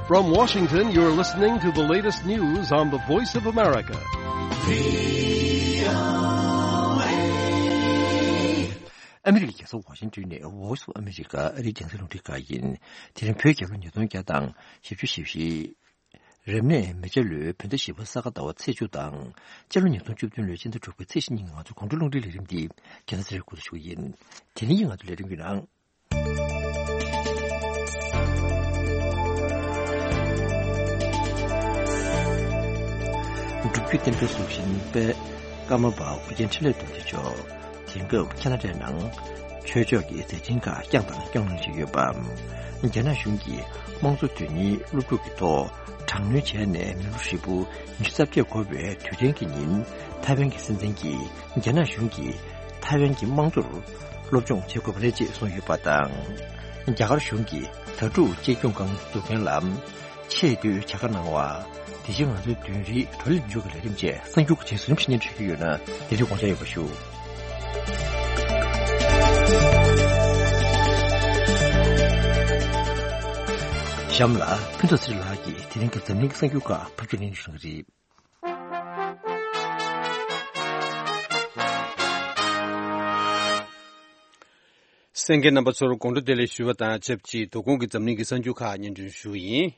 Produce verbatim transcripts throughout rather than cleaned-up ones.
From Washington, you're listening to the latest news on the Voice of America. ཨ་མི་རི་ཀའི་རྒྱལ་ས་ཝ་ཤིང་ཏོན་ནས་Voice of America ཨ་རིའི་རྒྱང་སྲིང་རླུང་འཕྲིན་ཁང་ཡིན། དེ་རིང་བོད་རྒྱལ་ལོ་ཉིས་སྟོང་བརྒྱ་དང་བཞི་བཅུ་ཞེ་བཞི། རབ་གནས་མེ་བྱ་ལོའི་བོད་ཟླ་བཞི་པ་ས་ག་ཟླ་བ་ཚེས་བཅུ་དང་། སྤྱི་ལོ་ཉིས་སྟོང་བཅུ་བདུན་ལོའི་སྤྱི་ཟླ་དྲུག་པའི་ཚེས་བཞི་ཉིན་གྱི་ང་ཚོའི་དགོང་དྲོ་རླུང་འཕྲིན་ལས་རིམ་འདི་རྒྱལ་ས་ཚེ་རིང་སྐུ་ཞུ་ཡིན། དེ་རིང་གི་ང་ཚོའི་ལས་རིམ་གྱི་ནང་། སྒྲུབ་བརྒྱུད་བསྟན་འགྲོའི་གཟུགས་ཅན་པའི་ཀརྨ་པ་ཨོ་རྒྱན་འཕྲིན་ལས་རྡོ་རྗེ་མཆོག་དེང་སྐབས་ཁ་ན་ཌའི་ནང་ཆོས་ཕྱོགས་ཀྱི་མཛད་འཕྲིན་ཁག་བསྐྱངས་དང་སྐྱོང་གནང་བཞིན་ཡོད་པ། རྒྱ་ནག་གཞུང་གིས་དམངས་གཙོ་དོན་གཉེར་སློབ་ཕྲུག་གི་ཐོག་དྲག་གནོན་བྱས་ནས་མི་ལོ་ཧྲིལ་པོ་ཉི་ཤུ་རྩ་བརྒྱད་འགོར་བའི་དུས་དྲན་གྱི་ཉིན། ཐའེ་ཝན་གྱི་སྲིད་འཛིན་གྱིས་རྒྱ་ནག་གཞུང་གིས་ཐའེ་ཝན་གྱི་དམངས་གཙོར་སློབ་སྦྱོང་བྱེད་དགོས་པ་རེད་ཅེས་གསུངས་ཡོད་པ་དང་། རྒྱ་གར་གཞུང་གིས་དྭ་ཕྲུག་གཅེས་སྐྱོང་ཁང་འཛུགས་མཁན་ལ་ཆེས་མཐོའི་བྱ་དགའ་གནང་བ། དེ་བཞིན་ང་ཚོའི་བདུན་རེའི་བགྲོ་གླེང་མཇུག་གི་ལས་རིམ་བཅས་གསར་འགྱུར་གྱི་རྗེས་སུ་རིམ་བཞིན་སྙན་སྒྲོན་ཞུ་རྒྱུ་ཡོད་ན་དེ་རིང་དགོངས་འཇགས་ཡོད་པ་ཞུ། གཤམ་ལ་ཕུན་ཚོགས་ཚེ་རིང་ལགས་ཀྱིས་དེ་རིང་གི་འཛམ་གླིང་གི་གསར་འགྱུར་ཁག་ཕབ་སྒྱུར་གནང་བཞིན་པ་རེད། གསན་མཁན་རྣམ་པ་ཚོར་དགོང་དྲོ་བདེ་ལེགས་ཞུ་བ་དང་ཆབས་ཅིག་དོ་དགོང་གི་འཛམ་གླིང་གི་གསར་འགྱུར་ཁག་སྙན་སྒྲོན་ཞུ་ཡིན།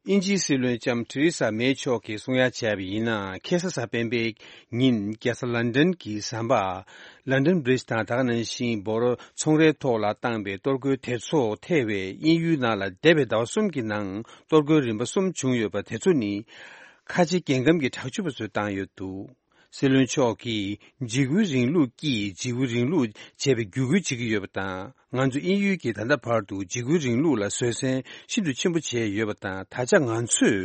དབྱིན་ཇིའི་སྲིད་བློན་ལྕམ་ཐེ་རེ་ས་མེ་མཆོག་གིས་གསུང་ཡ་བྱས་པ་ཡིན་ན། ཁ་སང་གཟའ་སྤེན་པའི་ཉིན་རྒྱལ་ས་ལན་ཌན་གྱི་ཟམ་པ་London Bridge དང་དེ་ག་ནང་བཞིན་འབོར་ཚོང་རའི་ཐོག་ལ་བཏང་པའི་གཏོར་རྒོལ་དེ་ཚོ་ཐེ་བའི་དབྱིན་ཡུལ་ནང་ལ་འདས་པའི་ཟླ་བ་གསུམ་གྱི་ནང་གཏོར་རྒོལ་རིམ་པ་གསུམ་བྱུང་ཡོད་པ་དེ་ཚོ་ནི། ཁ་ཆེ་རྒྱལ་ཁམས་ཀྱི་དྲག་སྤྱོད་པ་ཚོས་བཏང་ཡོད་འདུག། སྲིད་བློན་མཆོག་གིས་འཇིགས་སྐུལ་རིང་ལུགས་ཀྱིས་འཇིགས་སྐུལ་རིང་ལུགས་བྱས་པའི་བརྒྱུད་སྐུལ་བྱེད་ཀྱི་ཡོད་པ་དང་། ང་ཚོ་དབྱིན་ཡུལ་གྱིས་ད་ལྟ་བར་དུ་འཇིགས་སྐུལ་རིང་ལུགས་ལ་བཟོད་བསྲན་ཤིན་ཏུ་ཆེན་པོ་བྱས་ཡོད་པ་དང་། ད་ཆ་ང་ཚོས་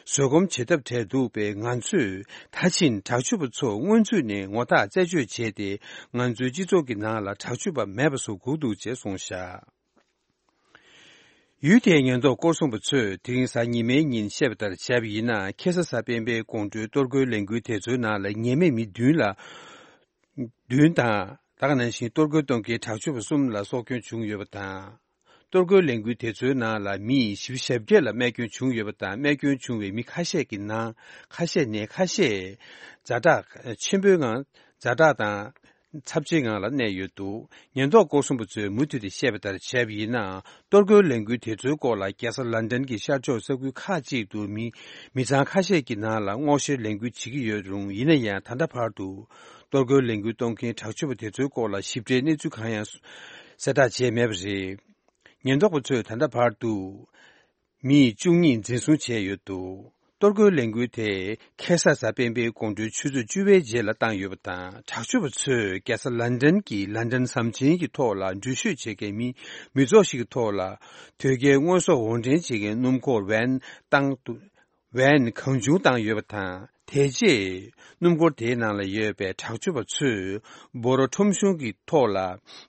བཟོད་སྒོམ་བྱེད་ཐབས་བྲལ་འདུག་པས། ང་ཚོས་ད་ཕྱིན་དྲག་སྤྱོད་པ་ཚོ་སྔོན་ཚུད་ནས་ངོ་ཐག་རྩད་གཅོད་བྱས་ཏེ། ང་ཚོའི་སྤྱི་ཚོགས་ཀྱི་ནང་ལ་དྲག་སྤྱོད་པ་མེད་པ་བཟོ་དགོས་འདུག་ཅེས་གསུངས་བཞག། ཡུལ་དེའི་ཉེན་རྟོག་སྐོར་སྲུང་པ་ཚོས་དེ་རིང་གཟའ་ཉི་མའི་ཉིན་བཤད་པ་ལྟར་བྱས་པ་ཡིན་ན། ཁ་སང་གཟའ་སྤེན་པའི་དགོང་དྲོའི་གཏོར་རྒོལ་ལས་འགུལ་དེ་ཚོའི་ནང་ལ་ཉེས་མེད་མི་བདུན་ལ། བདུན་དང་། ད་ག་ནང་བཞིན་གཏོར་རྒོལ་གཏོང་མཁན་དྲག་སྤྱོད་པ་གསུམ་ལ་སྲོག་སྐྱོན་བྱུང་ཡོད་པ་དང་། གཏོར་རྒོལ་ལས་འགུལ་དེ་ཚོའི་ནང་ལ་མི་བཞི་བཅུ་ཞེ་བརྒྱད་ལ་རྨས་སྐྱོན་བྱུང་ཡོད་པ་དང་། རྨས་སྐྱོན་བྱུང་བའི་མི་ཁ་ཤས་ཀྱི་ནང་ཁ་ཤས་ནས་ཁ་ཤས་ཛ་དྲག་ཆེན་པོའི་ངང་ཛ་དྲག་དང་། ཚབས་ཆེའི་ངང་ལ་གནས་ཡོད་འདུག། ཉེན་རྟོག་སྐོར་སྲུང་པ་ཚོས་མུ་མཐུད་དེ་བཤད་པ་ལྟར་བྱས་པ་ཡིན་ན། གཏོར་རྒོལ་ལས་འགུལ་དེ་ཚོའི་སྐོར་ལ་རྒྱལ་ས་ལན་ཌན་གྱི་ཤར་ཕྱོགས་ས་ཁུལ་ཁག་ཅིག་ཏུ་མི་མི་ཚང་ཁ་ཤས་ཀྱི་ནང་ལ་སྔོག་བཤེར་ལས་འགུལ་བྱེད་ཀྱི་ཡོད་རུང་། ཡིན་ན་ཡང་ད་ལྟ་བར་དུ་གཏོར་རྒོལ་ལས་འགུལ་གཏོང་མཁན་དྲག་སྤྱོད་པ་དེ་ཚོའི་སྐོར་ལ་ཞིབ་ཕྲའི་གནས་ཚུལ་གང་ཡང་གསལ་བསྒྲགས་བྱས་མེད་པ་རེད། ཉེན་རྟོག་པ་ཚོས་ད་ལྟ་བར་དུ། མི་བཅུ་གཉིས་འཛིན་བཟུང་བྱས་ཡོད་འདུག། གཏོར་རྒོལ་ལས་འགུལ་དེ་ཁ་སང་གཟའ་སྤེན་པའི་དགོང་དྲོའི་ཆུ་ཚོད་བཅུ་པའི་རྗེས་ལ་བཏང་ཡོད་པ་དང་། དྲག་སྤྱོད་པ་ཚོས་རྒྱལ་ས་ལན་ཌན་གྱི་ལན་ཌན་ཟམ་ཆེན་གྱི་ཐོག་ལ་འགྲུལ་བཞུད་བྱེད་མཁན་མི་མི་ཚོགས་ཤིག་གི་ཐོག་ལ་དོས་སྐྱེལ་དངོས་ཟོག་འོར་འདྲེན་བྱེད་མཁན་སྣུམ་འཁོར་ཝན་བཏང་འདུག། ཝན་གང་བྱུང་བཏང་ཡོད་པ་དང་། དེ་རྗེས་སྣུམ་འཁོར་དེའི་ནང་ལ་ཡོད་པའི་དྲག་སྤྱོད་པ་ཚོས་འབོ་ར་ཁྲོམ་གཞུང་གི་ཐོག་ལ་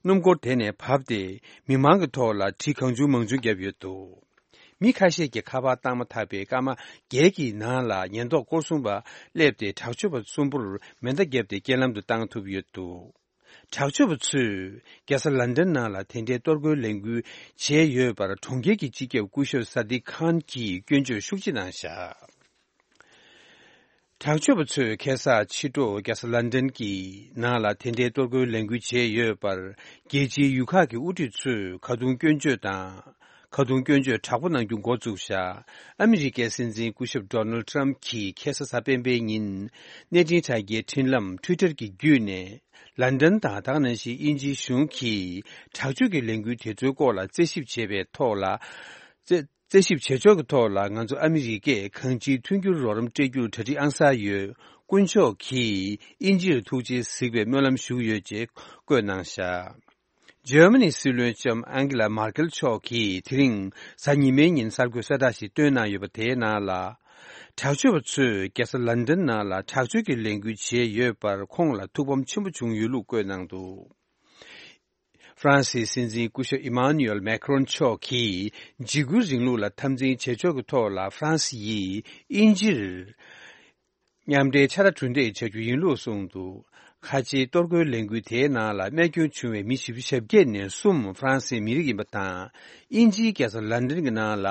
སྣུམ་འཁོར་དེ་ནས་བབས་ཏེ་མི་མང་གི་ཐོག་ལ་གྲི་གང་བྱུང་མང་བྱུང་བརྒྱབ་ཡོད་འདུག། མི་ཁ་ཤས་ཀྱིས་ཁ་པར་བཏང་མ་ཐག་པའི་སྐར་མ་བརྒྱད་ཀྱི་ནང་ལ་ཉེན་རྟོག་སྐོར་སྲུང་པ་སླེབས་ཏེ་དྲག་སྤྱོད་པ་གསུམ་པོར་མེ་མདའ་བརྒྱབ་སྟེ་རྐྱེན་ལམ་དུ་བཏང་ཐུབ་ཡོད་འདུག། དྲག་སྤྱོད་པ་ཚོས་རྒྱལ་ས་ལན་ཌན་ནང་ལ་དེ་འདྲའི་གཏོར་རྒོལ་ལས་འགུལ་བྱས་ཡོད་པར་གྲོང་ཁྱེར་གྱི་སྤྱི་ཁྱབ་སྐུ་ཞབས་ས་དིག་ཁཱན་གྱིས་སྐྱོན་བརྗོད་ཤུགས་ཆེ་གནང་བཞག། དྲག་སྤྱོད་པ་ཚོས་ཁ་སང་ཕྱི་དྲོ་རྒྱལ་ས་ལན་ཌན་གྱི་ནང་ལ་དེ་འདྲའི་གཏོར་རྒོལ་ལས་འགུལ་བྱས་ཡོད་པར། རྒྱལ་སྤྱིའི་ཡུལ་ཁག་གི་དབུ་ཁྲིད་ཚོས་ཁ་རྡུང་སྐྱོན་བརྗོད་དང་། ཁ་རྡུང་སྐྱོན་བརྗོད་དྲག་པོ་གནང་རྒྱུ་འགོ་བཙུགས་བཞག། ཨ་མི་རི་ཀའི་སྲིད་འཛིན་སྐུ་ཞབས་ཌོ་ནལ་ཊམ་གྱིས་ཁ་སང་གཟའ་སྤེན་པའི་ཉིན། གནས་འཕྲིན་དྲ་རྒྱའི་འཕྲིན་ལམ་ཊུའི་ཊར་གྱི་བརྒྱུད་ནས། ལན་ཌན་དང་དེ་ག་ནང་བཞིན་དབྱིན་ཇིའི་གཞུང་གིས་དྲག་སྤྱོད་ཀྱི་ལས་འགུལ་དེ་ཚོའི་སྐོར་ལ་རྩད་ཞིབ་བྱེད་པའི་ཐོག་ལ། རྩད་རྩད་ཞིབ་བྱེད་ཕྱོགས་ཀྱི་ཐོག་ལ་ང་ཚོ་ཨ་མི་རི་ཀས་གང་ཅིའི་མཐུན་འགྱུར་རོགས་རམ་སྤྲད་རྒྱུར་གྲ་སྒྲིག་ཨང་གསར་ཡོད། དཀོན་མཆོག་གིས་དབྱིན་ཇིར་ཐུགས་རྗེས་གཟིགས་པའི་སྨོན་ལམ་ཞུ་གི་ཡོད་ཅེས་བཀོད་གནང་བཞག། འཇར་མ་ནིའི་སྲིད་བློན་ལྕམ་ཨན་གྷི་ལ་མར་ཀེལ་མཆོག་གིས་དེ་རིང་གཟའ་ཉི་མའི་ཉིན་གསར་འགོད་གསལ་བསྒྲགས་ཤིག་བཏོན་གནང་ཡོད་པ། དེའི་ནང་ལ། དྲག་སྤྱོད་པ་ཚོས་རྒྱལ་ས་ལན་ཌན་ནང་ལ་དྲག་སྤྱོད་ཀྱི་ལས་འགུལ་བྱས་ཡོད་པར་ཁོང་ལ་ཐུགས་ཕམ་ཆེན་པོ་བྱུང་ཡོད་ལུགས་བཀོད་གནང་འདུག། ཧྥ་རན་སིའི་སྲིད་འཛིན་སྐུ་ཞབས་ཨི་མཱ་ནུ་ཨེལ་མེ་ཁ་རོན་མཆོག་གིས་འཇིགས་སྐུལ་རིང་ལུགས་ལ་འཐབ་འཛིང་བྱེད་ཕྱོགས་ཀྱི་ཐོག་ལ་ཧྥ་རན་སི་ཡིས་དབྱིན་ཇིར་མཉམ་འབྲེལ་ཕྱག་ར་གྲུ་འདེགས་བྱ་རྒྱུ་ཡིན་ལུགས་གསུངས་འདུག། ཁ་ཆེའི་གཏོར་རྒོལ་ལས་འགུལ་དེའི་ནང་ལ་རྨས་སྐྱོན་བྱུང་བའི་མི་བཞི་བཅུ་ཞེ་བརྒྱད་ནས་གསུམ་ཧྥ་རན་སིའི་མི་རིགས་ཡིན་པ་དང་། དབྱིན་ཇིའི་རྒྱལ་ས་ལན་ཌན་གྱི་ནང་ལ་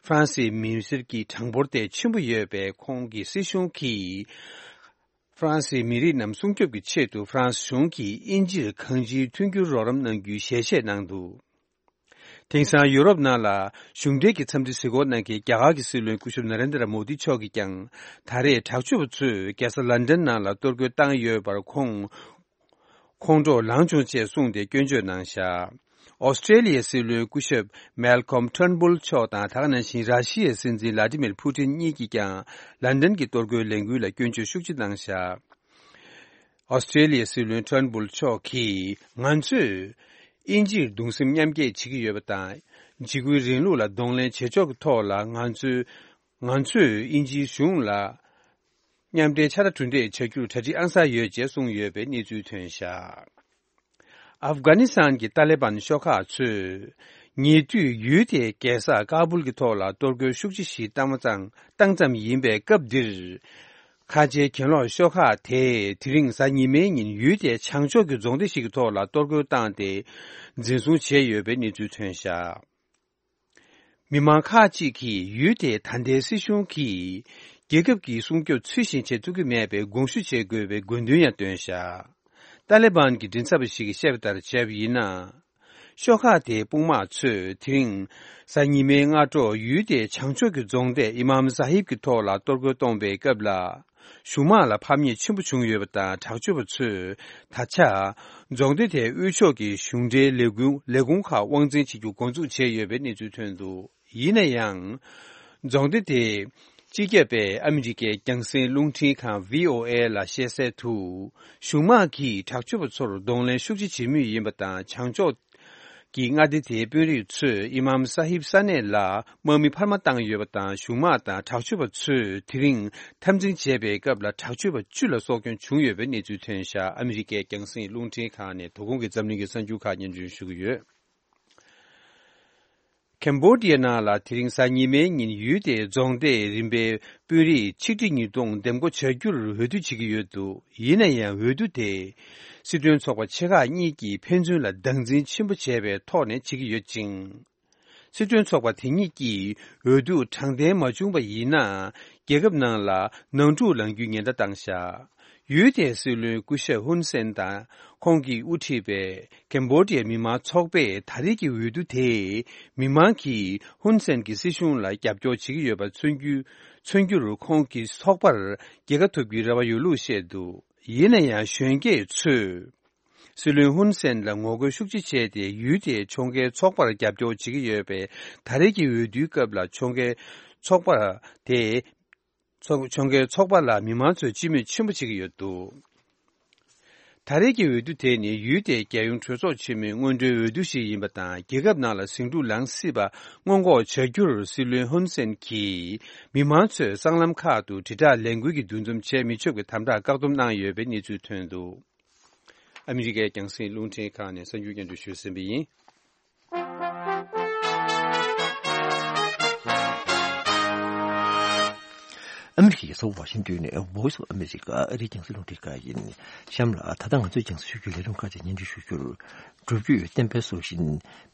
ཧྥ་རན་སིའི་མི་སེར་གྱི་གྲངས་འབོར་དེ་ཆེན་པོ་ཡོད་པས། ཁོང་གི་སྲིད་གཞུང་གིས་ཧྥ་རན་སིའི་མི་རིགས་རྣམས་སྲུང་སྐྱོབ་ཀྱི་ཆེད་དུ་ཧྥ་རན་སི་གཞུང་གིས་དབྱིན་ཇིར་གང་ཅིའི་མཐུན་འགྱུར་རོགས་རམ་གནང་རྒྱུའི་ཞལ་བཞེས་གནང་འདུག། དེང་སང་ཡུ་རོབ་ནང་ལ་གཞུང་འབྲེལ་གྱི་འཚམས་འདྲི་གཟིགས་སྐོར་གནང་མཁན་རྒྱ་གར་གྱི་སྲིད་བློན་སྐུ་ཞབས་ན་རེན་དྲ་མོ་དི་མཆོག་གིས་ཀྱང་། ད་རེས་དྲག་སྤྱོད་པ་ཚོས་རྒྱལ་ས་ལན་ཌན་ནང་ལ་གཏོར་རྒོལ་བཏང་ཡོད་པར་ཁོང་ཁོང་ཁྲོ་ལངས་བྱུང་ཅེས་གསུངས་ཏེ་སྐྱོན་བརྗོད་གནང་བཞག། ཨོ་སི་ཀྲེ་ལི་ཡའི་སྲིད་བློན་སྐུ་ཞབས་མལ་ཁོམ་ཊརན་བུལ་མཆོག་དང་། ད་ག་ནང་བཞིན་ར་ཤི་ཡའི་སྲིད་འཛིན་ལ་ཏི་མིར་ཕུ་ཏིན་གཉིས་ཀྱིས་ཀྱང་ལན་ཌན་གྱི་གཏོར་རྒོལ་ལས་འགུལ་ལ་སྐྱོན་བརྗོད་ཤུགས་ཆེ་གནང་བཞག། ཨོ་སི་ཀྲེ་ལི་ཡའི་སྲིད་བློན་ཊརན་བུལ་མཆོག་གིས། ང་ཚོས་དབྱིན་ཇིར་གདུང་སེམས་མཉམ་སྐྱེད་བྱེད་ཀྱི་ཡོད་པ་དང་། འཇིགས་སྐུལ་རིང་ལུགས་ལ་གདོང་ལེན་བྱེད་ཕྱོགས་ཀྱི་ཐོག་ལ་ང་ཚོས་ང་ཚོས་དབྱིན་ཇིའི་གཞུང་ལ་མཉམ་འབྲེལ་ཕྱག་ར་གྲུ་འདེགས་བྱ་རྒྱུར་གྲ་སྒྲིག་ཨང་གསར་ཡོད་ཅེས་གསུངས་ཡོད་པའི་གནས་ཚུལ་ཐོན་བཞག། ཨབ་གྷ་ནི་སི་ཐན་གྱི་ཏཱ་ལི་བན་ཤོག་ཁག་ཚོས་ཉེ་དུས་ཡུལ་དེའི་རྒྱལ་ས་ཀ་བུལ་གྱི་ཐོག་ལ་གཏོར་རྒོལ་ཤུགས་ཆེ་ཞིག་བཏང་བ་ཙམ་བཏང་ཙམ་ཡིན་པའི་སྐབས་འདིར། ཁ་ཆེའི་གྱེན་ལོག་ཤོག་ཁག་དེས་དེ་རིང་གཟའ་ཉི་མའི་ཉིན་ཡུལ་དེའི་བྱང་ཕྱོགས་ཀྱི་རྫོང་སྡེ་ཞིག་གི་ཐོག་ལ་གཏོར་རྒོལ་བཏང་སྟེ་འཛིན་བཟུང་བྱས་ཡོད་པའི་གནས་ཚུལ་ཐོན་བཞག། མི་མང་ཁག་ཅིག་གིས་ཡུལ་དེའི་ད་ལྟའི་སྲིད་གཞུང་གིས་རྒྱལ་ཁབ་ཀྱི་སྲུང་སྐྱོབ་ཚུལ་བཞིན་བྱེད་ཐུབ་ཀྱི་མེད་པའི་དགོངས་ཞུ་བྱེད་དགོས་པའི་དགོས་འདུན་ཡང་བཏོན་བཞག། ཏཱ་ལི་བན་གྱི་མགྲིན་ཚབ་པ་ཞིག་གིས་བཤད་པ་ལྟར་བྱས་པ་ཡིན་ན། ཤོག་ཁག་དེའི་དཔུང་དམག་ཚོས་དེ་རིང་གཟའ་ཉི་མའི་སྔ་དྲོ་ཡུལ་དེའི་བྱང་ཕྱོགས་ཀྱི་རྫོང་སྡེ་ཨི་མམ་ཟ་ཧིབ་ཀྱི་ཐོག་ལ་གཏོར་རྒོལ་གཏོང་བའི་སྐབས་ལ། གཞུང་དམག་ལ་ཕམ་ཉེས་ཆེན་པོ་བྱུང་ཡོད་པ་དང་། དྲག་སྤྱོད་པ་ཚོས་ད་ཆ་རྫོང་སྡེ་དེའི་དབུས་ཕྱོགས་ཀྱི་གཞུང་འབྲེལ་ལས་ཁུངས་ལས་ཁུངས་ཁག་དབང་འཛིན་བྱེད་རྒྱུ་འགོ་འཛུགས་བྱས་ཡོད་པའི་གནས་ཚུལ་ཐོན་འདུག། ཡིན་ན་ཡང་། རྫོང་སྡེ་དེ་སྤྱི་ཁྱབ་པས་ཨ་མི་རི་ཀའི་རྒྱང་སྲིང་རླུང་འཕྲིན་ཁང་བྷི་ཨོ་ཨེ་ལ་བཤད་གསལ་དུ། གཞུང་དམག་གིས་དྲག་སྤྱོད་པ་ཚོར་གདོང་ལེན་ཤུགས་ཆེ་བྱེད་མུས་ཡིན་པ་དང་། བྱང་ཕྱོགས་ཀྱི་མངའ་སྡེ་དེའི་དཔོན་རིགས་ཚོས་ཨི་མམ་ས་ཧིབ་ས་གནས་ལ་དམག་མི་འཕར་མ་བཏང་ཡོད་པ་དང་། གཞུང་དམག་དང་དྲག་སྤྱོད་པ་ཚོས་དེ་རིང་འཐབ་འཛིང་བྱས་པའི་སྐབས་ལ་དྲག་སྤྱོད་པ་བཅུ་ལ་སྲོག་སྐྱོན་བྱུང་ཡོད་པའི་གནས་ཚུལ་ཐོན་བཞག། ཨ་མི་རི་ཀའི་རྒྱང་སྲིང་རླུང་འཕྲིན་ཁང་ནས་དོ་དགོང་གི་འཛམ་གླིང་གི་གསར་འགྱུར་ཁག་སྙན་སྒྲོན་ཞུ་གི་ཡོད། ཁེམ་བྷོ་ཌི་ཡ་ནང་ལ་དེ་རིང་གཟའ་ཉི་མའི་ཉིན་ཡུལ་དེའི་རྫོང་སྡེའི་རིམ་པའི་དཔོན་རིགས་ཆིག་ཁྲི་ཉིས་སྟོང་འདེམས་བསྐོ་བྱ་རྒྱུར་འོས་བསྡུ་བྱེད་ཀྱི་ཡོད་འདུག། ཡིན་ན་ཡང་འོས་བསྡུ་དེ་སྲིད་དོན་ཚོགས་པ་ཆེ་ཁག་གཉིས་ཀྱིས་ཕན་ཚུན་ལ་སྟངས་འཛིན་ཆེན་པོ་བྱས་པའི་ཐོག་ནས་བྱེད་ཀྱི་ཡོད་ཅིང་། སྲིད་དོན་ཚོགས་པ་དེ་གཉིས་ཀྱིས་འོས་བསྡུ་དྲང་བདེན་མ་བྱུང་བ་ཡིན་ན། རྒྱལ་ཁབ་ནང་ལ་ནང་འཁྲུག་ལངས་རྒྱུའི་ཉེན་བརྡ་བཏང་བཞག། ཡུལ་དེའི་སྲིད་བློན་སྐུ་ཞབས་ཧུན་སེན་དང་ཁོང་གིས་དབུ་ཁྲིད་པའི་ཀེམ་བྷོ་ཌི་ཡའི་མི་མང་ཚོགས་པས་ད་རེས་ཀྱི་འོས་བསྡུ་དེས་མི་མང་གིས་ཧུན་སེན་གྱི་སྲིད་གཞུང་ལ་རྒྱབ་སྐྱོར་བྱེད་ཀྱི་ཡོད་པ་མཚོན་རྒྱུ་མཚོན་རྒྱུར་ཁོང་གི་ཚོགས་པར་རྒྱལ་ཁ་ཐོབ་རྒྱུའི་རེ་བ་ཡོད་ལུགས་བཤད་འདུག། ཡིན་ན་ཡང་གཞོན་སྐྱེས་ཚོས་སྲིད་བློན་ཧུན་སེན་ལ་ངོ་རྒོལ་ཤུགས་ཆེ་བྱས་ཏེ། ཡུལ་དེའི་ཕྱོགས་འགལ་ཚོགས་པར་རྒྱབ་སྐྱོར་བྱེད་ཀྱི་ཡོད་པས། ད་རེས་ཀྱི་འོས་བསྡུའི་སྐབས་ལ་ཕྱོགས་འགལ་ཚོགས་པ་དེ། ཚོགས་ཕྱོགས་འགལ་ཚོགས་པ་ལ་མི་མང་ཚོས་སྤྱི་མོས་ཆེན་པོ་བྱེད་ཀྱི་ཡོད་འདུག། ད་རེས་ཀྱི་འོས་བསྡུ་དེ་ནི་ཡུལ་དེའི་རྒྱལ་ཡོངས་གྲོས་ཚོགས་ཆེན་མོའི་སྔོན་འགྲོའི་འོས་བསྡུ་ཞིག་ཡིན་པ་དང་། རྒྱལ་ཁབ་ནང་ལ་ཟིང་འཁྲུག་ལངས་སྲིད་པ་སྔོན་འགོག་བྱ་རྒྱུར་སྲིད་བློན་ཧུན་སེན་གྱིས་མི་མང་ཚོས་སྲང་ལམ་ཁག་ཏུ་དྲིལ་བསྒྲགས་ལས་འགུལ་གྱི་འདུ་འཛོམས་བྱེད་མི་ཆོག་པའི་དམ་དྲག་བཀག་སྡོམ་གནང་ཡོད་པའི་གནས་ཚུལ་ཐོན་འདུག། ཨ་མི་རི་ཀའི་རྒྱང་སྲིང་རླུང་འཕྲིན་ཁང་ནས་གསར་འགྱུར་སྙན་སྒྲོན་ཞུས་ཟིན་པ་ཡིན། ཨ་མི་རི་ཀའི་རྒྱལ་ས་ཝ་ཤིང་ཏོན་ནས་Voice of America ཨ་རིའི་རྒྱང་སྲིང་རླུང་འཕྲིན་ཁང་ཡིན། གཤམ་ལ་ད་ལྟ་ང་ཚོས་རྒྱང་སྲིང་ཞུ་རྒྱུའི་ལས་རིམ་ཁག་ཅིག་སྙན་སྒྲོན་ཞུ་རྒྱུར། སྒྲུབ་བརྒྱུད་བསྟན་པའི་སྲོག་ཤིང་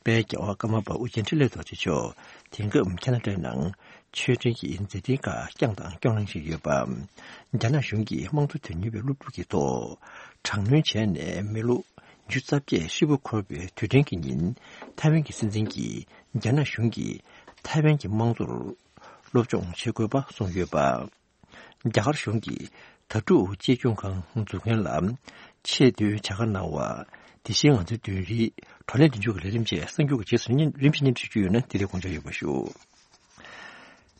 དཔལ་རྒྱལ་བ་ཀརྨ་པ་ཨོ་རྒྱན་འཕྲིན་ལས་རྡོ་རྗེ་མཆོག་དེང་སྐབས་ཁ་ན་ཌའི་ནང་ཆོས་འབྲེལ་གྱི་མཛད་འཕྲིན་ཁག་བསྐྱངས་དང་སྐྱོང་གནང་བཞིན་ཡོད་པ། རྒྱ་ནག་གཞུང་གིས་དམངས་གཙོ་དོན་གཉེར་བའི་སློབ་ཕྲུག་གི་ཐོག་དྲག་གནོན་བྱས་ནས་མི་ལོ་ཉི་ཤུ་རྩ་བརྒྱད་ཧྲིལ་པོ་འཁོར་བའི་དུས་དྲན་གྱི་ཉིན། ཐའེ་ཝན་གྱི་སྲིད་འཛིན་གྱིས་རྒྱ་ནག་གཞུང་གིས་ཐའེ་ཝན་གྱི་དམངས་གཙོར་སློབ་སྦྱོང་བྱེད་དགོས་པ་གསུངས་ཡོད་པ། རྒྱ་གར་གཞུང་གིས་དྭ་ཕྲུག་གཅེས་སྐྱོང་ཁང་འཛུགས་མཁན་ལ་ཆེས་མཐོའི་བྱ་དགའ་གནང་བ། དེ་བཞིན་ང་ཚོའི་བདུན་རེའི་བགྲོ་གླེང་མདུན་ལྗོངས་ཀྱི་ལས་རིམ་བཅས་གསར་འགྱུར་གྱི་རྗེས་སུ་སྙན་རིམ་བཞིན་སྙན་སྒྲོན་ཞུ་རྒྱུ་ཡོད་ན་དེ་རིང་དགོངས་འཇགས་ཡོད་པ་ཞུ།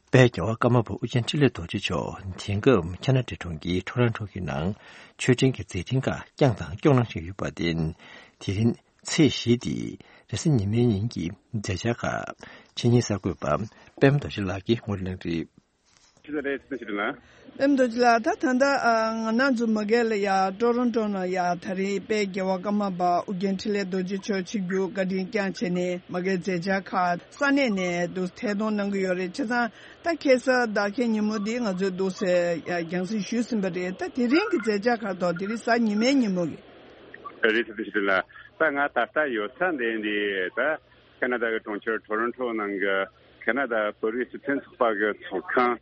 དཔལ་རྒྱལ་བ་ཀརྨ་པ་ཨོ་རྒྱན་འཕྲིན་ལས་རྡོ་རྗེ་མཆོག་དེང་སྐབས་ཁ་ན་ཌའི་གྲོང་ཁྱེར་ཊོ་རོན་ཊོ་གི་ནང་ཆོས་འབྲེལ་གྱི་མཛད་འཕྲིན་ཁག་བསྐྱངས་དང་སྐྱོང་གནང་བཞིན་ཡོད་པར་བརྟེན། དེ་རིང་ཚེས་བཞི་སྟེ་རེས་གཟའ་ཉི་མའི་ཉིན་གྱི་མཛད་འཆར་ཁག་ཕྱི་ཉིན་གསར་འགོད་པ་པད་མ་རྡོ་རྗེ་ལགས་ཀྱིས་ངོ་སྤྲོད་གནང་གི་རེད། རེད། ཐུགས་རྗེ་ཆེ་ལགས། ཨེམ་རྡོ་རྗེ་ལགས། ད་ད་ལྟ་ཨ་ང་རང་ཚོ་མ་གི་ལ་ཡ་ཊོ་རོན་ཊོ་ནང་ཡ་ད་རེས་དཔལ་རྒྱལ་བ་ཀརྨ་པ་ཨོ་རྒྱན་འཕྲིན་ལས་རྡོ་རྗེ་མཆོག་ཆིབས་བསྒྱུར་བཀའ་དྲིན་བསྐྱངས་བྱས་ནས་མ་གིའི་མཛད་འཆར་ཁག་ས་གནས་ནས་འདུག་ཐད་གཏོང་གནང་གི་ཡོད་རེད། བྱས་ཙང་ད་ཁ་སང་ཟླ་ཁའི་ཉིན་མོ་འདི་ང་ཚོས་འདུག་སེ་ཡ་རྒྱང་སྲིང་ཞུས་ཟིན་པ་རེད། ད་དེ་རིང་གི་མཛད་འཆར་ཁག་ཐོག་དེ་རིང་གཟའ་ཉི་མའི་ཉིན་མོ་གི། རེད། ཐུགས་རྗེ་ཆེ་ལགས། ད་ང་ད་ལྟ་ཡོད་ས་འདི་འདི་ད་ཁ་ན་ཌ་གི་གྲོང་ཁྱེར་ཊོ་རོན་ཊོ་ནང་གི་ཁ་ན་ཌ་བོད་རིགས་སྤྱི་མཐུན་ཚོགས་པ་གི་ཚོགས་ཁང་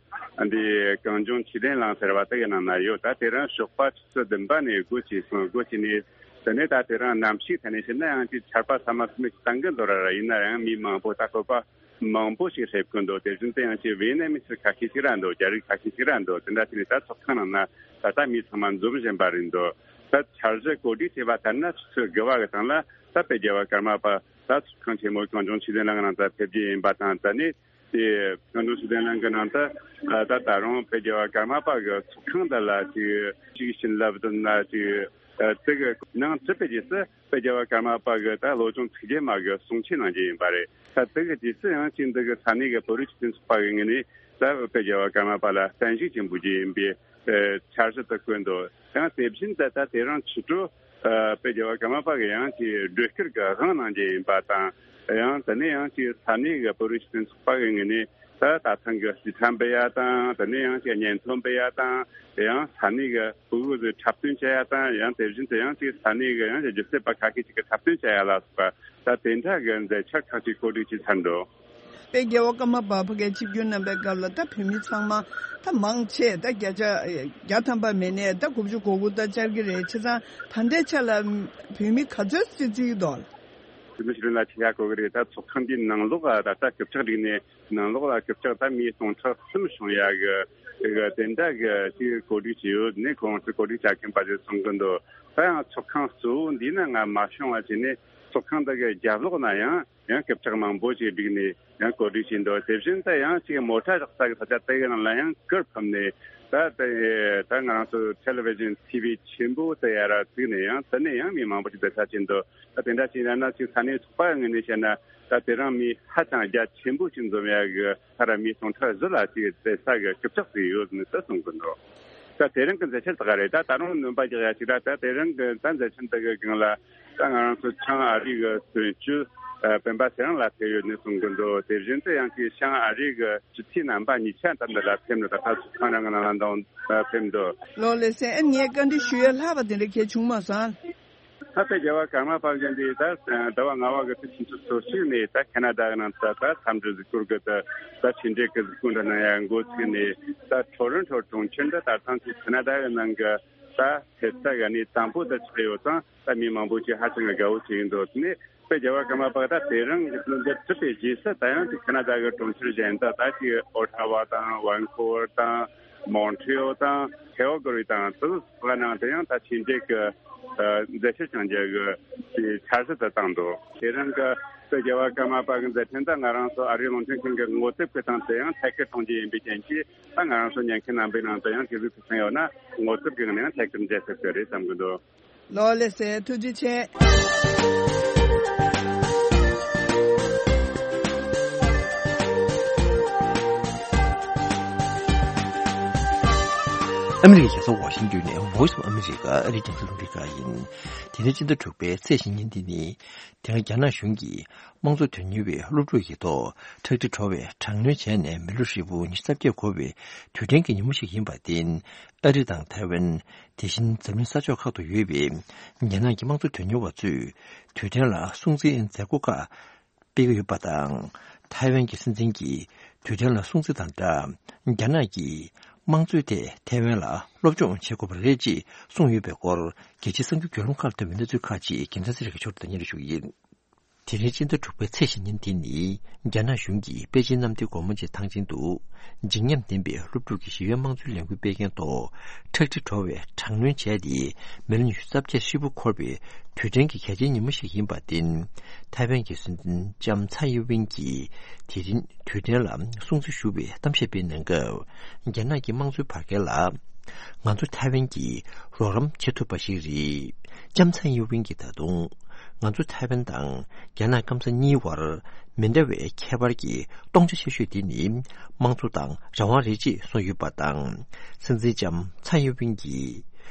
འདི་གངས་ལྗོངས་ཆོས་ལྡན་གླིང་ཟེར་བ་དེ་གི་ནང་ན་ཡོད། ད་དེ་རིང་ཞོགས་པ་ཆུ་ཚོད་བདུན་པ་ནས་སྒོ་ཕྱེ་སོང་། སྒོ་ཕྱེ་ནས་དེ་ནས་ད་དེ་རིང་གནམ་གཤིས་ཐད་ནས་བཤད་ན་ཡང་ཅིག་ཆར་པ་ས་མ་སུ་མེད་ཅིག་བཏང་གི་འདུག་ར། ར་ཡིན་ན་ཡང་མི་མང་པོ་ད་བོད་པ་མང་པོ་ཞིག་སླེབས་ཀྱི་འདུག་དེ་བཞིན་དུ་ཡང་ཅིག་ཝེ་ནེ་མི་སི་ཁ་ཤས་ཤིག་ར་འདུག་རྒྱ་རིགས་ཁ་ཤས་ཤིག་ར་འདུག་དེ་འདྲ་བྱས་ནས་ད་ཚོགས་ཁང་ནང་ན་ད་ལྟ་མི་ཚང་མ་འཛོམས་བཞིན་པ་རེད་འདུག་ད་འཆར་གཞི་གོ་སྒྲིག་བྱས་པ་ལྟར་ན་ཆུ་ཚོད་དགུ་པ་གི་སྟེང་ལ་ད་དཔལ་རྒྱལ་བ་ཀརྨ་པ་ད་ཚོགས་ཁང་ཆེན་མོ་གངས་ལྗོངས་ཆོས་ལྡན་གླིང་ནང་ད་ཕེབས་རྒྱུ་ཡིན་པ་དང་། ད་ནི་དེ་གངས་ལྗོངས་ཆོས་ལྡན་གླིང་གི་ནང་ད་ད་ད་རུང་དཔལ་རྒྱལ་བ་ཀརྨ་པ་གི་ཚོགས་ཁང་འདི་ལ་ཅིག་ཅིག་བྱིན་རླབས་དང་ན་ཅིག་དེ་གི་ནང་ཚུད་པའི་རྗེས་སུ་དཔལ་རྒྱལ་བ་ཀརྨ་པ་གི་ད་བློ་སྦྱོང་ཚིག་བརྒྱད་མ་གི་གསུང་ཆོས་གནང་རྒྱུ་ཡིན་པ་རེད། ད་དེ་གི་རྗེས་སུ་ཡང་ཅིག་འདི་གི་ས་གནས་གི་བོད་རིགས་སྤྱི་མཐུན་ཚོགས་པ་གི་ངོས་ནས་ད་དཔལ་རྒྱལ་བ་ཀརྨ་པ་ལ་བརྟན་བཞུགས་ཅིག་འབུལ་རྒྱུ་ཡིན་པའི་འཆར་གཞི་དེ་བཀོད་འདུག་ཡང་དེ་བཞིན་དུ་ད་དེ་རིང་ཕྱི་དྲོ་དཔལ་རྒྱལ་བ་ཀརྨ་པ་གི་ཡང་ཅིག་སྒྲོལ་དཀར་གྱི་དབང་གནང་རྒྱུ་ཡིན་པ་དང་། ཡང་དེ་ནས་ཡང་ཅིག་ས་གནས་ཀྱི་བོད་རིགས་སྤྱི་མཐུན་ཚོགས་པ་གི་ངོས་ནས་ད་ད་ཐེངས་ཀྱི་རྩིས་ཁྲ་འབུལ་ཡ་དང་། དེ་ནས་ཡང་ཅིག་སྙན་ཐོ་འབུལ་ཡ་དང་། ཡང་ས་གནས་ཀྱི་ཕྲུ་གུ་ཚོས་འཁྲབ་སྟོན་བྱེད་ཡ་དང་། ཡང་དེ་བཞིན་དུ་ཡང་ཅིག་ས་གནས་ཀྱི་ཡང་ཅིག་སྒྱུ་རྩལ་པ་ཁ་ཤས་ཅིག་གིས་འཁྲབ་སྟོན་བྱེད་ཡ་ལ་སོགས་པ་ད་དེ་འདྲ་གི་མཛད་འཆར་ཁག་ཅིག་གོ་སྒྲིག་བྱས་ཚར་འདུག་དཔལ་རྒྱལ་བ་ཀརྨ་པ་ཕ་གིར་ཆིབས་བསྒྱུར་གནང་པའི་སྐབས་ལ་ད་བོད་མི་ཚང་མ་ད་མང་ཆེ་ད་བརྒྱ་ཆ་བརྒྱ་ཐམ་པ་མེད་ནས་ད་དགུ་བཅུ་གོ་དགུ་ད་བཅར་གྱི་རེད། བྱས་ཙང་ད་ལྟའི་ཆ་ལ་བོད་མི་ག་ཚོད་ཙམ་བརྩི་གི་འདུག་དེ་མི་ཞིག་ལ་ཆེ་ཡ་གོ་གི་རེད། ད་ཚོགས་ཁང་འདིའི་ནང་ལོགས་ལ་ད་ལྟ་རྐུབ་བཀྱག་བསྒྲིགས་ནས་ནང་ལོགས་ལ་རྐུབ་བཀྱག་ད་མི་སྟོང་ཕྲག་གསུམ་བྱུང་ཡ་གི་གི་དེ་འདྲ་གི་ཅིག་གོ་སྒྲིག་བྱས་ཡོད་ནས་ཁོང་ཚོས་གོ་སྒྲིག་བྱ་མཁན་པ་ཚོས་གསུང་གི་འདུག་ད་ཡང་ཚོགས་ཁང་གཙོ་བོ་འདི་ན་ང་མ་བྱུང་བ་བྱས་ནས་ཚོགས་ཁང་འདི་གི་རྒྱབ་ལོགས་ན་ཡང་ཡང་རྐུབ་བཀྱག་མང་པོ་ཞིག་བསྒྲིགས་ནས་ཡང་གོ་སྒྲིག་བྱས་འདུག་དེ་བཞིན་དུ་ཡང་ཅིག་མོ་ཊ་བཞག་ས་གི་ས་ཆ་དེ་གི་ནང་ལ་ཡང་གུར་ཕབ་ནས་ད་དེ་ད་ང་རང་ཚོ་ཊེ་ལི་ཝི་ཤན་ཊི་ཝི་ཆེན་པོ་དེ་ཡར་བཙུགས་ནས་ཡང་དེ་ནས་ཡང་མི་མང་པོ་ཞིག་བསྡད་ས་བྱས་འདུག་ད་དེ་འདྲ་བྱས་ན་ན་ཅིག་ས་གནས་ཚོགས་པ་ངོས་ནས་བཤད་ན་ད་དེ་རིང་མི་ཧ་ཅང་རྒྱ་ཆེན་པོ་ཞིག་འཛོམས་ཡ་གི་ས་ར་མི་སྟོང་ཕྲག་བཞི་ལ་ཅིག་བསྡད་ས་གི་རྐུབ་བཀྱག་ཅིག་ཡོད་ནི་ད་གསུང་གི་འདུག་ད་དེ་རིང་གི་མཛད་འཆར་དེ་ག་རེད། ད་ད་རུང་སྣོན་པ་རྒྱག་ཡ་ཅིག་ད་ད་དེ་རིང་གི་ད་མཛད་འཆར་འདི་གི་སྒང་ལ་ད་ང་རང་ཚོ་བྱང་ཨ་རི་གི་དོན་གཅོད་སྤེན་པ་ཚེ་རིང་ལགས་ཕེབས་ཡོད་ནི་གསུང་གི་འདུག་དེ་བཞིན་དུ་ཡང་ཅིག་བྱང་ཨ་རི་གི་སྤྱི་འཐུས་རྣམ་པ་གཉིས་ཆ་ད་འདི་ལ་ཕེབས་ནི་ད་ད་ཚོགས་ཁང་རང་གི་ནང་ལ་འདང་ཕེབས་འདུག་ལོ་ལེགས་སེ། ཨ་ངས་བཀའ་འདྲི་ཞུ་ཡ་ལྷག་པ་དེ་འདྲ་གལ་བྱུང་མ་སོང་། ད་དཔལ་རྒྱལ་བ་ཀརྨ་པ་མཆོག་འདི་ད་ཟླ་བ་ལྔ་པ་གི་ཚེས་སུམ་ཅུ་སོ་གཅིག་ནས་ད་ཁ་ན་ཌ་གི་ནང་ད་ད་འཚམས་འདྲི་གཟིགས་སྐོར་གི་ད་ད་ཆེད་མཇལ་གི་གཟིགས་སྐོར་འདྲ་གནང་ཡ་འགོ་ཚུགས་ནས་ད་ཊོ་རོན་ཊོ་གྲོང་ཁྱེར་འདི་ད་ཐང་ཚོ་ཁ་ན་ཌ་གི་ནང་གི་ད་ཕེབས་ས་གི་གནས་དང་པོ་ད་ཆགས་ཡོད་ཙང་ད་མི་མང་པོ་ཞིག་ཧ་ཅང་གི་དགའ་བོ་བྱེད་ཀྱི་འདུག་དེ་ནས་དཔལ་རྒྱལ་བ་ཀརྨ་པ་ད་དེ་རིང་གི་འདི་གྲུབ་པའི་རྗེས་སུ་ད་ཡང་ཅིག་ཁ་ན་ཌ་གི་གྲོང་ཁྱེར་གཞན་དག་ད་ཅིག་ཨོ་ཊ་ཝ་དང་ཝན་ཀོ་ཝར་དང་མོན་ཊི་རི་ཨོལ་དང་ཁེལ་གྷ་རི་དང་དེ་ཚོ་ནང་དུ་ཡང་ད་ཆེད་མཇལ་གྱི་ཨ་མཛད་འཆར་བཅངས་རྒྱུ་གི་འཆར་གཞི་དེ་བཏིང་འདུག་དེ་རིང་གི་དཔལ་རྒྱལ་བ་ཀརྨ་པ་གི་མཛད་འཕྲིན་དེ་ང་རང་ཚོ་ཨ་རིའི་རླུང་འཕྲིན་ཁང་གི་ངོ་དེབ་ཀྱི་སྟེང་དུ་ཡང་ཐད་ཀར་གཏོང་རྒྱུ་ཡིན་པའི་རྐྱེན་གྱིས་ད་ང་རང་ཚོ་ཉན་མཁན་རྣམ་པའི་ནང་དུ་ཡང་དེ་ཚོའི་ཕུགས་བསམ་ཡོད་ན་ངོ་དེབ་ཀྱི་ངང་ནས་ཡང་ཐད་ཀར་མཇལ་ཐུབ་ཀྱི་རེད་བསམ་གྱི་འདུག་ལོ་ལེགས་སེ། ཐུགས་རྗེ་ཆེ། ཨ་མི་རི་ཀའི་རྒྱལ་ས་ཝ་ཤིང་ཏོན་ནས་Voice of America ཨ་རིའི་རྒྱང་སྲིང་རླུང་འཕྲིན་ཁང་ཡིན། དེ་རིང་སྤྱི་ཟླ་དྲུག་པའི་ཚེས་ཉེར་གཉིས་ཉིན་དེ་ནི། དེ་སྔ་རྒྱ་ནག་གཞུང་གིས་དམངས་གཙོ་དོན་གཉེར་བའི་སློབ་ཕྲུག་ཡོད་མདོག་ཁྲག་དྲི་བྲོ་བའི་དྲག་གནོན་བྱས་ནས་མི་ལོ་ཧྲིལ་པོ་ཉི་ཤུ་རྩ་བརྒྱད་འཁོར་བའི་དུས་དྲན་གྱི་ཉིན་མོ་ཞིག་ཡིན་པར་བརྟེན། ཨ་རི་དང་ཐའེ་ཝན། དེ་བཞིན་འཛམ་གླིང་ས་ཕྱོགས་ཁག་ཏུ་ཡོད་པའི་རྒྱ་ནག་གི་དམངས་གཙོ་དོན་གཉེར་བ་ཚོས་དུས་དྲན་ལ་སྲུང་བརྩིའི་མཛད་སྒོ་ཁག་སྤེལ་གྱི་ཡོད་པ་དང་། ཐའེ་ཝན་གྱི་སྲིད་འཛིན་གྱིས་དུས་དྲན་ལ་སྲུང་བརྩི་དང་སྦྲགས། རྒྱ་ནག་གིས་དམངས་གཙོའི་ཐད་ཐའེ་ཝན་ལ་སློབ་སྦྱོང་བྱེད་དགོས་པ་རེད་ཅེས་གསུངས་ཡོད་པའི་སྐོར། རྒྱལ་སྤྱིའི་གསར་འགྱུར་བརྒྱུད་ལམ་ཁག་ལ་ཐོན་པའི་གནས་ཚུལ་ཁག་ཅིག་རྒྱལ་མཚན་ཚེ་རིང་གིས་ཕྱོགས་སྒྲིག་དང་སྙན་སྒྲོན་ཞུ་གི་ཡིན། དེ་རིང་སྤྱི་ཟླ་དྲུག་པའི་ཚེས་ཉེར་གཉིས་ཉིན་དེ་ནི། རྒྱ་ནག་གཞུང་གིས་པེ་ཅིན་གནམ་བདེ་སྒོ་མོ་ཆེའི་ཐང་ཆེན་དུ། བརྗིད་ཉམས་ལྡན་པའི་སློབ་ཕྲུག་གི་ཞི་བའི་དམངས་གཙོའི་ལས་འགུལ་སྤེལ་མཁན་ཐོག་ཁྲག་དྲི་བྲོ་བའི་དྲག་གནོན་བྱས་ཏེ། མི་ལོ་ཉི་ཤུ་རྩ་བརྒྱད་ཧྲིལ་པོ་འཁོར་བའི་དུས་དྲན་གྱི་གལ་ཆེའི་ཉིན་མོ་ཞིག་ཡིན་པར་བརྟེན། ཐའེ་ཝན་གྱི་སྲིད་འཛིན་ལྕམ་ཚའེ་ཡིན་ཝིན་གྱིས་དེ་རིང་དུས་དྲན་ལ་སྲུང་བརྩི་ཞུ་བའི་གཏམ་བཤད་སྤེལ་གནང་སྐབས། རྒྱ་ནག་གི་དམངས་གཙོའི་བར་བརྒལ་ལ་ ང་ཚོ་ཐའེ་ཝན་གྱིས་རོགས་རམ་བྱེད་ཐུབ་པ་ཞིག་རེད། ལྕམ་ཚའེ་ཡིན་ཝིན་གྱིས་ད་དུང་ང་ཚོ་ཐའེ་ཝན་དང་རྒྱ་ནག་སྐམ་ས་གཉིས་བར་མི་འདྲ་བའི་ཁྱད་པར་གྱི་སྟོང་ཆ་ཆེ་ཤོས་དེ་ནི་དམངས་གཙོ་དང་རང་དབང་རེད་ཅེས་གསུངས་ཡོད་པ་དང་། སྲིད་འཛིན་ལྕམ་ཚའེ་ཡིན་ཝིན་གྱིས་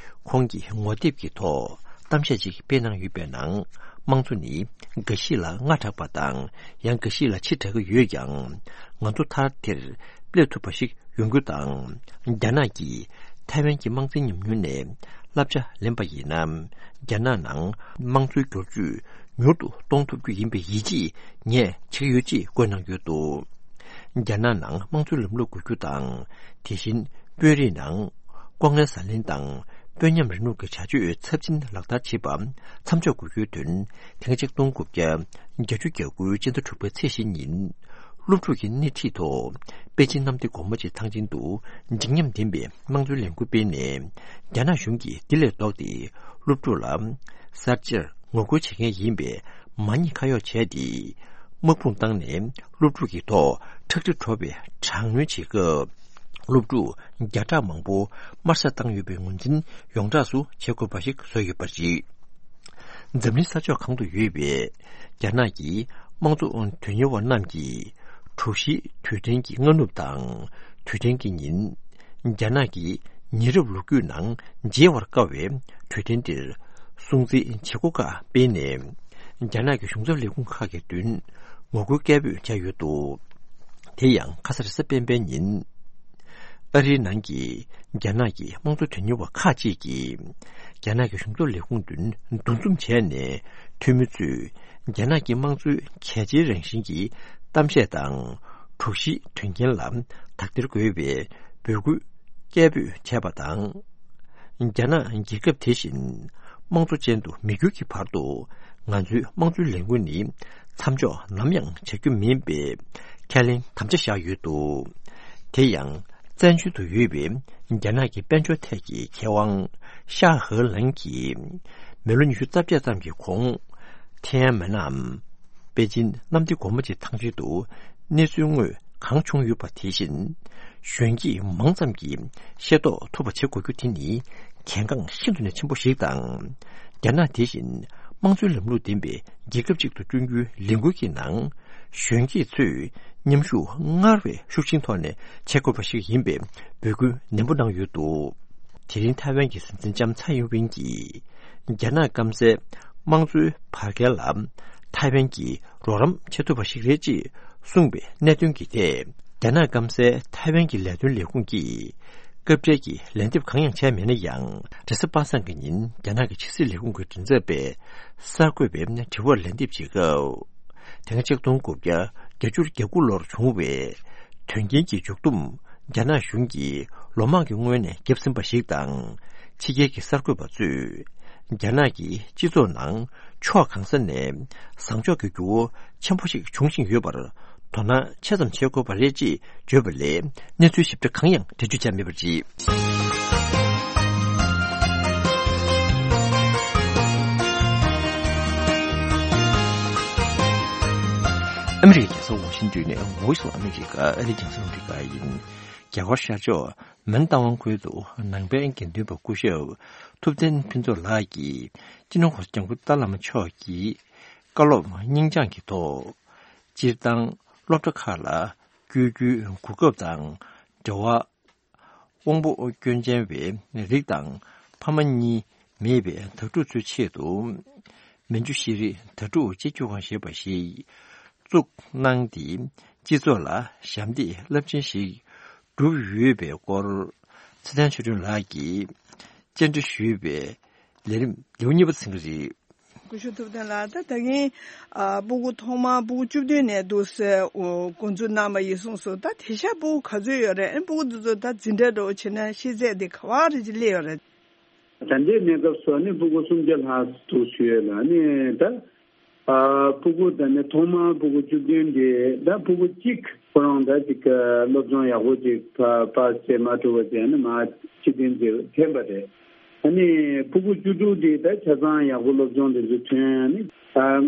ཁོང་གི་ངོ་དེབ་ཀྱི་ཐོག་གཏམ་བཤད་ཅིག་སྤེལ་གནང་ཡོད་པའི་ནང་། དམངས་གཙོ་ནི་འགའ་ཞིག་ལ་སྔ་དྲགས་པ་དང་ཡང་འགའ་ཞིག་ལ་ཕྱི་དྲགས་ཀྱི་ཡོད་ཀྱང་། ང་ཚོ་མཐར་དེར་སླེབས་ཐུབ་པ་ཞིག་ཡོང་རྒྱུ་དང་། རྒྱ་ནག་གིས་ཐའེ་ཝན་གྱི་དམངས་གཙོའི་ཉམས་མྱོང་ནས་བསླབ་བྱ་ལེན་པ་ཡིན་ན། རྒྱ་ནག་ནང་དམངས་གཙོའི་བསྒྱུར་བཅོས་མྱུར་དུ་གཏོང་ཐུབ་རྒྱུ་ཡིན་པའི་ཡིད་ཆེས་ངས་བྱེད་ཀྱི་ཡོད་ཅེས་བཀོད་གནང་ཡོད་འདུག་རྒྱ་ནག་ནང་དམངས་གཙོའི་ལམ་ལུགས་དགོས་རྒྱུ་དང་། དེ་བཞིན་དཔོན་རིགས་ནང་ལྐོག་རྔན་ཟ་ལེན་དང་དཔོན་ཉམས་རིང་ལུགས་ཀྱི་བྱ་སྤྱོད་ཚབས་ཆེན་ལག་བསྟར་བྱེད་པ་མཚམས་འཇོག་དགོས་རྒྱུའི་དོན། དེ་སྔ་ཆིག་སྟོང་དགུ་བརྒྱ་བརྒྱད་ཅུ་གྱ་དགུ་སྤྱི་ཟླ་དྲུག་པའི་ཚེས་བཞི་ཉིན། སློབ་ཕྲུག་གི་སྣེ་ཁྲིད་ཐོག་པེ་ཅིན་གནམ་བདེ་སྒོ་མོ་ཆེའི་ཐང་ཆེན་དུ་འཇིགས་ཉམས་ལྡན་པའི་དམངས་གཙོའི་ལས་འགུལ་སྤེལ་ནས། རྒྱ་ནག་གཞུང་གིས་འདི་ལས་ལྡོག་སྟེ་སློབ་ཕྲུག་ལ་གསར་བརྗེར་ངོ་རྒོལ་བྱེད་མཁན་ཡིན་པའི་མ་ཉེས་ཁ་གཡོག་བྱས་ཏེ། དམག་དཔུང་བཏང་ནས་སློབ་ཕྲུག་གི་ཐོག་ཁྲག་དྲི་བྲོ་བའི་དྲག་གནོན་བྱེད་སྐབས། སློབ་ཕྲུག་བརྒྱ་ཕྲག་མང་པོ་དམར་གསོད་བཏང་ཡོད་པའི་ངོས་འཛིན་ཡོངས་གྲགས་སུ་བྱེད་དགོས་པ་ཞིག་བཟོས་ཡོད་པ་རེད། འཛམ་གླིང་ས་ཕྱོགས་གང་དུ་ཡོད་པའི་རྒྱ་ནག་གི་དམངས་གཙོ་དོན་གཉེར་བ་རྣམས་ཀྱིས། དྲུག་བཞིའི་དུས་དྲན་གྱི་སྔ་ནུབ་དང་དུས་དྲན་གྱི་ཉིན། རྒྱ་ནག་གི་ཉེ་རབས་ལོ་རྒྱུས་ནང་མཇལ་བར་དཀའ་བའི་དུས་དྲན་འདིར་སྲུང་བརྩིའི་བྱེད་སྒོ་ཁག་སྤེལ་ནས། རྒྱ་ནག་གི་གཞུང་ཚབ་ལས་ཁུངས་ཁག་གི་མདུན་ངོ་རྒོལ་སྐད་འབོད་བྱས་ཡོད་འདུག་དེ་ཡང་ཁ་ས་རེས་གཟའ་སྤེན་པའི་ཉིན། ཨ་རིའི་ནང་གི་རྒྱ་ནག་གི་དམངས་གཙོ་དོན་གཉེར་བ་ཁག་ཅིག་གིས། རྒྱ་ནག་གི་གཞུང་ཚབ་ལས་ཁུངས་མདུན་འདུ་འཛོམས་བྱས་ནས། འཐུས་མི་ཚོས་རྒྱ་ནག་གི་དམངས་གཙོའི་གལ་ཆེའི་རང་བཞིན་གྱི་གཏམ་བཤད་དང་། དྲུག་བཞིའི་དོན་རྐྱེན་ལ་དག་ཐེར་དགོས་པའི་འབོད་སྐུལ་སྐད་འབོད་བྱས་པ་དང་། རྒྱ་ནག་རྒྱལ་ཁབ་དེ་བཞིན་དམངས་གཙོ་ཅན་དུ་མི་འགྱུར་གྱི་བར་དུ། ང་ཚོའི་དམངས་གཙོའི་ལས་འགུལ་ནི་མཚམས་འཇོག་ནམ་ཡང་བྱ་རྒྱུ་མིན་པའི་ཁས་ལེན་དམ་བཅའ་བཞག་ཡོད་འདུག་དེ་ཡང་། བཙན་བྱོལ་དུ་ཡོད་པའི་རྒྱ་ནག་གི་དཔལ་འབྱོར་ཐད་ཀྱི་མཁས་དབང་ཤ་ཧེ་ལན་གྱིས། མི་ལོ་ཉི་ཤུ་རྩ་བརྒྱད་ཙམ་གྱི་གོང་། ཐེན་ཨན་མེན་ནམ། པེ་ཅིན་གནམ་བདེ་སྒོ་མོ་ཆེའི་ཐང་ཆེན་དུ་གནས་ཚུལ་དངོས་གང་བྱུང་ཡོད་པ་དེ་བཞིན། གཞོན་སྐྱེས་མང་ཙམ་གྱིས་ཤེས་རྟོགས་ཐུབ་པ་བྱེད་དགོས་རྒྱུ་དེ་ནི་གལ་འགངས་ཤིན་ཏུ་ནས་ཆེན་པོ་ཞིག་དང་། རྒྱ་ནག་དེ་བཞིན་དམངས་གཙོའི་ལམ་ལུགས་ལྡན་པའི་རྒྱལ་ཁབ་ཅིག་ཏུ་བསྐྲུན་རྒྱུའི་ལས་འགུལ་གྱི་ནང་། གཞོན་སྐྱེས་ཚོས་མཉམ་ཞུགས་སྔར་བས་ཤུགས་ཆེན་ཐོག་ནས་བྱེད་དགོས་པ་ཞིག་ཡིན་པའི་འབོད་སྐུལ་ནན་པོ་གནང་ཡོད་འདུག་དེ་རིང་ཐའེ་ཝན་གྱི་སྲིད་འཛིན་ལྕམ་ཚའེ་ཡིན་ཝིན་གྱིས། རྒྱ་ནག་སྐམ་སའི་དམངས་གཙོའི་བར་བརྒལ་ལ་ཐའེ་ཝན་གྱིས་རོགས་རམ་བྱེད་ཐུབ་པ་ཞིག་རེད་ཅེས་གསུངས་པའི་གནད་དོན་གྱི་ཐད། རྒྱ་ནག་སྐམ་སའི་ཐའེ་ཝན་གྱི་ལས་དོན་ལས་ཁུངས་ཀྱིས་སྐབས་འབྲེལ་གྱི་ལན་འདེབས་གང་ཡང་བྱས་མེད་ན་ཡང་། རེས་གཟའ་པ་སངས་ཀྱི་ཉིན་རྒྱ་ནག་གི་ཕྱི་སྲིད་ལས་ཁུངས་ཀྱི་མགྲིན་ཚབ་པས་གསར་འགོད་པའི་དྲི་བར་ལན་འདེབས་བྱེད་སྐབས། དེ་སྔ་ཆིག་སྟོང་དགུ་བརྒྱ་བརྒྱད་ཅུ་གྱ་དགུ་ལོར་བྱུང་བའི་དོན་རྐྱེན་གྱི་མཇུག་སྡོམ། རྒྱ་ནག་གཞུང་གིས་ལོ་མང་གི་སྔོན་ནས་བརྒྱབ་ཟིན་པ་ཞིག་དང་། ཕྱི་རྒྱལ་གྱི་གསར་འགོད་པ་ཚོས་རྒྱ་ནག་གི་སྤྱི་ཚོགས་ནང་ཕྱོགས་གང་ས་ནས་བཟང་ཕྱོགས་ཀྱི་འགྱུར་བ་ཆེན་པོ་ཞིག་འབྱུང་བཞིན་ཡོད་པར་དོ་སྣང་ཆེ་ཙམ་བྱེད་དགོས་པ་རེད་ཅེས་བརྗོད་པ་ལས་གནས་ཚུལ་ཞིབ་ཕྲ་གང་ཡང་འགྲེལ་བརྗོད་བྱས་མེད་པ་རེད། ཨ་མི་རི་ཀའི་རྒྱལ་ས་ཝ་ཤིང་ཏོན་ནས་Voice of America ཨ་རིའི་རྒྱང་སྲིང་རླུང་འཕྲིན་ཁང་ཡིན། རྒྱ་གར་ཤར་ཕྱོགས་མོན་རྟ་དབང་ཁུལ་དུ་ནང་པའི་དགེ་འདུན་པ་སྐུ་ཞབས་ཐུབ་བསྟན་ཕུན་ཚོགས་ལགས་ཀྱིས་སྤྱི་ནོར་༧གོང་ས་༧སྐྱབས་མགོན་ཏཱ་བླ་མ་མཆོག་གི་བཀའ་སློབ་སྙིང་བཅངས་ཀྱི་ཐོག་སྤྱིར་བཏང་སློབ་གྲྭ་ཁག་ལ་བསྐྱོད་རྒྱུའི་གོ་སྐབས་དང་འབྲེལ་བ། དབང་པོ་སྐྱོན་ཅན་པའི་རིགས་དང་ཕ་མ་གཉིས་མེད་པའི་དྭ་ཕྲུག་ཚོའི་ཆེད་དུ། མན་ཇུ་ཤེས་རིག་དྭ་ཕྲུག་གཅེས་འཛིན་ཁང་ཞེས་པ་ཞིག་བཙུགས་གནང་སྟེ། སྤྱི་ཚོགས་ལ་ཞབས་འདེགས་རླབས་ཆེན་ཞིག་བསྒྲུབས་ཡོད་པའི་སྐོར། ཚེ་བརྟན་ཆོས་སྒྲོན་ལགས་ཀྱིས་བཅར་འདྲི་ཞུས་པའི་ལས་རིམ་ལེའུ་གཉིས་པ་ཚན་རིག་སྐུ་ཞབས་ཐུབ་བསྟན་ལགས། ད་ད་གིན་ཨ་སྤུ་གུ་ཐོག་མར་སྤུ་གུ་བཅུ་བདུན་ནས་འདུག་སེ་འགོ་འཛུགས་གནང་བ་ཡིན་གསུངས་སོང་། ད་དེང་སང་སྤུ་གུ་ག་ཚོད་ཡོད་རེད། ཨ་ནི་སྤུ་གུ་འདི་ཚོ་ད་འཛིན་གྲྭ་འདྲ་བོ་བྱས་ན་ཤེས་ཚད་དེ་ག་བ་རེ་ཅིག་སླེབས་ཡོད་རེད། ད་ལྟའི་གནས་སྐབས་སུ་ཨ་ནི་སྤུ་གུ་སུམ་བརྒྱ་ལྷག་འདུག་ཞུ་ཡོད་ལ། ཨ་ནི་ད་ཨ་སྤུ་གུ་ད་ནི་ཐོག་མར་སྤུ་གུ་བཅུ་བདུན་དེ་ད་སྤུ་གུ་གཅིག་ཁོ་རང་ད་ཅིག་སློབ་སྦྱོང་ཡག་པོ་ཅིག་པ་པ་སེ་མ་ཐུབ་པ་བྱས་ན་མ་སྤྱི་མཐུན་ཅིག་འཐེན་པ་རེད། ཨ་ནི་ཕྲུ་གུ་བཅུ་དྲུག་དེ་ད་ཆ་ཚང་ཡག་པོ་སློབ་སྦྱོང་དེ་ཚོ་ཐོན། ཨ་ནི་ད་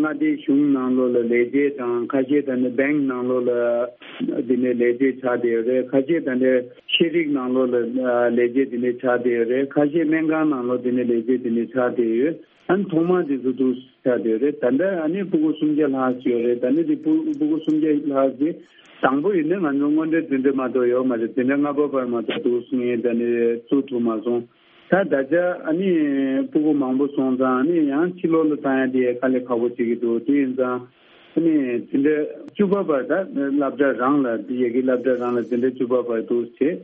མངའ་སྡེའི་གཞུང་ནང་ལོགས་ལ་ལས་བྱེད་དང་ཁ་ཤས་ད་ནི་བེང་ནང་ལོགས་ལ་དེ་ནས་ལས་བྱེད་ཆགས་བསྡད་ཡོད་རེད། ཁ་ཤས་ད་ནི་ཤེས་རིག་ནང་ལོགས་ལ་ལས་བྱེད་དེ་འདྲ་ཆགས་བསྡད་ཡོད་རེད། ཁ་ཤས་སྨན་ཁང་ནང་ལོགས་དེ་འདྲ་ལས་བྱེད་དེ་འདྲ་ཆགས་བསྡད་ཡོད། ཨ་ནི་ཐོག་མ་དེ་ཚོ་འདུག་ཆགས་བསྡད་ཡོད་རེད། ད་ལྟ་ཨ་ནི་ཕྲུ་གུ་སུམ་བརྒྱ་ལྷག་ཅིག་ཡོད་རེད། ད་ནི་དེ་ཕྲུ་ཕྲུ་གུ་སུམ་བརྒྱ་ལྷག་ཅིག་དང་པོ་ཡིན་ན་ང་ཚོ་སྔོན་འགྲོའི་འཛིན་གྲྭ་མ་གཏོགས་ཡོད་མ་རེད། འཛིན་གྲྭ་ལྔ་པ་བར་མ་གཏོགས་འདུག་ངས་ད་ནི་བཙུགས་ཐུབ་མ་སོང་། ད་ད་ཆ་ཨ་ནི་ཕྲུ་གུ་མང་པོ་སོང་ཙང་ཨ་ནི་ཡང་ཕྱི་ལོགས་ལ་བཏང་ཡ་དེ་དཀའ་ལས་ཁག་པོ་བྱེད་ཀྱི་འདུག་དེ་ཡིན་ཙང་ཨ་ནི་འཛིན་གྲྭ་བཅུ་པ་བར་ད་སློབ་གྲྭ་རང་ལ་ཡ་གི་སློབ་གྲྭ་རང་ལ་འཛིན་གྲྭ་བཅུ་པ་བར་འདུག་བྱས།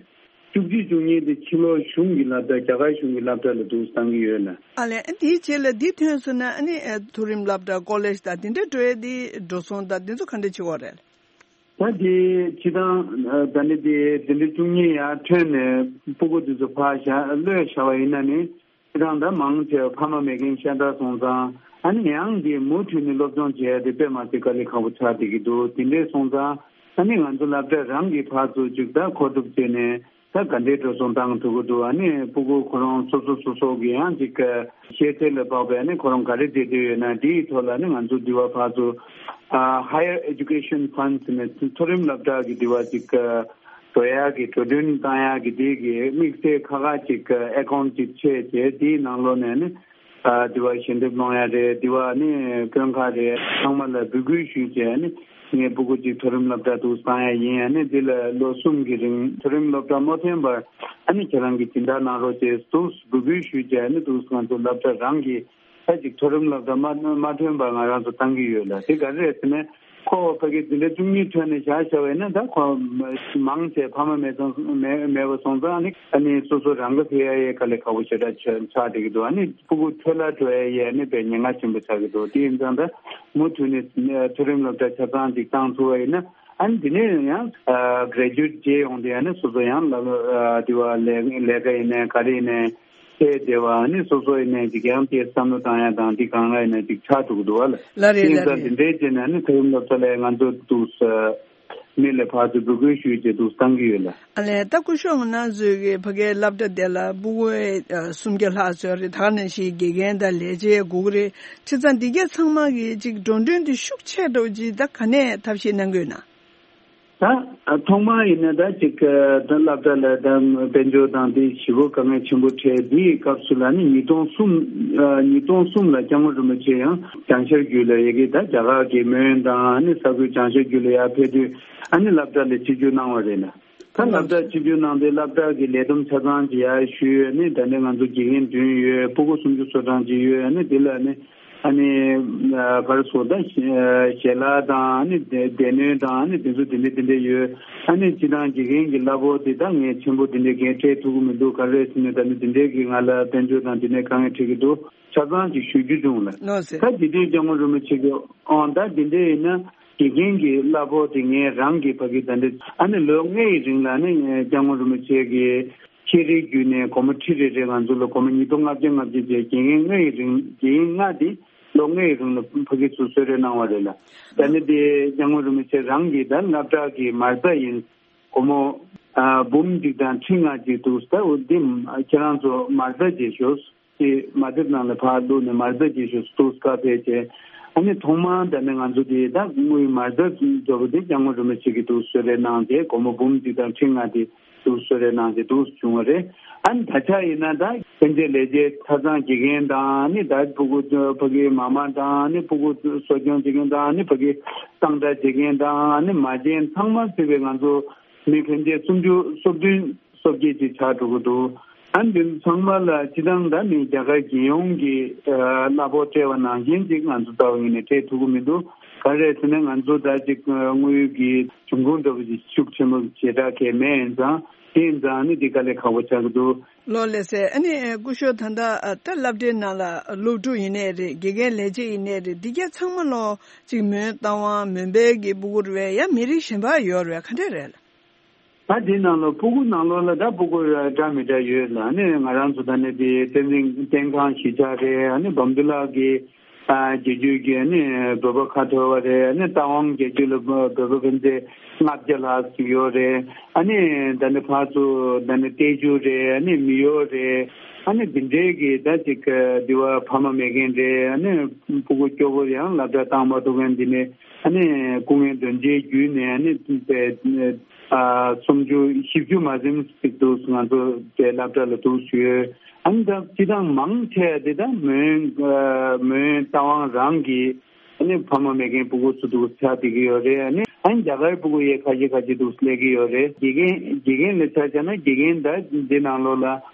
བཅུ་གཅིག་བཅུ་གཉིས་དེ་ཕྱི་ལོགས་གཞུང་གི་སློབ་གྲྭ། རྒྱ་གར་གཞུང་གི་སློབ་གྲྭ་ལ་འདུག་བཏང་གི་ཡོད་ལ། ཨ་ལས་ཨ་དེའི་རྗེས་ལ་འདི་ཐོན་སོང་ན་ཨ་ནི་ཨ་མཐོ་རིམ་སློབ་གྲྭ་ཀོ་ལེཇ་དང་དེ་འདྲ་འགྲོ་ཡ་དེ་འགྲོ་སོང་དང་དེ་ཚོ་ག་འདྲ་བྱེད་དགོས་རེད། ད་དེ་སྤྱི་བཏང་ཨ་ད་ནི་དེ་དེ་འདྲའི་བཅུ་གཉིས་ཡར་ཐོན་ནས་ཕྲུ་གུ་དེ་ཚོ་ཕར་བཞག་གློད་བཞག་པ་ཡིན་ན་ནི་སྤྱི་བཏང་ད་མང་ཆེ་བ་ཕ་མ་མེད་མཁན་ཤ་སྟག་སོང་ཙང་ཨ་ནི་ཡང་དེ་མུ་མཐུད་ནས་སློབ་སྦྱོང་བྱེད་ཡ་དེ་དཔེ་མ་སྲིད་དཀའ་ལས་ཁག་པོ་ཆགས་བསྡད་ཀྱི་འདུག་དེ་འདྲས་སོང་ཙང་ཨ་ནི་ང་ཚོ་སློབ་གྲྭ་རང་གི་ཕར་ཚུར་ཅིག་ད་མཁོ་སྒྲུབ་བྱས་ནས། ད་ག་འདྲའི་འགྲོ་སོང་བཏང་ཐུབ་ཀྱི་འདུག་ཨ་ནི་ཕྲུ་གུ་ཁོ་རང་སོ་སོ་སོ་སོ་གི་ཡང་ཅིག་ཤེས་ཚད་ལ་དཔག་པའི་ཨ་ནི་ཁོ་རང་ག་རེ་བྱེད་འདོད་ཡོད་ན་དེའི་ཐོག་ལ་ཨ་ནི་ང་ཚོ་འདི་བ་ཕར་ཚུར་ཨ་Higher Education Funds ནས་མཐོ་རིམ་སློབ་གྲྭ་གི་འདི་བ་ཅིག་འགྲོ་ཡག་གི་འགྲོ་གྲོན་བཏང་ཡག་གི་དེ་གི་དམིགས་བསལ་ཁག་ཁག་ཅིག་ཨེ་ཀའུན་ཊི་ཅིག་ཕྱེ་བྱས་དེའི་ནང་ལོགས་ནས་ཨ་ནི། ཨ་དེ་བ་ཞལ་འདེབས་སློང་ཡ་རེད། དེ་བ་ནི་དཔོན་ཁག་རེད། ཚང་མ་ལ་འབོད་སྐུལ་ཞུས་བྱས་ནི་ངའི་ཕྲུ་གུ་གཅིག་མཐོ་རིམ་སློབ་གྲྭ་དུ་བཏང་ཡ་ཡིན། ཨ་ནི་འདི་ལ་ལོ་གསུམ་གྱི་རིང་མཐོ་རིམ་སློབ་གྲྭ་མ་ཐོན་པར་ཨ་ནི་ཁྱེད་རང་གིས་སྦྱིན་བདག་གནང་རོགས་བྱས་འདུག་འབོད་སྐུལ་ཞུས་བྱས་ནི་འདུག་ང་ཚོ་སློབ་གྲྭ་རང་གི་ད་ཅིག་མཐོ་རིམ་སློབ་གྲྭ་མ་མ་ཐོན་པར་ང་རང་ཚོ་བཏང་གི་ཡོད་ལ། དེ་ག་རེ་རེད་ཟེར་ན། ཁོ་ཕ་གི་འཛིན་གྲྭ་བཅུ་གཉིས་ཐོན་ནས་བཞག་བཞག་པ་ཡིན་ན་ད་ཁོ་མང་ཆེ་ཕ་མ་མེད་སོང་མེད་མེད་པ་སོང་ཙང་ནི་ཨ་ནི་སོ་སོ་རང་ག་ཕེབས་ཡ་ཡའི་དཀའ་ལས་ཁག་པོ་ཞེ་དྲག་ཆགས་ཆགས་བསྡད་ཀྱི་འདུག་ཨ་ནི་ཕྲུ་གུ་འཕྲོ་བརླག་འགྲོ་ཡ་ཡའི་ཨ་ནི་དཔེ་ཉེན་ཁ་ཆེན་པོ་ཆགས་ཀྱི་འདུག་དེ་ཡིན་ཙང་ད་མུ་མཐུད་ནས་མཐོ་རིམ་སློབ་གྲྭ་ཆ་ཚང་ཅིག་བཏང་ཐུབ་པ་ཡིན་ན་ཨ་ནི་དེ་ནས་ཡང་གྲེ་ཇུ་ཨེཊ་བྱས་ཡོང་དུས་ཨ་ནི་སོ་སོ་ཡང་ལ་དེ་བ་ལས་ལས་ཀ་ཡིན་ནའི་ག་རེ་ཡིན་ནའི། ཚེ་འདས་པ་ནི་སོ་སོ་ཡིན་ནའི་ཅིག་ཡང་དེ་བསམ་བློ་བཏང་ཡ་དང་འདི་གང་ལ་ཡིན་ནའི་ཅིག་ཆགས་འགྲོ་གི་འདུག་བ་ལ། ལ་རེད་ལ་དེ་རེད། འདི་འདྲའི་བྱས་ནས་ནི་མཐོ་རིམ་སློབ་གྲྭ་ལ་ང་ཚོ་འདུག་ས་མི་ལ་ཕར་ཚུར་འབོད་སྐུལ་ཞུས་བྱས་འདུག་བཏང་གི་ཡོད་ལ། ཨ་ལས་ད་སྐུ་ཞབས་ང་རང་ཚོའི་གི་ཕ་གའི་སློབ་གྲྭ་དེ་ལ་ཕྲུ་གུ་སུམ་བརྒྱ་ལྷག་ཙམ་རེད། ད་ག་ནང་བཞིན་དགེ་རྒན་དང་ལས་བྱེད་དགུ་དགུ་རེད། བྱས་ཙང་འདི་གས་ཚང་མ་གི་ཅིག་འགྲོ་གྲོན་དེ་ཤུགས་ཆེ་འགྲོ་ཅིག་ད་ག་ནས་ཐབས་ཤེས་གནང་གི་ཡོད་ན། ད་ཐོག་མར་ཡིན་ན་ད་ཅིག་ད་སློབ་གྲྭ་ལ་ད་དཔལ་འབྱོར་དང་དེ་ཞེ་པོ་དཀའ་ངལ་ཆེན་པོ་འཕྲད། དེའི་སྐབས་སུ་ལ་ནི་ཉིས་སྟོང་གསུམ་ཉིས་སྟོང་གསུམ་ལ་སྐྱབས་མགོན་རིན་པོ་ཆེ་ཡང་བྱང་ཤར་རྒྱུད་ལ་ཡ་གི་ད་རྒྱ་གར་གྱི་མོན་དང་ནི་ས་ཁུལ་བྱང་ཤར་རྒྱུད་ལ་ཡར་ཕེབས་དུས་ཨ་ནི་སློབ་གྲྭ་ལ་ཆིབས་བསྒྱུར་གནང་བ་རེད་ལ། ད་སློབ་གྲྭ་ཆིབས་བསྒྱུར་གནང་དུས་སློབ་གྲྭ་གི་ལས་བསྡོམས་ཆ་ཚང་ཅིག་ཡར་ཞུས། ནི་ད་ནི་ང་ཚོ་དགེ་རྒན་བདུན་ཡོད། ཕྲུ་གུ་སུམ་ཅུ་སོ་གྲངས་ཅིག་ཡོད། ནི་དེ་ལ་ནི། ཨ་ནི་ག་རེ་ཟེར་ད་ཞལ་ལག་དང་ཨ་ནི་སྡེ་སྡེ་སྣོད་དང་ཨ་ནི་དེ་ཚོ་དེ་འདྲ་དེ་འདྲ་ཡོད། ཨ་ནི་སྤྱིར་བཏང་དགེ་རྒན་གྱི་གླ་ཕོགས་དེ་ད་ངས་ཆེན་པོ་དེ་འདྲ་གས་སྤྲད་ཐུབ་ཀྱི་མི་འདུག་ག་རེ་ཟེར་ན་ད་ནི་དེ་འདྲའི་གི་ང་ལ་དཔལ་འབྱོར་དང་དེ་འདྲའི་དཀའ་ངལ་འཕྲད་ཀྱི་འདུག་ཆ་ཚང་ཅིག་ཞུ་རྒྱུ་བྱུང་ལ། ལགས་སེ། ད་དེ་དུས་སྐྱབས་མགོན་རིན་པོ་ཆེ་གི་ཨང་ད་དེ་འདྲ་ཡིན་ན་དགེ་རྒན་གྱི་གླ་ཕོགས་དེ་ངས་རང་གི་ཕ་གི་ད་འདྲ་ཨ་ནི་ལོ་ལྔའི་རིང་ལ་ནི་སྐྱབས་མགོན་རིན་པོ་ཆེ་གི་ཤེས་རིག་བརྒྱུད་ནས་སྒོར་མོ་ཁྲི་རེ་རེ་ང་ཚོ་ལ་སྒོར་མོ་ཉིས་སྟོང་ལྔ་བརྒྱ་ལྔ་བརྒྱ་བཅས་དགེ་རྒན་ལྔ་ཡི་རིང་དགེ་རྒན་ལྔ་དེ་ལོ་ལྔ་ཡི་རིང་ལ་ཕ་གི་ཚུར་གསོལ་རས་གནང་བ་རེད་ལ། ད་ནི་དེ་སྐྱབས་མགོན་རིན་པོ་ཆེ་རང་གིས་ད་སློབ་གྲྭ་གི་མ་རྩ་ཡིན། སྒོར་མོ་ཨ་འབུམ་གཅིག་དང་ཁྲི་ལྔ་གཅིག་འདུག་ད་འོ་དེ་ཁྱེད་རང་ཚོ་མ་རྩ་བྱེད་ཤོག་དེ་མ་དེབ་ནང་ལ་ཕར་བླུགས་ནས་མ་རྩ་བྱེད་ཤོག་འདུག་བཀའ་ཕེབས་བྱས། ཨ་ནི་ཐོག་མར་ད་ནི་ང་ཚོ་དེ་ད་དངུལ་མ་རྩ་འདྲ་པོ་དེ་སྐྱབས་མགོན་རིན་པོ་ཆེ་གིས་འདུག་གསོལ་རས་གནང་བྱས་སྒོར་མོ་འབུམ་གཅིག་དང་ཁྲི་ལྔ་དེ། འདུག་གསོལ་རས་གནང་བྱས་འདུག་བྱུང་བ་རེད། ཨ་ནི་ད་ཆ་ཡིན་ན་ད་ཕན་ཆད་ལས་བྱེད་ཆ་ཚང་དགེ་རྒན་དང་ནི་ད་ཕྲུ་གུ་ཕ་གིའི་མ་མ་དང་ནི་ཕྲུ་གུ་གསོ་སྐྱོང་བྱེད་མཁན་དང་ནི་ཕ་གིའི་གཙང་སྦྲ་བྱེད་མཁན་དང་ནི་མ་བྱན་ཚང་མ་ཚུད་པའི་ང་ཚོ་མི་ཕན་ཆད་སུམ་ཅུ་སོ་བདུན་སོ་བརྒྱད་ཅིག་ཆགས་འགྲོ་གི་འདུག་ཨ་ནི་འདི་ཚང་མ་ལ་སྤྱི་བཏང་ད་ནི་རྒྱ་གར་རྒྱལ་ཡོངས་ཀྱི་གླ་ཕོགས་སྤྲད་པ་ནང་བཞིན་ཅིག་ང་ཚོ་ལྟ་བ་ཡིན་ནའི་སྤྲད་ཐུབ་ཀྱི་མི་འདུག་ག་རེ་ཟེར་ན་ང་ཚོ་ད་ཅིག་དངུལ་གྱི་འབྱུང་ཁུངས་འདྲ་པོ་ཅིག་ཤུགས་ཆེན་པོ་ཞེ་དྲག་གས་མེད་ཡིན་ཙང་དེ་ཡིན་ཙང་ནི་འདི་དཀའ་ལས་ཁག་པོ་ཆགས་ཀྱི་འདུག་ལགས་སེ། ཨ་ནི་སྐུ་ཞབས་ད་ལྟ་ད་སློབ་གྲྭའི་ནང་ལ་སློབ་ཕྲུག་ཡིན་ནའི་རེད། དགེ་རྒན་ལས་བྱེད་ཡིན་ནའི་རེད། འདི་གས་ཚང་མ་ལོ་ཅིག་མོན་རྟ་དབང་མོན་པའི་གི་ཕྲུ་གུ་རེད་པས། ཡང་མི་རིགས་གཞན་པ་ཡོད་རེད་པས། ག་འདྲས་རེད་ལགས། ད་འདི་ནང་ལོ་ཕྲུ་གུ་ནང་ལོགས་ལ་ད་ཕྲུ་གུ་འདྲ་མི་འདྲ་ཡོད་ལ། ཨ་ནི་ང་རང་ཚོ་ད་ནི་དེ་བསྟན་འཛིན་བསྟན་ཁང་གཞིས་ཆགས་རེད། ཨ་ནི་བམ་དུ་ལགས་ཀྱི་ཨ་རྒྱལ་རྒྱུད་ཀྱི་ཨ་ནི་བོད་པ་ཁ་ཐོར་བ་རེད། ཨ་ནི་རྟ་དབང་རྒྱལ་རྒྱུད་ལ་བོད་པ་ཕན་ཆད་ལྔ་བརྒྱ་ལྷག་ཙམ་ཡོད་རེད། ཨ་ནི་ད་ནི་ཕར་ཚུར་ད་ནི་ཏེ་ཇུ་རེད། ཨ་ནི་མི་ཡོ་རེད། ཨ་ནི་འདི་འདྲའི་གི་ད་ཅིག་འདི་བ་ཕ་མ་མེད་མཁན་རེད། ཨ་ནི་སྤུ་གུ་སྐྱོ་པོ་ཡང་སློབ་གྲྭ་བཏང་མ་ཐུབ་མཁན་འདི་ནས་ཨ་ནི་སྐུ་ངལ་གདོན་འདྲེ་བརྒྱུད་ནས་ཨ་ནི་པའི་ཨ་སུམ་ཅུ་བཞི་བཅུ་མ་ཟིན་ཅིག་འདུག་ང་ཚོ་པའི་སློབ་གྲྭ་ལ་འདུག་ཞུས། ཨ་ནི་ད་སྤྱི་བཏང་མང་ཆེ་འདི་ད་མོན་མོན་རྟ་དབང་རང་གི་ཨ་ནི་ཕ་མ་མེད་མཁན་སྤུ་གུ་ཚོ་འདུག་ཆགས་བསྡད་ཀྱི་ཡོད་རེད། ཨ་ནི་ཨ་ནི་རྒྱ་གར་སྤུ་གུ་ཡས་ཁ་ཤས་ཁ་ཤས་འདུག་སླེབས་ཀྱི་ཡོད་རེད། དགེ་རྒན་དགེ་རྒན་ལ་ཆ་བཞག་ན་དགེ་རྒན་ད་འདི་ནང་ལོགས་ལ་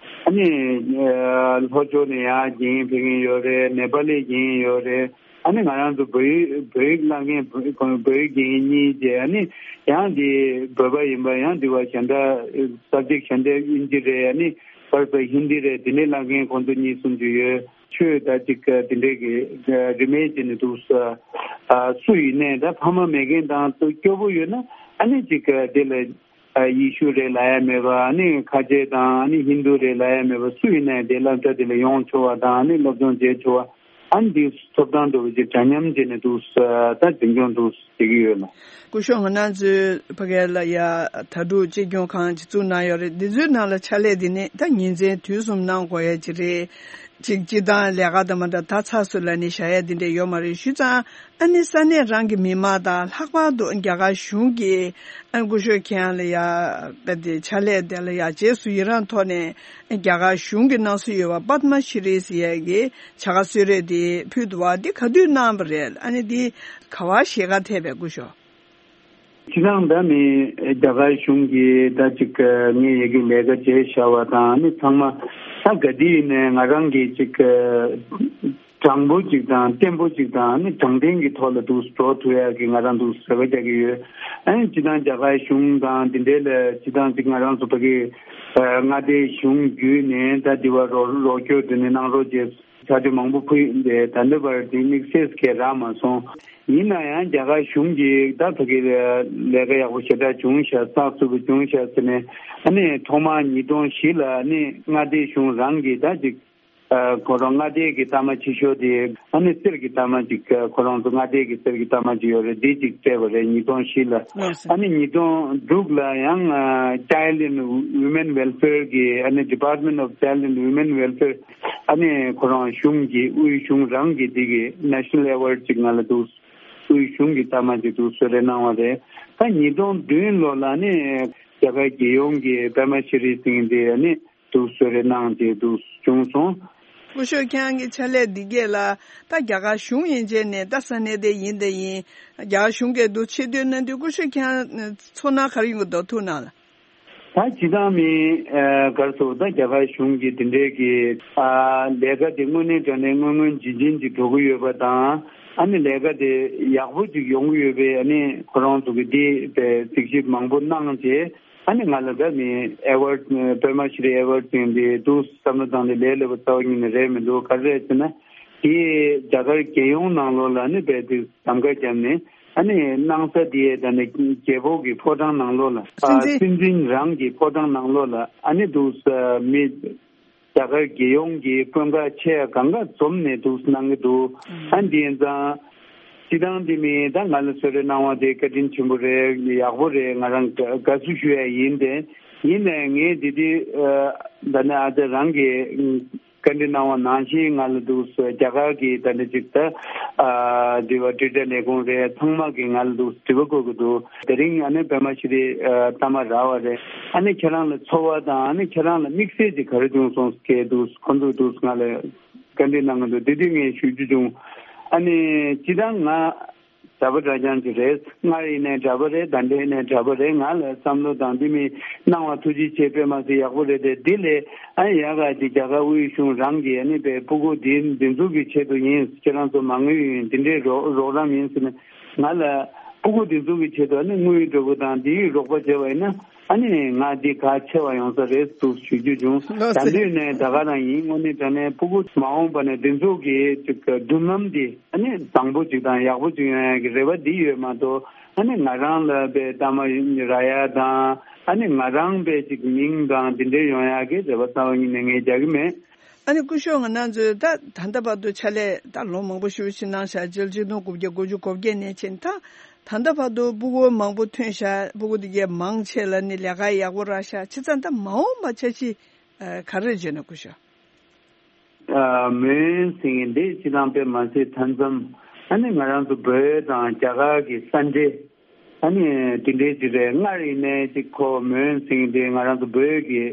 ཨ་ནི་ལྷོ་ཕྱོགས་ནས་ཡང་དགེ་རྒན་ཕེབས་མཁན་ཡོད་རེད། ནེ་པ་ལི་དགེ་རྒན་ཡོད་རེད། ཨ་ནི་ང་རང་ཚོ་བོད་ཡིག་བོད་ཡིག་བསླབ་མཁན་བོད་བོད་ཡིག་དགེ་རྒན་གཉིས་བཅས། ཨ་ནི་ཡང་འདི་བོད་པ་ཡིན་པ་ཡང་འདི་བ་གཞན་དག་སབ་ཇེག་གཞན་དག་དབྱིན་ཇི་རེད། ཨ་ནི་བར་བར་ཧིན་དི་རེད། འདི་ནས་བསླབ་མཁན་ཁོང་ཚོ་གཉིས་གསུམ་ཅིག་ཡོད། ཆོས་ད་ཅིག་དེ་འདྲས་ཀྱི་རིན་མེད་བྱས་ནས་འདུག་ས། སུ་ཡིན་ནའི་ད་ཕ་མ་མེད་མཁན་དང་སྐྱོ་པོ་ཡོད་ན་ཨ་ནི་ཅིག་དེ་ལ་ཡེ་ཤུ་རེད་ལབ་ཡ་མེད་པ། ཨ་ནི་ཁ་ཆེ་དང་ཨ་ནི་ཧིན་དུ་རེད་ལབ་ཡ་མེད་པ། སུ་ཡིན་ནའི་དེ་སློབ་གྲྭ་དེ་ལ་ཡོང་ཆོག་པ་དང་ཨ་ནི་སློབ་སྦྱོང་བྱེད་ཆོག་པ། ཨ་ནི་འདི་ཐོབ་ཐང་འདྲ་བོ་ཅིག་འདྲ་མཉམ་བྱས་ནས་འདུག་ས། ད་འཛིན་སྐྱོང་འདུག་བྱེད་ཀྱི་ཡོད་ལ། སྐུ་ཞབས་ང་རང་ཚོའི་ཕ་གི་ལ་ཡ་དྭ་ཕྲུག་གཅེས་སྐྱོང་ཁང་ཅིག་བཙུགས་གནང་ཡོད་རེད། འདི་ཚོའི་ནང་ལ་ཕྱག་ལས་འདི་ནི་ད་ཉིན་མཚན་དུས་གསུམ་གནང་དགོས་ཡ་ཅིག་རེད། ཅིག་སྤྱི་བཏང་ལས་ཀ་དང་མ་འདྲ་ད་ཚ་སུ་ལ་ནི་བཞག་ཡ་འདི་འདྲ་ཡོད་མ་རེད། ཞུ་ཙང་ཨ་ནི་ས་གནས་རང་གི་མི་མང་དང་ལྷག་པར་དུ་རྒྱ་གར་གཞུང་གི་ཨ་ནི་སྐུ་ཞབས་ཁྱེད་རང་ལ་ཡ་དཔེ་དེ་ཕྱག་ལས་དེ་ལ་ཡ་རྗེས་སུ་ཡི་རང་ཐོག་ནས་རྒྱ་གར་གཞུང་གི་གནང་སྲོལ་ཡོད་པ་པདྨ་ཤྲི་ཟེར་ཡ་གི་བྱ་དགའ་གསོལ་རས་དེ་ཕུལ་འདུག་བ། འདི་ག་དུས་གནང་བ་རེད། ཨ་ནི་འདི་ག་བ་ཞེ་དགའ་ཐེབས་པའི་སྐུ་ཞབས། ཁྱེད་རང་ད་ནི་རྒྱ་གར་གཞུང་གིས་ད་ཅིག་ངའི་ཡ་གི་ལས་ཀ་བྱས་བཞག་པ་དང་ནི་ཚང་མ་ད་ག་དུས་ནས་ང་རང་གིས་ཅིག་དྲང་པོ་ཅིག་དང་བརྟན་པོ་ཅིག་དང་ནི་དྲང་བདེན་གྱི་ཐོག་ལ་འདུག་འགྲོ་ཐུབ་ཡ་གི་ང་རང་འདུག་རེ་བ་རྒྱག་གི་ཡོད། ཨ་ནི་སྤྱི་བཏང་རྒྱ་གར་གཞུང་དང་འདི་འདྲའི་ལ་སྤྱི་བཏང་ཅིག་ང་རང་ཚོ་ཕ་གི་མངའ་སྡེའི་གཞུང་བརྒྱུད་ནས་ད་འདི་བ་རོགས་རོགས་སྐྱོར་དེ་ནས་གནང་རོགས་བྱས། ཕྱག་དེ་མང་པོ་ཕུལ་ཡིན་པས་ད་ལྟ་བར་དེ་དམིགས་བསལ་གྱི་རག་མ་སོང་། ཡིན་ན་ཡང་རྒྱ་གར་གཞུང་གིས་ད་ཕ་གི་ལས་ཀ་ཡག་པོ་ཞེ་དྲག་བྱུང་ཤག་བསགས་ཚུགས་པ་བྱུང་ཤག་ཟེར་ནས། ཨ་ནི་ཐོག་མར་ཉིས་སྟོང་བཞི་ལ་ཨ་ནི་མངའ་སྡེ་གཞུང་རང་གིས་ད་ཅིག་ཁོ་རང་མངའ་སྡེ་གི་རྟགས་མ་ཆེ་ཤོས་དེ་ཨ་ནི་གསེར་གྱི་རྟགས་མ་ཅིག་ཁོ་རང་ཚོ་མངའ་སྡེ་གི་གསེར་གྱི་རྟགས་མ་ཅིག་ཡོད་རེད། འདི་ཅིག་སྤྲད་པ་རེད་ཉིས་སྟོང་བཞི་ལ། ཨ་ནི་ཉིས་སྟོང་དྲུག་ལ་ཡང་Child and Women Welfare གི་ཨ་ནི་Department of Child and Women Welfare ཨ་ནི་ཁོ་རང་གཞུང་གི་དབུས་གཞུང་རང་གི་འདི་གི་National Award ཅིག་ང་ལ་འདུག་དབུས་གཞུང་གི་རྟགས་མ་ཅིག་འདུག་གསོལ་རས་གནང་བ་རེད། ད་ཉིས་སྟོང་བདུན་ལོ་ལ་ནི་རྒྱ་གར་རྒྱལ་ཡོངས་ཀྱི་པདྨ་ཤྲི་སིང་དེ་ནི་འདུག་གསོལ་རས་གནང་སྟེ་འདུག་བྱུང་སོང་། སྐུ་ཞབས་ཁྱེད་རང་གི་ཕྱག་ལས་འདི་གས་ལ་ད་རྒྱ་གར་གཞུང་ཡན་ཆད་ནས་ད་ས་གནས་དེ་ཡིན་དེ་ཡིན་རྒྱ་གར་གཞུང་གི་འདུག་ཆེ་བསྟོད་གནང་དུས་སྐུ་ཞབས་ཁྱེད་རང་ཚོར་སྣང་ག་རེ་ཡོང་གི་འདུག་ཐུགས་སྣང་ལ། ད་སྤྱི་བཏང་མི་གར་སོང་ད་རྒྱ་གར་གཞུང་གིས་དེ་འདྲའི་གི་ལས་ཀ་དེ་དངོས་གནས་དྲང་གནས་སྔོན་སྔོན་རྗེས་རྗེས་ཀྱི་འགྲོ་གི་ཡོད་པ་དང་། ཨ་ནི་ལས་ཀ་དེ་ཡག་པོ་ཅིག་ཡོང་གི་ཡོད་པས། ཨ་ནི་ཁོ་རང་ཚོ་གི་དེ་པའི་གཟིགས་ཞིབ་མང་པོ་གནང་རྗེས་ཨ་ནི་ང་ལ་ད་མི་ཨེ་ཝར་པདྨ་ཤྲི་ཨེ་ཝར་ཟེར་དེ་འདུག་བསམ་བློ་བཏང་ནས་ལས་སླ་པོ་རྩ་བ་ཉིད་ནས་རེད་མི་འདུག་ག་རེ་རེད་ཟེར་ན། དེ་རྒྱ་གར་རྒྱལ་ཡོངས་ནང་ལོགས་ལ་ནི་རྦད་དེ་གདམ་ག་བརྒྱབ་ནས་ཨ་ནི་གནང་ས་དེ་ད་ནི་རྒྱལ་པོ་གི་ཕོ་བྲང་ནང་ལོགས་ལ་ཨ་སྲིད་འཛིན་སྲིད་འཛིན་རང་གི་ཕོ་བྲང་ནང་ལོགས་ལ་ཨ་ནི་འདུག་ས་མི་རྒྱ་གར་རྒྱལ་ཡོངས་ཀྱི་དཔོན་ཁག་ཆེ་གང་ག་འཛོམས་ནས་འདུག་གནང་གི་འདུག་ཨ་འདི་ཡིན་ཙང་སྤྱི་བཏང་འདི་མི་ད་ང་ལ་གསོལ་རས་གནང་བ་དེ་བཀའ་དྲིན་ཆེན་པོ་རེད། ཡག་པོ་རེད། ང་རང་དགའ་བསུ་ཞུ་ཡ་ཡིན་ཏེ། ཡིན་ནའི་ངས་འདི་དུས་ད་ནི་ཨ་ཙི་རང་གི་བཀའ་འདྲི་གནང་བ་ནང་བཞིན་ང་ལ་འདུག་སེ་རྒྱ་གར་གྱི་ད་ནི་ཅིག་ད་ཨ་འདི་བ་དྲིལ་བསྒྲགས་ལས་ཁུངས་རེད། ཚང་མ་གིས་ང་ལ་འདུག་དྲི་བ་བཀོད་ཀྱི་འདུག་དེ་རིང་ཨ་ནི་པདྨ་ཤྲི་ཨ་རྟགས་མ་རག་པ་རེད། ཨ་ནི་ཁྱེད་རང་ལ་ཚོར་བ་དང་ཨ་ནི་ཁྱེད་རང་ལ་དམིགས་བསལ་ཅིག་ག་རེ་བྱུང་སོང་སྐད་འདུག་ཁོ་ཚོས་འདུག་ང་ལ་བཀའ་འདྲི་གནང་གི་འདུག་དེ་དུས་ངས་ཞུ་རྒྱུ་བྱུང་། ཨ་ནི་སྤྱིར་བཏང་ང་གྲྭ་པ་གྲྭ་རྐྱང་ཅིག་རེད། སྔར་ཡིན་ནའི་གྲྭ་པ་རེད། ད་ལྟ་ཡིན་ནའི་གྲྭ་པ་རེད། ང་ལ་བསམ་བློ་དང་འདི་མི་གནང་བ་ཐུགས་རྗེ་ཆེ། དཔེ་མ་སྲིད་ཡག་པོ་རེད་དེ། འདི་ལས་ཨ་ཡག་ག་ཅིག་རྒྱ་གར་དབུས་གཞུང་རང་གིས་ཨ་ནི་པའི་སྤུ་གུ་འདི་འདི་ཚོ་གི་ཆེད་དུ་ཡིན། ཁྱེད་རང་ཚོ་མ་དངུལ་ཡིན་འདི་འདྲའི་རོགས་རོགས་རམ་ཡིན་ཟེར་ནས་ང་ལ་སྤུ་གུ་འདི་ཚོ་གི་ཆེད་དུ་ཨ་ནི་དངུལ་འགྲོ་དགོས་དང་འདིའི་རོགས་པ་བྱས་པ་ཡིན་ན་ཨ་ནི་ང་འདི་ག་ཆེ་བ་ཡོང་ས་རེད་འདུག་ཞུ་རྒྱུ་བྱུང་། ལགས་ད་སེ། འདི་ནས་ད་ག་རང་ཡིན། དངོས་གནས་དྲང་གནས་སྤུ་གུ་མ་འོངས་པ་ནས་འདི་ཚོ་གི་ཅིག་མདུན་ལམ་འདི་ཨ་ནི་བཟང་པོ་ཅིག་དང་ཡག་པོ་ཅིག་ཡོང་ཡ་གི་རེ་བ་འདི་ཡོད་མ་གཏོགས། ཨ་ནི་ང་རང་ལ་པའི་གཏའ་མ་རག་ཡ་དང་ཨ་ནི་ང་རང་པའི་ཅིག་མིང་དང་འདི་འདྲའི་ཡོང་ཡ་གི་རེ་བ་རྩ་བ་ཉིད་ནས་ངས་རྒྱག་གི་མེད། ཨ་ནི་སྐུ་ཞབས་ང་རང་ཚོས་ད་ད་ལྟ་བར་དུ་ཕྱག་ལས་ད་ལོ་མང་པོ་ཞེ་པོ་ཅིག་གནང་བཞག་སྤྱི་ལོ་ཆིག་སྟོང་དགུ་བརྒྱ་གོ་བརྒྱད་ནས་བྱས་ད་ད་ལྟ་བར་དུ་སྤུ་གུ་མང་པོ་ཐོན་བཞག་སྤུ་གུ་དེ་གས་མང་ཆེ་ལ་ནི་ལས་ཀ་ཡག་པོ་རག་བཞག་བྱས་ཙང་ད་མ་འོངས་པ་འཆར་གཞི་ག་རེ་བརྗོད་ན་སྐུ་ཞབས། ཨ་མོན་སེང་གེ་འདི་སྤྱི་བཏང་དཔེ་མ་སྲིད་མཐའ་མཚམས། ཨ་ནི་ང་རང་ཚོ་བོད་དང་རྒྱ་གར་གྱི་ས་འབྲེལ། ཨ་ནི་དེ་འདྲའི་ཅིག་རེད། སྔར་ཡིན་ནའི་ཅིག་ཁོ་མོན་སེང་གེ་འདི་ང་རང་ཚོ་བོད་ཀྱི་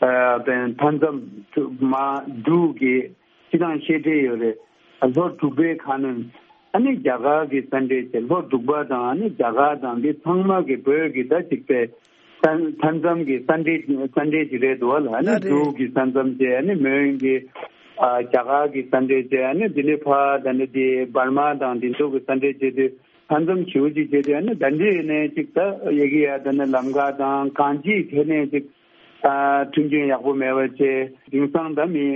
ཨ་དཔེ་མཐའ་མཚམས་མ་འབྲུག་གི་སྤྱི་བཏང་ཤེས་བྱ་ཡོད་རེད། ལྷོ་འབྲུག་པའི་ཁ་གནོན། ཨ་ནི་རྒྱ་གར་གྱི་ས་འབྲེལ་བྱས། ལྷོ་འབྲུག་པ་དང་ཨ་ནི་རྒྱ་གར་དང་འདི་ཚང་མ་གི་བོད་ཀྱི་ད་ཅིག་པའི་ས་མཐའ་མཚམས་ཀྱི་ས་འབྲེལ་ས་འབྲེལ་ཅིག་རེད་འདུག་བ་ལ། ཨ་ནི་ལགས་རེད། འབྲུག་གི་ས་མཚམས་བྱས། ཨ་ནི་མོན་གྱི་ཨ་རྒྱ་གར་གྱི་ས་འབྲེལ་བྱས། ཨ་ནི་འདི་ནས་ཕར་ད་ནི་འདི་འབར་མ་དང་འདི་ཚོ་གི་ས་འབྲེལ་བྱས་དུས་མཐའ་མཚམས་ཞེ་པོ་ཅིག་བྱས་དུས། ཨ་ནི་ད་འདི་ཡིན་ནའི་ཅིག་ད་ཡ་གི་ཡ་ད་ནི་ལམ་ཁ་དང་གང་ཅིའི་ཐད་ནས་ཅིག་ཨ་མཐུན་རྐྱེན་ཡག་པོ་མེད་པ་བྱས། དེང་སང་ད་མི་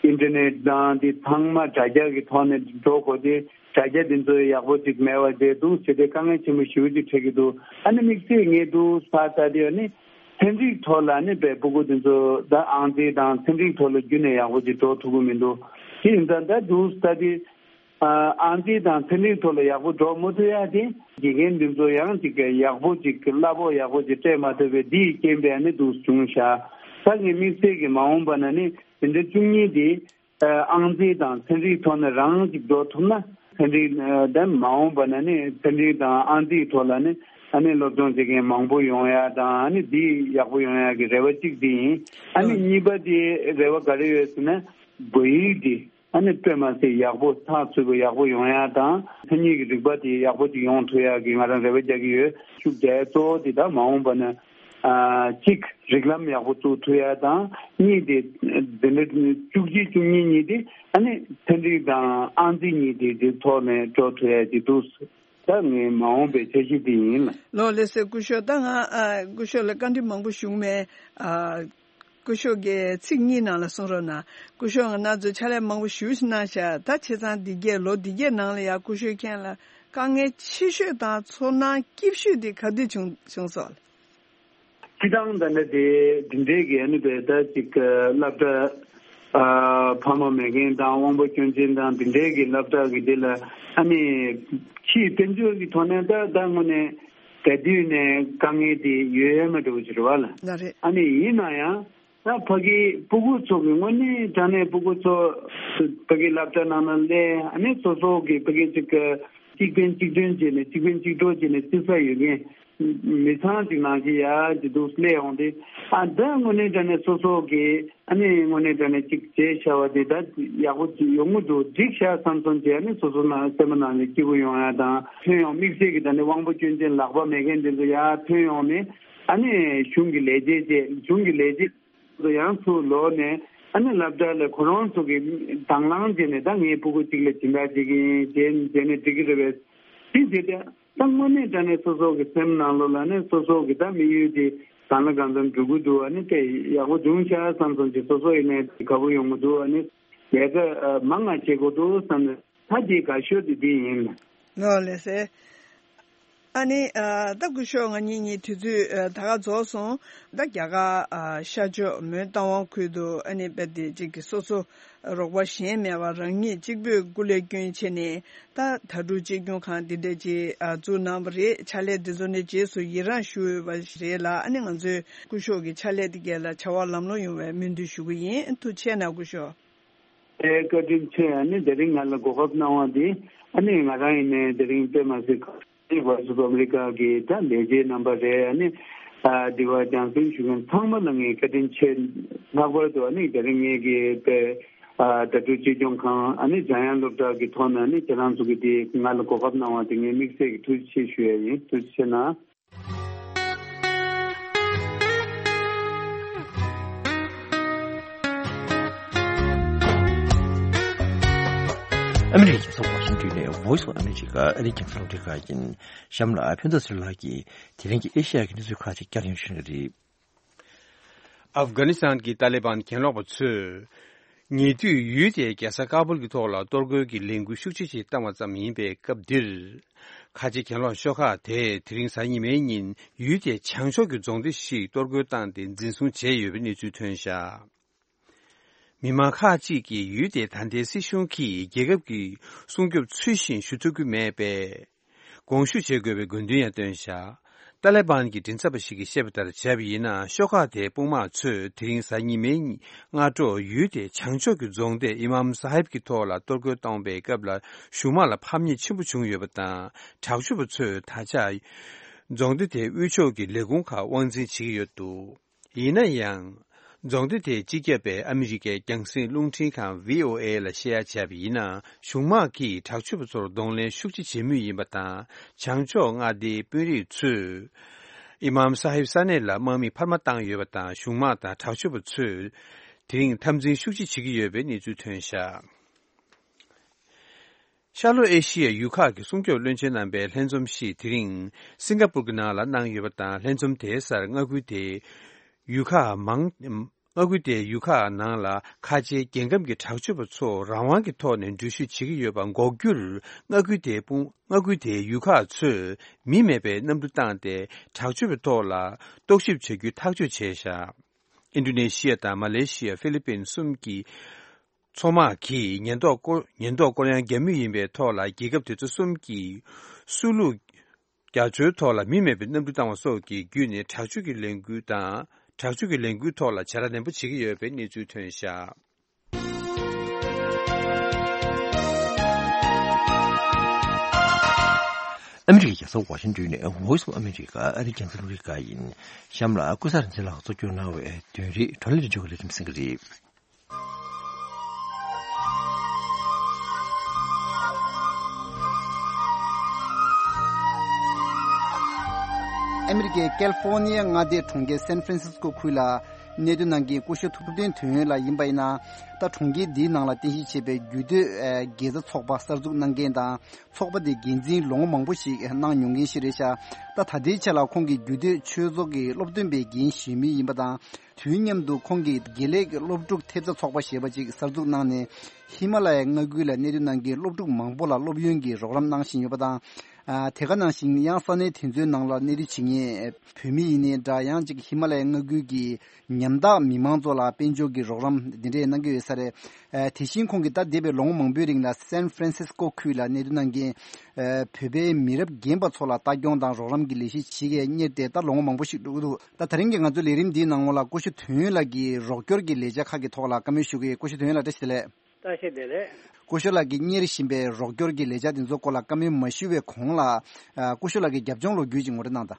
ཨིན་ཊར་ནེཊ་དང་དེ་ཚང་མ་དྲ་རྒྱ་གི་ཐོག་ནས་འགྲོ་དགོས་ཏེ། དྲ་རྒྱ་དེ་ཚོ་ཡག་པོ་ཅིག་མེད་པ་བྱས་འདུག་བྱས་ཏེ་དཀའ་ངལ་ཆེན་པོ་ཞེ་པོ་ཅིག་འཕྲད་ཀྱི་འདུག་ཨ་ནི་དམིགས་བསལ་ངས་འདུག་ཕར་ལྟ་དུས་ཨ་ནི་ཚན་རིག་ཐོག་ལ་ཨ་ནི་བས་སྤུ་གུ་དེ་ཚོ་ད་ཨང་རྩིས་དང་ཚན་རིག་ཐོག་ལ་རྒྱུན་ནས་ཡག་པོ་ཅིག་འགྲོ་ཐུབ་ཀྱི་མི་འདུག་དེ་ཡིན་ཙང་ད་འདུག་ལྟ་དུས། ཨ་ཨང་རྩིས་དང་ཚན་རིག་ཐོག་ལ་ཡག་པོ་འགྲོ་མ་ཐུབ་ཡ་དེ། དགེ་རྒན་འདི་ཚོ་ཡང་ཅིག་གི་ཡག་པོ་ཅིག་གི་གླ་ཕོགས་ཡག་པོ་ཅིག་སྤྲད་མ་ཐུབ་པའི་འདིའི་རྐྱེན་པས་ནི་འདུག་བྱུང་ཤག་ད་ངས་དམིགས་བསལ་གྱི་མ་འོངས་པ་ན་ནི་དེ་འདྲ་བཅུ་གཉིས་དེ་ཨ་ཨང་རྩིས་དང་ཚན་རིག་ཐོག་ནས་རང་ཅིག་འགྲོ་ཐུབ་ན། ཚན་རིག་ཨ་དེ་མ་འོངས་པ་ན་ནི་ཚན་རིག་དང་ཨང་རྩིས་ཐོག་ལ་ནི་ཨ་ནི་སློབ་སྦྱོང་བྱེད་མཁན་མང་པོ་ཡོང་ཡ་དང་། ཨ་ནི་འདི་ཡག་པོ་ཡོང་ཡ་གི་རེ་བ་གཅིག་འདི་ཡིན། ཨ་ནི་ཨ་གཉིས་པ་དེ་རེ་བ་ག་རེ་ཡོད་ཟེར་ན། བོད་ཡིག་འདི་ཨ་ནི་དཔེ་མ་སྲིད་ཡག་པོ་ཚགས་ཚུད་པོ་ཡག་པོ་ཡོང་ཡ་དང་། མཚན་ཉིད་ཀྱི་རིག་པ་དེ་ཡག་པོ་ཅིག་ཡོང་ཐུབ་ཡ་གི་ང་རང་རེ་བ་རྒྱག་གི་ཡོད། ཤུགས་རྒྱག་ཡ་གཙོ་བོ་དེ་ད་མ་འོངས་པ་ན་ཨ་གཅིག་རིགས་ལམ་ཡག་པོ་བཙུགས་ཐུབ་ཡ་དང་། གཉིས་དེ་འདི་འདྲ་བཅུ་གཅིག་བཅུ་གཉིས་གཉིས་དེ་ཨ་ནི་ཚན་རིག་དང་ཨང་རྩིས་གཉིས་དེ་དེ་ཐོག་ནས་འགྲོ་ཐུབ་ཡ་ཅིག་འདུག་ད་ངའི་མ་འོངས་པའི་འཆར་གཞི་དེ་ཡིན་ལ། ལགས་ལགས་སེ། སྐུ་ཞབས་ད་ང་ཨ་སྐུ་ཞབས་ལ་བཀའ་འདྲི་མང་པོ་ཞུ་མེད། ཨ་སྐུ་ཞབས་ཀྱིས་ཚིག་གཉིས་ནང་ལ་གསུང་རོགས་གནང་། སྐུ་ཞབས་ང་རང་ཚོ་ཕྱག་ལས་མང་པོ་ཞུས་གནང་ཤག་ད་བྱས་ཙང་འདི་གས་ལོ་འདི་གས་ནང་ལ་ཡང་སྐུ་ཞབས་ཁྱེད་ལ་དཀའ་ངལ་ཆེ་ཤོས་དང་ཚོར་སྣང་སྐྱིད་ཤོས་དེ་ག་དུས་བྱུང་བྱུང་སོང་། སྤྱི་བཏང་ད་ནི་དེ་འདི་འདྲའི་གི་ཨ་ནི་བས་ད་ཅིག་སློབ་གྲྭ་ཨ་ཕ་མ་མེད་མཁན་དང་དབང་པོ་སྐྱོན་ཅན་དང་འདི་འདྲའི་གི་སློབ་གྲྭ་གི་དེ་ལ་ཨ་ནི་ཕྱིའི་དཔལ་འབྱོར་གི་ཐོག་ནས་ད་ད་དངོས་གནས་ག་དུས་ནས་དཀའ་ངལ་དེ་ཡོད་ཡ་མ་འགྲོ་གི་རེད་བ་ལ། ལགས་རེད། ཨ་ནི་ཡིན་ན་ཡང་ད་ཕ་གི་སྤུ་གུ་ཚོ་གི་དངོས་གནས་དྲང་གནས་སྤུ་གུ་ཚོ་ཕ་གི་སློབ་གྲྭ་ནང་ན་སླེབས། ཨ་ནི་སོ་སོ་གི་ཕ་གི་ཅིག་གཅིག་ཕན་གཅིག་གྱོན་བྱས་ནས་གཅིག་ཕན་གཅིག་གྲོགས་བྱས་ནས་བརྩི་ས་ཡོད་མཁན། མི་ཚང་ཅིག་ནང་བཞིན་ཡ་ཅིག་འདུག་སླེབས་ཡོང་དུས། ཨ་ད་དངོས་གནས་དྲང་གནས་སོ་སོ་གི་ཨ་ནི་དངོས་གནས་དྲང་གནས་ཅིག་བྱས་བཞག་པ་དེ་ད་ཡག་པོ་ཅིག་ཡོང་གི་འདུག་འགྲིག་ཤག་བསམ་བསམ་བྱས། ཨ་ནི་སོ་སོ་ནང་སེམས་པ་ནང་ནས་སྐྱིད་པོ་ཡོང་ཡ་དང་། ཐོན་ཡོང་དམིགས་བསལ་གྱི་ད་ནི་དབང་པོ་སྐྱོན་ཅན་ལག་པ་མེད་མཁན་དེ་ཚོ་ཡར་ཐོན་ཡོང་ནས། ཨ་ནི་གཞུང་གི་ལས་བྱེད་བྱས། གཞུང་གི་ལས་བྱེད་ཚོ་ཡང་ཚུར་ལོག་ནས་ཨ་ནི་སློབ་གྲྭ་ལ་ཁོ་རང་ཚོ་གི་དང་བླངས་བྱས་ནས། ད་ངའི་སྤུ་གུ་གཅིག་ལ་སྦྱིན་བདག་བྱེད་ཀྱི་ཡིན་བྱས་བྱས་ནས་འགྲིག་གི་རེད་པས། དེ་བྱས་ཏེ་ད་དངོས་གནས་དྲང་གནས་སོ་སོ་གི་སེམས་ནང་ལོགས་ལ་ནི་སོ་སོ་གི་ད་དམིགས་ཡུལ་དེ་གང་ལ་གང་འཚམ་འགྲོ་གི་འདུག་ཨ་ནི་དེ་ཡག་པོ་བྱུང་ཤག་བསམ་སོང་ཅིག་སོ་སོ་ཡིན་ནའི་དགའ་པོ་ཡོང་གི་འདུག་ཨ་ནི་ལས་ཀ་མང་ང་བྱེད་དགོས་འདུག་བསམ་ནས། ད་དེ་དགའ་ཤོས་དེ་དེ་ཡིན། ལགས་ལགས་སེ། ཨ་ནི་ཨ་ད་སྐུ་ཞབས་ང་གཉིས་གཉིས་དུས་ཚོད་ཨ་ད་ག་རྫོགས་སོང་། ད་རྒྱ་གར་ཨ་ཤར་ཕྱོགས་མོན་རྟ་དབང་ཁུལ་དུ་ཨ་ནི་རྦད་དེ་ཅིག་གི་སོ་སོ་རོགས་པ་གཞན་མེད་པར་རང་ཉིད་གཅིག་པུས་སྐུ་ལས་བསྐྱོན་བྱས་ནས། ད་དྭ་ཕྲུག་གཅེས་སྐྱོང་ཁང་འདི་འདྲ་ཅིག་ཨ་བཙུགས་གནང་བ་རེད། ཕྱག་ལས་འདི་ཚོ་ནི་རྗེས་སུ་ཡི་རངས་ཞུ་འོས་པ་རེད་ལ། ཨ་ནི་ང་ཚོས་སྐུ་ཞབས་ཀྱི་ཕྱག་ལས་འདི་གས་ལ་བྱ་བ་ལམ་ལྷོང་ཡོང་བའི་སྨོན་འདུན་ཞུ་གི་ཡིན། ཐུགས་རྗེ་གནང་སྐུ་ཞབས། ཨེ་བཀའ་དྲིན་ཆེ། ཨ་ནི་དེ་རིང་ང་ལ་གོ་སྐབས་གནང་བ་འདི། ཨ་ནི་ང་རང་ཡིན་ནའི་དེ་རིང་དཔེ་མ་སྲིད་ཀ་ནི་Voice of America གི་ད་ལས་བྱེད་རྣམ་པ་རེད། ཨ་ནི་ཨ་འདི་བ་རྒྱང་སྲིང་ཞུ་མཁན་ཚང་མ་ལ་ངས་བཀའ་དྲིན་ཆེ། ལྷག་པར་དུ་ཨ་ནི་དེ་རིང་ངེད་ཀྱི་དཔེ་ཨ་དྭ་ཕྲུག་གཅེས་སྐྱོང་ཁང་། ཨ་ནི་འཇམ་དབྱངས་སློབ་གྲྭ་གི་ཐོག་ནས་ཨ་ནི་ཁྱེད་རང་ཚོ་གི་དེ་ང་ལ་གོ་སྐབས་གནང་བ་དེ་ངས་དམིགས་བསལ་གྱི་ཐུགས་རྗེ་ཆེ་ཞུ་ཡ་ཡིན། ཐུགས་རྗེ་ཆེ་གནང་། ཨ་མི་རི་ཀའི་རྒྱལ་ས་ཝ་ཤིང་ཏོན་ནས་Voice of America ཨ་རིའི་རྒྱང་སྲིང་རླུང་འཕྲིན་ཁང་ཡིན། གཤམ་ལ་ཕན་ཚུན་ཚོའི་ལག་གིས་དེ་རིང་གི་ཨེ་ཤ་ཡ་གི་གནས་ཚུལ་ཁག་ཅིག་བསྐྱར་ཞིབ་ཞུ་གི་རེད། ཨབ་གྷ་ནི་སི་ཐན་གྱི་ཏཱ་ལི་བན་གྱེན་ལོག་པ་ཚོས་ཉེ་དུས་ཡུལ་དེའི་རྒྱལ་ས་ཀ་བུལ་གྱི་ཐོག་ལ་གཏོར་རྒོལ་གྱི་ལས་འགུལ་ཤུགས་ཆེ་ཞིག་བཏང་བ་ཙམ་ཡིན་པའི་སྐབས་འདིར། ཁ་ཆེ་གྱེན་ལོག་ཤོག་ཁག་དེས་དེ་རིང་གཟའ་ཉི་མའི་ཉིན་ཡུལ་དེའི་བྱང་ཕྱོགས་ཀྱི་རྫོང་སྡེ་ཞིག་གཏོར་རྒོལ་བཏང་སྟེ་འཛིན་བཟུང་བྱས་ཡོད་པའི་གནས་ཚུལ་ཐོན་བཞག་མི་མང་ཁག་ཅིག་གིས་ཡུལ་དེའི་ད་ལྟའི་སྲིད་གཞུང་གིས་རྒྱལ་ཁབ་ཀྱི་སྲུང་སྐྱོབ་ཚུལ་བཞིན་ཞུ་ཐུབ་ཀྱི་མེད་པས། དགོངས་ཞུ་བྱེད་དགོས་པའི་དགོས་འདུན་ཡང་བཏོན་བཞག་ཏཱ་ལེ་བཱན་གྱི་མགྲིན་ཚབ་པ་ཞིག་གིས་བཤད་པ་ལྟར་བྱས་པ་ཡིན་ན། ཤོག་ཁག་དེའི་དཔུང་དམག་ཚོས་དེ་རིང་གཟའ་ཉི་མའི་སྔ་དྲོ་ཡུལ་དེའི་བྱང་ཕྱོགས་ཀྱི་རྫོང་སྡེ་ཨི་མམ་ས་ཧིབ་ཀྱི་ཐོག་ལ་གཏོར་རྒོལ་གཏོང་བའི་སྐབས་ལ་གཞུང་དམག་ལ་ཕམ་ཉེས་ཆེན་པོ་བྱུང་ཡོད་པ་དང་། དྲག་སྤྱོད་པ་ཚོས་ད་ཆ་རྫོང་སྡེ་དེའི་དབུས་ཕྱོགས་ཀྱི་ལས་ཁུངས་ཁག་དབང་འཛིན་བྱེད་ཀྱི་ཡོད་འདུག་ཡིན་ན་ཡང་། རྫོང་སྡེ་དེའི་སྤྱི་ཁྱབ་པས་ཨ་མི་རི་ཀའི་རྒྱང་སྲིང་རླུང་འཕྲིན་ཁང་བྷི་ཨོ་ཨེ་ལ་བཤད་ཡ་བྱས་པ་ཡིན་ན། གཞུང་དམག་གིས་དྲག་སྤྱོད་པ་ཚོར་གདོང་ལེན་ཤུགས་ཆེ་བྱེད་མུས་ཡིན་པ་དང་། བྱང་ཕྱོགས་མངའ་སྡེའི་དཔོན་རིགས་ཚོས་ཨི་མམ་ས་ཧིབ་ས་གནས་ལ་དམག་མི་འཕར་མ་བཏང་ཡོད་པ་དང་། གཞུང་དམག་དང་དྲག་སྤྱོད་པ་ཚོས་དེ་རིང་འཐབ་འཛིང་ཤུགས་ཆེ་བྱེད་ཀྱི་ཡོད་པའི་གནས་ཚུལ་ཐོན་བཞག་ཤར་ལྷོ་ཨེ་ཤི་ཡའི་ཡུལ་ཁག་གི་སྲུང་སྐྱོབ་བློན་ཆེན་རྣམ་པའི་ལྷན་འཛོམས་ཤིག་དེ་རིང་སིང་ག་པུར་གྱི་ནང་ལ་གནང་ཡོད་པ་དང་། ལྷན་འཛོམས་དེའི་སར་མངའ་ཁུལ་དེའི་ཡུལ་ཁག་མང་མངའ་ཁུལ་དེའི་ཡུལ་ཁག་ནང་ལ་ཁ་ཆེའི་རྒྱལ་ཁམས་ཀྱི་དྲག་སྤྱོད་པ་ཚོ་རང་དབང་གི་ཐོག་ནས་འགྲུལ་བཞུད་བྱེད་ཀྱི་ཡོད་པ་འགོག་རྒྱུར། མངའ་ཁུལ་དེའི་དཔུང་མངའ་ཁུལ་དེའི་ཡུལ་ཁག་ཚོས་མི་མེད་པའི་གནམ་གྲུ་བཏང་སྟེ་དྲག་སྤྱོད་པའི་ཐོག་ལ་རྟོག་ཞིབ་བྱ་རྒྱུའི་ཐག་གཅོད་བྱས་བཞག་ཨིན་ཌོ་ནེ་ཤི་ཡ་དང་མ་ལེ་ཤི་ཡ། ཧྥི་ལི་པིན་གསུམ་གྱི་མཚོ་དམག་གིས་ཉེན་རྟོག་སྐོར་ཉེན་རྟོག་སྐོར་གཡང་རྒྱག་མུས་ཡིན་པའི་ཐོག་ལ། རྒྱལ་ཁབ་དེ་ཚོ་གསུམ་གྱིས་སུ་ལུ་རྒྱ་མཚོའི་ཐོག་ལ་མི་མེད་པའི་གནམ་གྲུ་བཏང་བ་སོགས་ཀྱི་བརྒྱུད་ནས་དྲག་སྤྱོད་ཀྱི་ལས་འགུལ་དང་། དྲག་སྤྱོད་ཀྱི་ལས་འགུལ་ཐོག་ལ་བྱ་ར་ནན་པོ་བྱེད་ཀྱི་ཡོད་པའི་གནས་ཚུལ་ཐོན་བཞག་ཨ་མི་རི་ཀའི་རྒྱལ་ས་ཝ་ཤིང་ཏོན་ནས་Voice of America ཨ་རིའི་རྒྱང་སྲིང་རླུང་འཕྲིན་ཁང་ཡིན། གཤམ་ལ་ཀུན་བཟང་རིག་འཛིན་ལགས་གཙོ་སྐྱོང་གནང་བའི་དོན་རིག་བགྲོ་གླེང་རིག་འཇུག་གི་ལས་རིམ་གསན་གྱི་རེད། ཨ་མི་རི་ཀའི་ཀལ་ཧྥོར་ནི་ཡ་མངའ་སྡེའི་གྲོང་ཁྱེར་སན་ཧྥ་རན་སིས་ཀོ་ཁུལ་ལ་གནས་སྡོད་གནང་མཁན་སྐུ་ཞབས་ཐུབ་བསྟན་དོན་ཡོད་ལགས་ཡིན་པ་ཡིན་ན། ད་གྲོང་ཁྱེར་འདིའི་ནང་ལ་རྟེན་གཞི་བྱས་པའི་རྒྱུད་སྟོད་དགེ་རྩ་ཚོགས་པ་གསར་འཛུགས་གནང་མཁན་དང་། ཚོགས་པ་དེ་འགན་འཛིན་ལོ་ངོ་མང་པོ་ཞིག་གནང་མྱོང་མཁན་ཞིག་རེད་ཤག་ད་ད་ལྟའི་ཆ་ལ་ཁོང་གིས་རྒྱུད་སྟོད་ཆོས་ཚོགས་ཀྱི་སློབ་སྟོན་པའི་འགན་བཞེས་མུས་ཡིན་པ་དང་། དུས་མཉམ་དུ་ཁོང་གིས་དགེ་ལས་ཀྱི་སློབ་ཕྲུག་ཐེབས་རྩ་ཚོགས་པ་ཞེས་པ་ཅིག་གསར་འཛུགས་གནང་ནས། ཧི་མ་ལ་ཡའི་མངའ་ཁུལ་ལ་གནས་སྡོད་གནང་མཁན་སློབ་ཕྲུག་མང་པོ་ལ་སློབ་ཡོན་གྱི་རོགས་རམ་གནང་བཞིན་ཡོད་པ་དང་། ཨ་དེ་ག་ནང་བཞིན་ཡང་ས་གནས་དེ་ཚོའི་ནང་ལ་གནས་སྡོད་བྱེད་མཁན་བོད་མི་ཡིན་ནའི་འདྲ། ཡང་ཅིག་ཧི་མ་ལ་ཡའི་མངའ་ཁུལ་གྱི་ཉམ་ཐག་མི་མང་ཚོ་ལ་དཔལ་འབྱོར་གྱི་རོགས་རམ་འདི་འདྲས་གནང་གི་ཡོད་ས་རེད། ཨ་དེ་བཞིན་ཁོང་གིས་ད་འདས་པའི་ལོ་ངོ་མང་པོའི་རིང་ལ་སན་ཧྥ་རན་སིས་ཀོ་ཁུལ་ལ་གནས་སྡོད་གནང་མཁན་ཨ་བོད་པའི་མི་རབས་རྒན་པ་ཚོ་ལ་ལྟ་སྐྱོང་དང་རོགས་རམ་གྱི་ལས་གཞི་བྱེད་མཁན་གཉེར་ཏེ་ད་ལོ་ངོ་མང་པོ་ཞིག་འགྲོ་གི་འདུག་ད་ད་རིང་གི་ང་ཚོའི་ལས་རིམ་འདིའི་ནང་ལོགས་ལ་སྐུ་ཞབས་དོན་ཡོད་ལགས་ཀྱིས་རོགས་སྐྱོར་གྱི་ལས་འཆར་ཁག་གི་ཐོག་ལ་བཀའ་མོལ་ཞུ་གི་ཡོད། སྐུ་ཞབས་དོན་ཡོད་ལགས་བཀྲ་ཤིས་བདེ་ལེགས། བཀྲ་ཤིས་བདེ་ལེགས། སྐུ་ཞབས་ལགས་ཀྱིས་གཉེར་བཞིན་པའི་རོགས་སྐྱོར་གྱི་ལས་འཆར་དེ་ཚོའི་སྐོར་ལ་བཀའ་མོལ་མ་ཞུ་བའི་གོང་ལ། ཨ་སྐུ་ཞབས་ལགས་ཀྱི་རྒྱབ་ལྗོངས་ལོ་རྒྱུས་ཅིག་ངོ་སྤྲོད་གནང་དང་།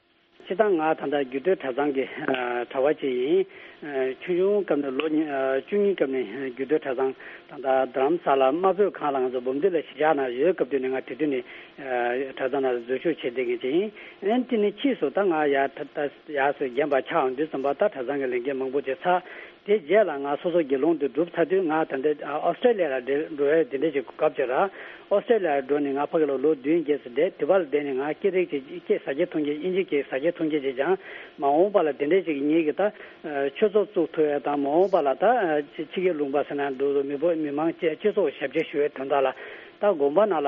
སྤྱིར་བཏང་ང་ད་ལྟ་རྒྱུད་སྟོད་གྲྭ་ཚང་གི་ཨ་གྲྭ་པ་ཅིག་ཡིན། ཨ་ཆུང་ཆུང་སྐབས་ནས་ལོ་ཉི་ཨ་བཅུ་གཉིས་སྐབས་ནས་རྒྱུད་སྟོད་གྲྭ་ཚང་ད་ལྟ་རྡ་རམ་ས་ལ་རྨ་སྤོས་ཁང་ལ་ང་ཚོ་འབུམ་སྡེ་ལ་གཞིས་ཆགས་ནང་ཡོད་སྐབས་དུས་ནས་ང་དེ་དུས་ནས་ཨ་གྲྭ་ཚང་ནང་འཛུལ་ཞུགས་བྱས་བསྡད་མཁན་ཅིག་ཡིན། ཨ་ནི་དེ་ནས་ཕྱིས་སུ་ད་ང་ཡར་ད་ད་ཡར་སུ་རྒན་པ་ཆགས་འོང་དུས་ཙམ་པ་ད་གྲྭ་ཚང་གི་ལས་འགན་མང་པོ་ཅིག་ཚར། དེ་རྗེས་ལ་ང་སོ་སོ་དགེ་སློང་དུ་གྲུབ་ཚར་དུས་ང་ད་ལྟ་ཨོ་སི་ཀྲེ་ལི་ཡ་ལ་འགྲོ་འགྲོ་ཡས་དེ་འདྲ་ཞིག་གོ་སྐབས་ཅིག་རག་ཨོ་སི་ཀྲེ་ལི་ཡར་འགྲོ་ནས་ང་ཕ་གི་ལ་ལོ་བདུན་བརྒྱད་ཙམ་བསྡད། དེ་བར་ལ་བསྡད་ནས་ང་སྐད་རིགས་ཅིག་སྐད་ཟ་རྒྱུ་འཐུང་རྒྱུ་དབྱིན་ཇི་སྐད་ཟ་རྒྱུ་འཐུང་རྒྱུ་ཅིག་སྦྱངས། མ་འོངས་པ་ལ་དེ་འདྲ་ཞིག་ངེད་ཀྱི་ད་ཆོས་ཚོགས་བཙུགས་ཐུབ་ཡས་དང་། མ་འོངས་པ་ལ་ད་ཕྱི་རྒྱལ་ལུང་པ་ཟེར་ན་འདུག་མི་བོ་མི་མང་སྤྱི་སྤྱི་ཚོགས་ཞབས་ཕྱི་ཞུ་བའི་དོན་དག་ལ་ད་དགོན་པ་ནང་ལ་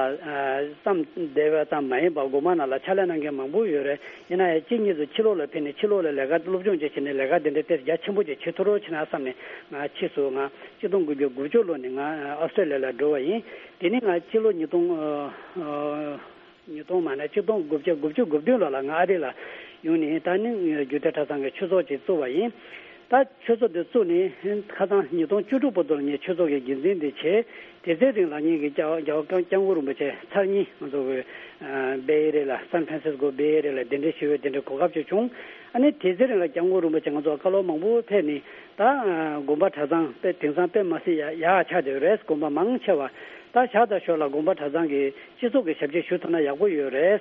ཙམ་བསྡད་པ་ཙམ་མ་ཡིན་པར་དགོན་པ་ནང་ལ་ཕྱག་ལས་གནང་མཁན་མང་པོ་ཡོད་རེད། ཡིན་ན་ཡང་གཅིག་གཉིས་སུ་ཕྱི་ལོགས་ལ་ཕེབས་ནས་ཕྱི་ལོགས་ལ་ལས་ཀ་སློབ་སྦྱོང་བྱས་བྱས་ནས་ལས་ཀ་དེ་འདྲ་དེ་རྒྱ་ཆེན་པོ་ཅིག་བྱེད་ཐུབ་རོགས་བྱེད་ན་བསམ་ནས་ང་ཕྱིས་སུ་ང་གཅིག་སྟོང་དགུ་བརྒྱ་དགུ་བཅུ་ལོ་ནས་ང་ཨོ་སི་ཀྲེ་ལི་ཡ་ལ་འགྲོ་བ་ཡིན། དེ་ནས་ང་ཕྱི་ལོ་ཉིས་སྟོང་ཨ་ཨ་ཉིས་སྟོང་མ་ན་གཅིག་སྟོང་དགུ་བརྒྱ་དགུ་བཅུ་གོ་བདུན་ལོ་ལ་ང་ཨ་རི་ལ་ཡོང་ནས་ད་ནི་རྒྱུད་སྟོད་གྲྭ་ཚང་གི་ཆོས་ཚོགས་ཅིག་བཙུགས་པ་ཡིན། ད་ཆོས་ཚོགས་དེ་བཙུགས་ནས་ཁ་སང་ཉིས་སྟོང་བཅུ་དྲུག་བར་དུ་ལ་ངས་ཆོས་ཚོགས་ཀྱི་འགན་འཛིན་དེ་བྱས། དེ་ཚེ་རིང་ལ་ངེད་ཀྱི་རྒྱལ་བ་རྒྱལ་བ་སྐྱབས་མགོན་རིན་པོ་ཆེ་ཚར་གཉིས་ང་ཚོ་གི་ཨ་བེ་ཨེ་རི་ཡ་ལ་སན་ཧྥ་རན་སིས་ཀོ་བེ་ཨེ་རི་ཡ་ལ་གདན་འདྲེན་ཞུ་བའི་དེ་འདྲའི་གོ་སྐབས་ཅིག་བྱུང་། ཨ་ནི་དེ་ཚེ་རིང་ལ་སྐྱབས་མགོན་རིན་པོ་ཆེ་ང་ཚོ་བཀའ་སློབ་མང་པོ་ཕེབས་ནས་ད་ཨ་དགོན་པ་གྲྭ་ཚང་དཔེ་དེང་སང་དཔེ་མ་སྲིད་ཡག་ཡག་ཆགས་བསྡད་ཡོད་རེད། དགོན་པ་མང་ཆེ་བ་ད་ཞག་དང་ཞོར་ལ་དགོན་པ་གྲྭ་ཚང་གི་སྤྱི་ཚོགས་ཀྱི་ཞབས་ཕྱི་ཞུ་ཐུབ་ན་ཡག་པོ་ཡོད་རེད།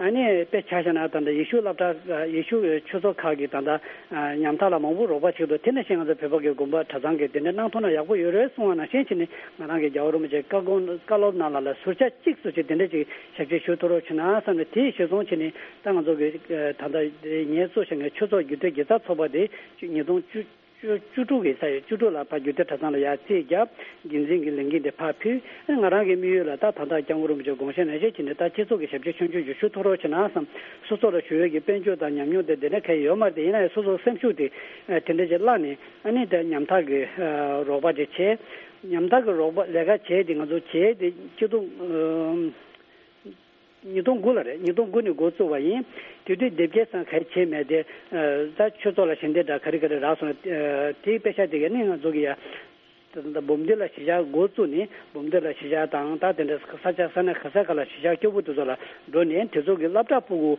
ཨ་ནི་དཔེ་ཆ་བཞག་ན་ད་ལྟ་ཡེ་ཤུ་སློབ་གྲྭ་ཡེ་ཤུ་ཆོས་ཚོགས་ཁག་གིས་ད་ལྟ་ཉམ་ཐག་ལ་མང་པོ་རོགས་པ་བྱེད་འདུག་དེ་ནང་བཞིན་ང་ཚོ་བོད་པ་གི་དགོན་པ་གྲྭ་ཚང་གིས་དེ་འདྲ་གནང་ཐུབ་ན་ཡག་པོ་ཡོད་རེད་གསུང་བ་ནང་བཞིན་བྱས་ནས་ང་རང་གི་རྒྱལ་བ་རིན་པོ་ཆེའི་བཀའ་དགོངས་བཀའ་སློབ་ནང་ལ་ལ་ཟུར་ཆ་གཅིག་ཙམ་ཅིག་དེ་འདྲ་ཅིག་ཞབས་ཕྱི་ཞུ་ཐུབ་རོགས་བྱེད་ན་བསམ་ནས་དེ་གཞིར་བཟུང་བྱས་ནས་ད་ང་ཚོ་གི་ད་ལྟ་ངས་གཙོ་བྱས་ངའི་ཆོས་ཚོགས་རྒྱུད་སྟོད་དགེ་རྩ་ཚོགས་པ་དེ་ཉིས་སྟོང་བཅུ། བཅུ་བཅུ་དྲུག་གི་ས་ཡོད་བཅུ་དྲུག་ལ་ཕར་རྒྱུད་སྟོད་གྲྭ་ཚང་ལ་ཡར་རྩིས་བརྒྱབ། འགན་འཛིན་གྱི་ལས་འགན་དེ་ཕར་ཕུལ། ཨ་ནི་ང་རང་གི་དམིགས་ཡུལ་ལ་ད་ད་ལྟ་སྐྱབས་མགོན་རིན་པོ་ཆེ་དགོངས་བཞེས་ནང་བཞིན་བྱས་ནས་ད་སྤྱི་ཚོགས་ཀྱི་ཞབས་ཕྱི་ཆུང་ཆུང་ཅིག་ཞུ་ཐུབ་རོགས་བྱེད་ན་བསམ། སོ་སོ་ལ་ཞུ་ཡས་ཀྱི་དཔལ་འབྱོར་དང་ཉམས་མྱོང་དེ་དེ་འདྲ་གང་ཡང་ཡོད་མ་རེད་དེ། ཡིན་ན་ཡང་སོ་སོའི་སེམས་ཤུགས་དེ་དེ་འདྲ་ཅིག་བརླག་ནས་ཨ་ནི་ད་ཉམ་ཐག་གི་རོགས་པ་ཅིག་བྱས། ཉམ་ཐག་གི་རོགས་པ་ལས་ཀ་བྱས་ཏེ་ང་ཚོ་བྱས་ཏེ་སྤྱི་ཚོགས། ཉིས་སྟོང་དགུ་ལ་རེད། ཉིས་སྟོང་དགུ་ནས་འགོ་བཙུགས་པ་ཡིན། དེ་དུས་དེབ་སྐྱེལ་ས་ག་རེ་བྱས་མེད་དེ། ད་ཆོས་ཚོགས་ལ་ཞལ་འདེབས་འདྲ་ག་རེ་ག་རེ་རག་སོང་ན། དེའི་དཔེ་ཆ་དེ་ག་ནི་ང་ཚོ་གི་ཡ། ད་ལྟ་འབུམ་སྡེ་ལ་གཞིས་ཆགས་འགོ་བཙུགས་ནས་འབུམ་སྡེ་ལ་གཞིས་ཆགས་དང་། ད་དེ་འདྲ་ས་ཆ་ས་གནས་ག་ས་ག་ལ་གཞིས་ཆགས་སྐྱོ་པོ་དེ་ཚོ་ལ་འགྲོ་ནས། དེ་ཚོ་གི་སློབ་གྲྭ་ཕྲུ་གུ་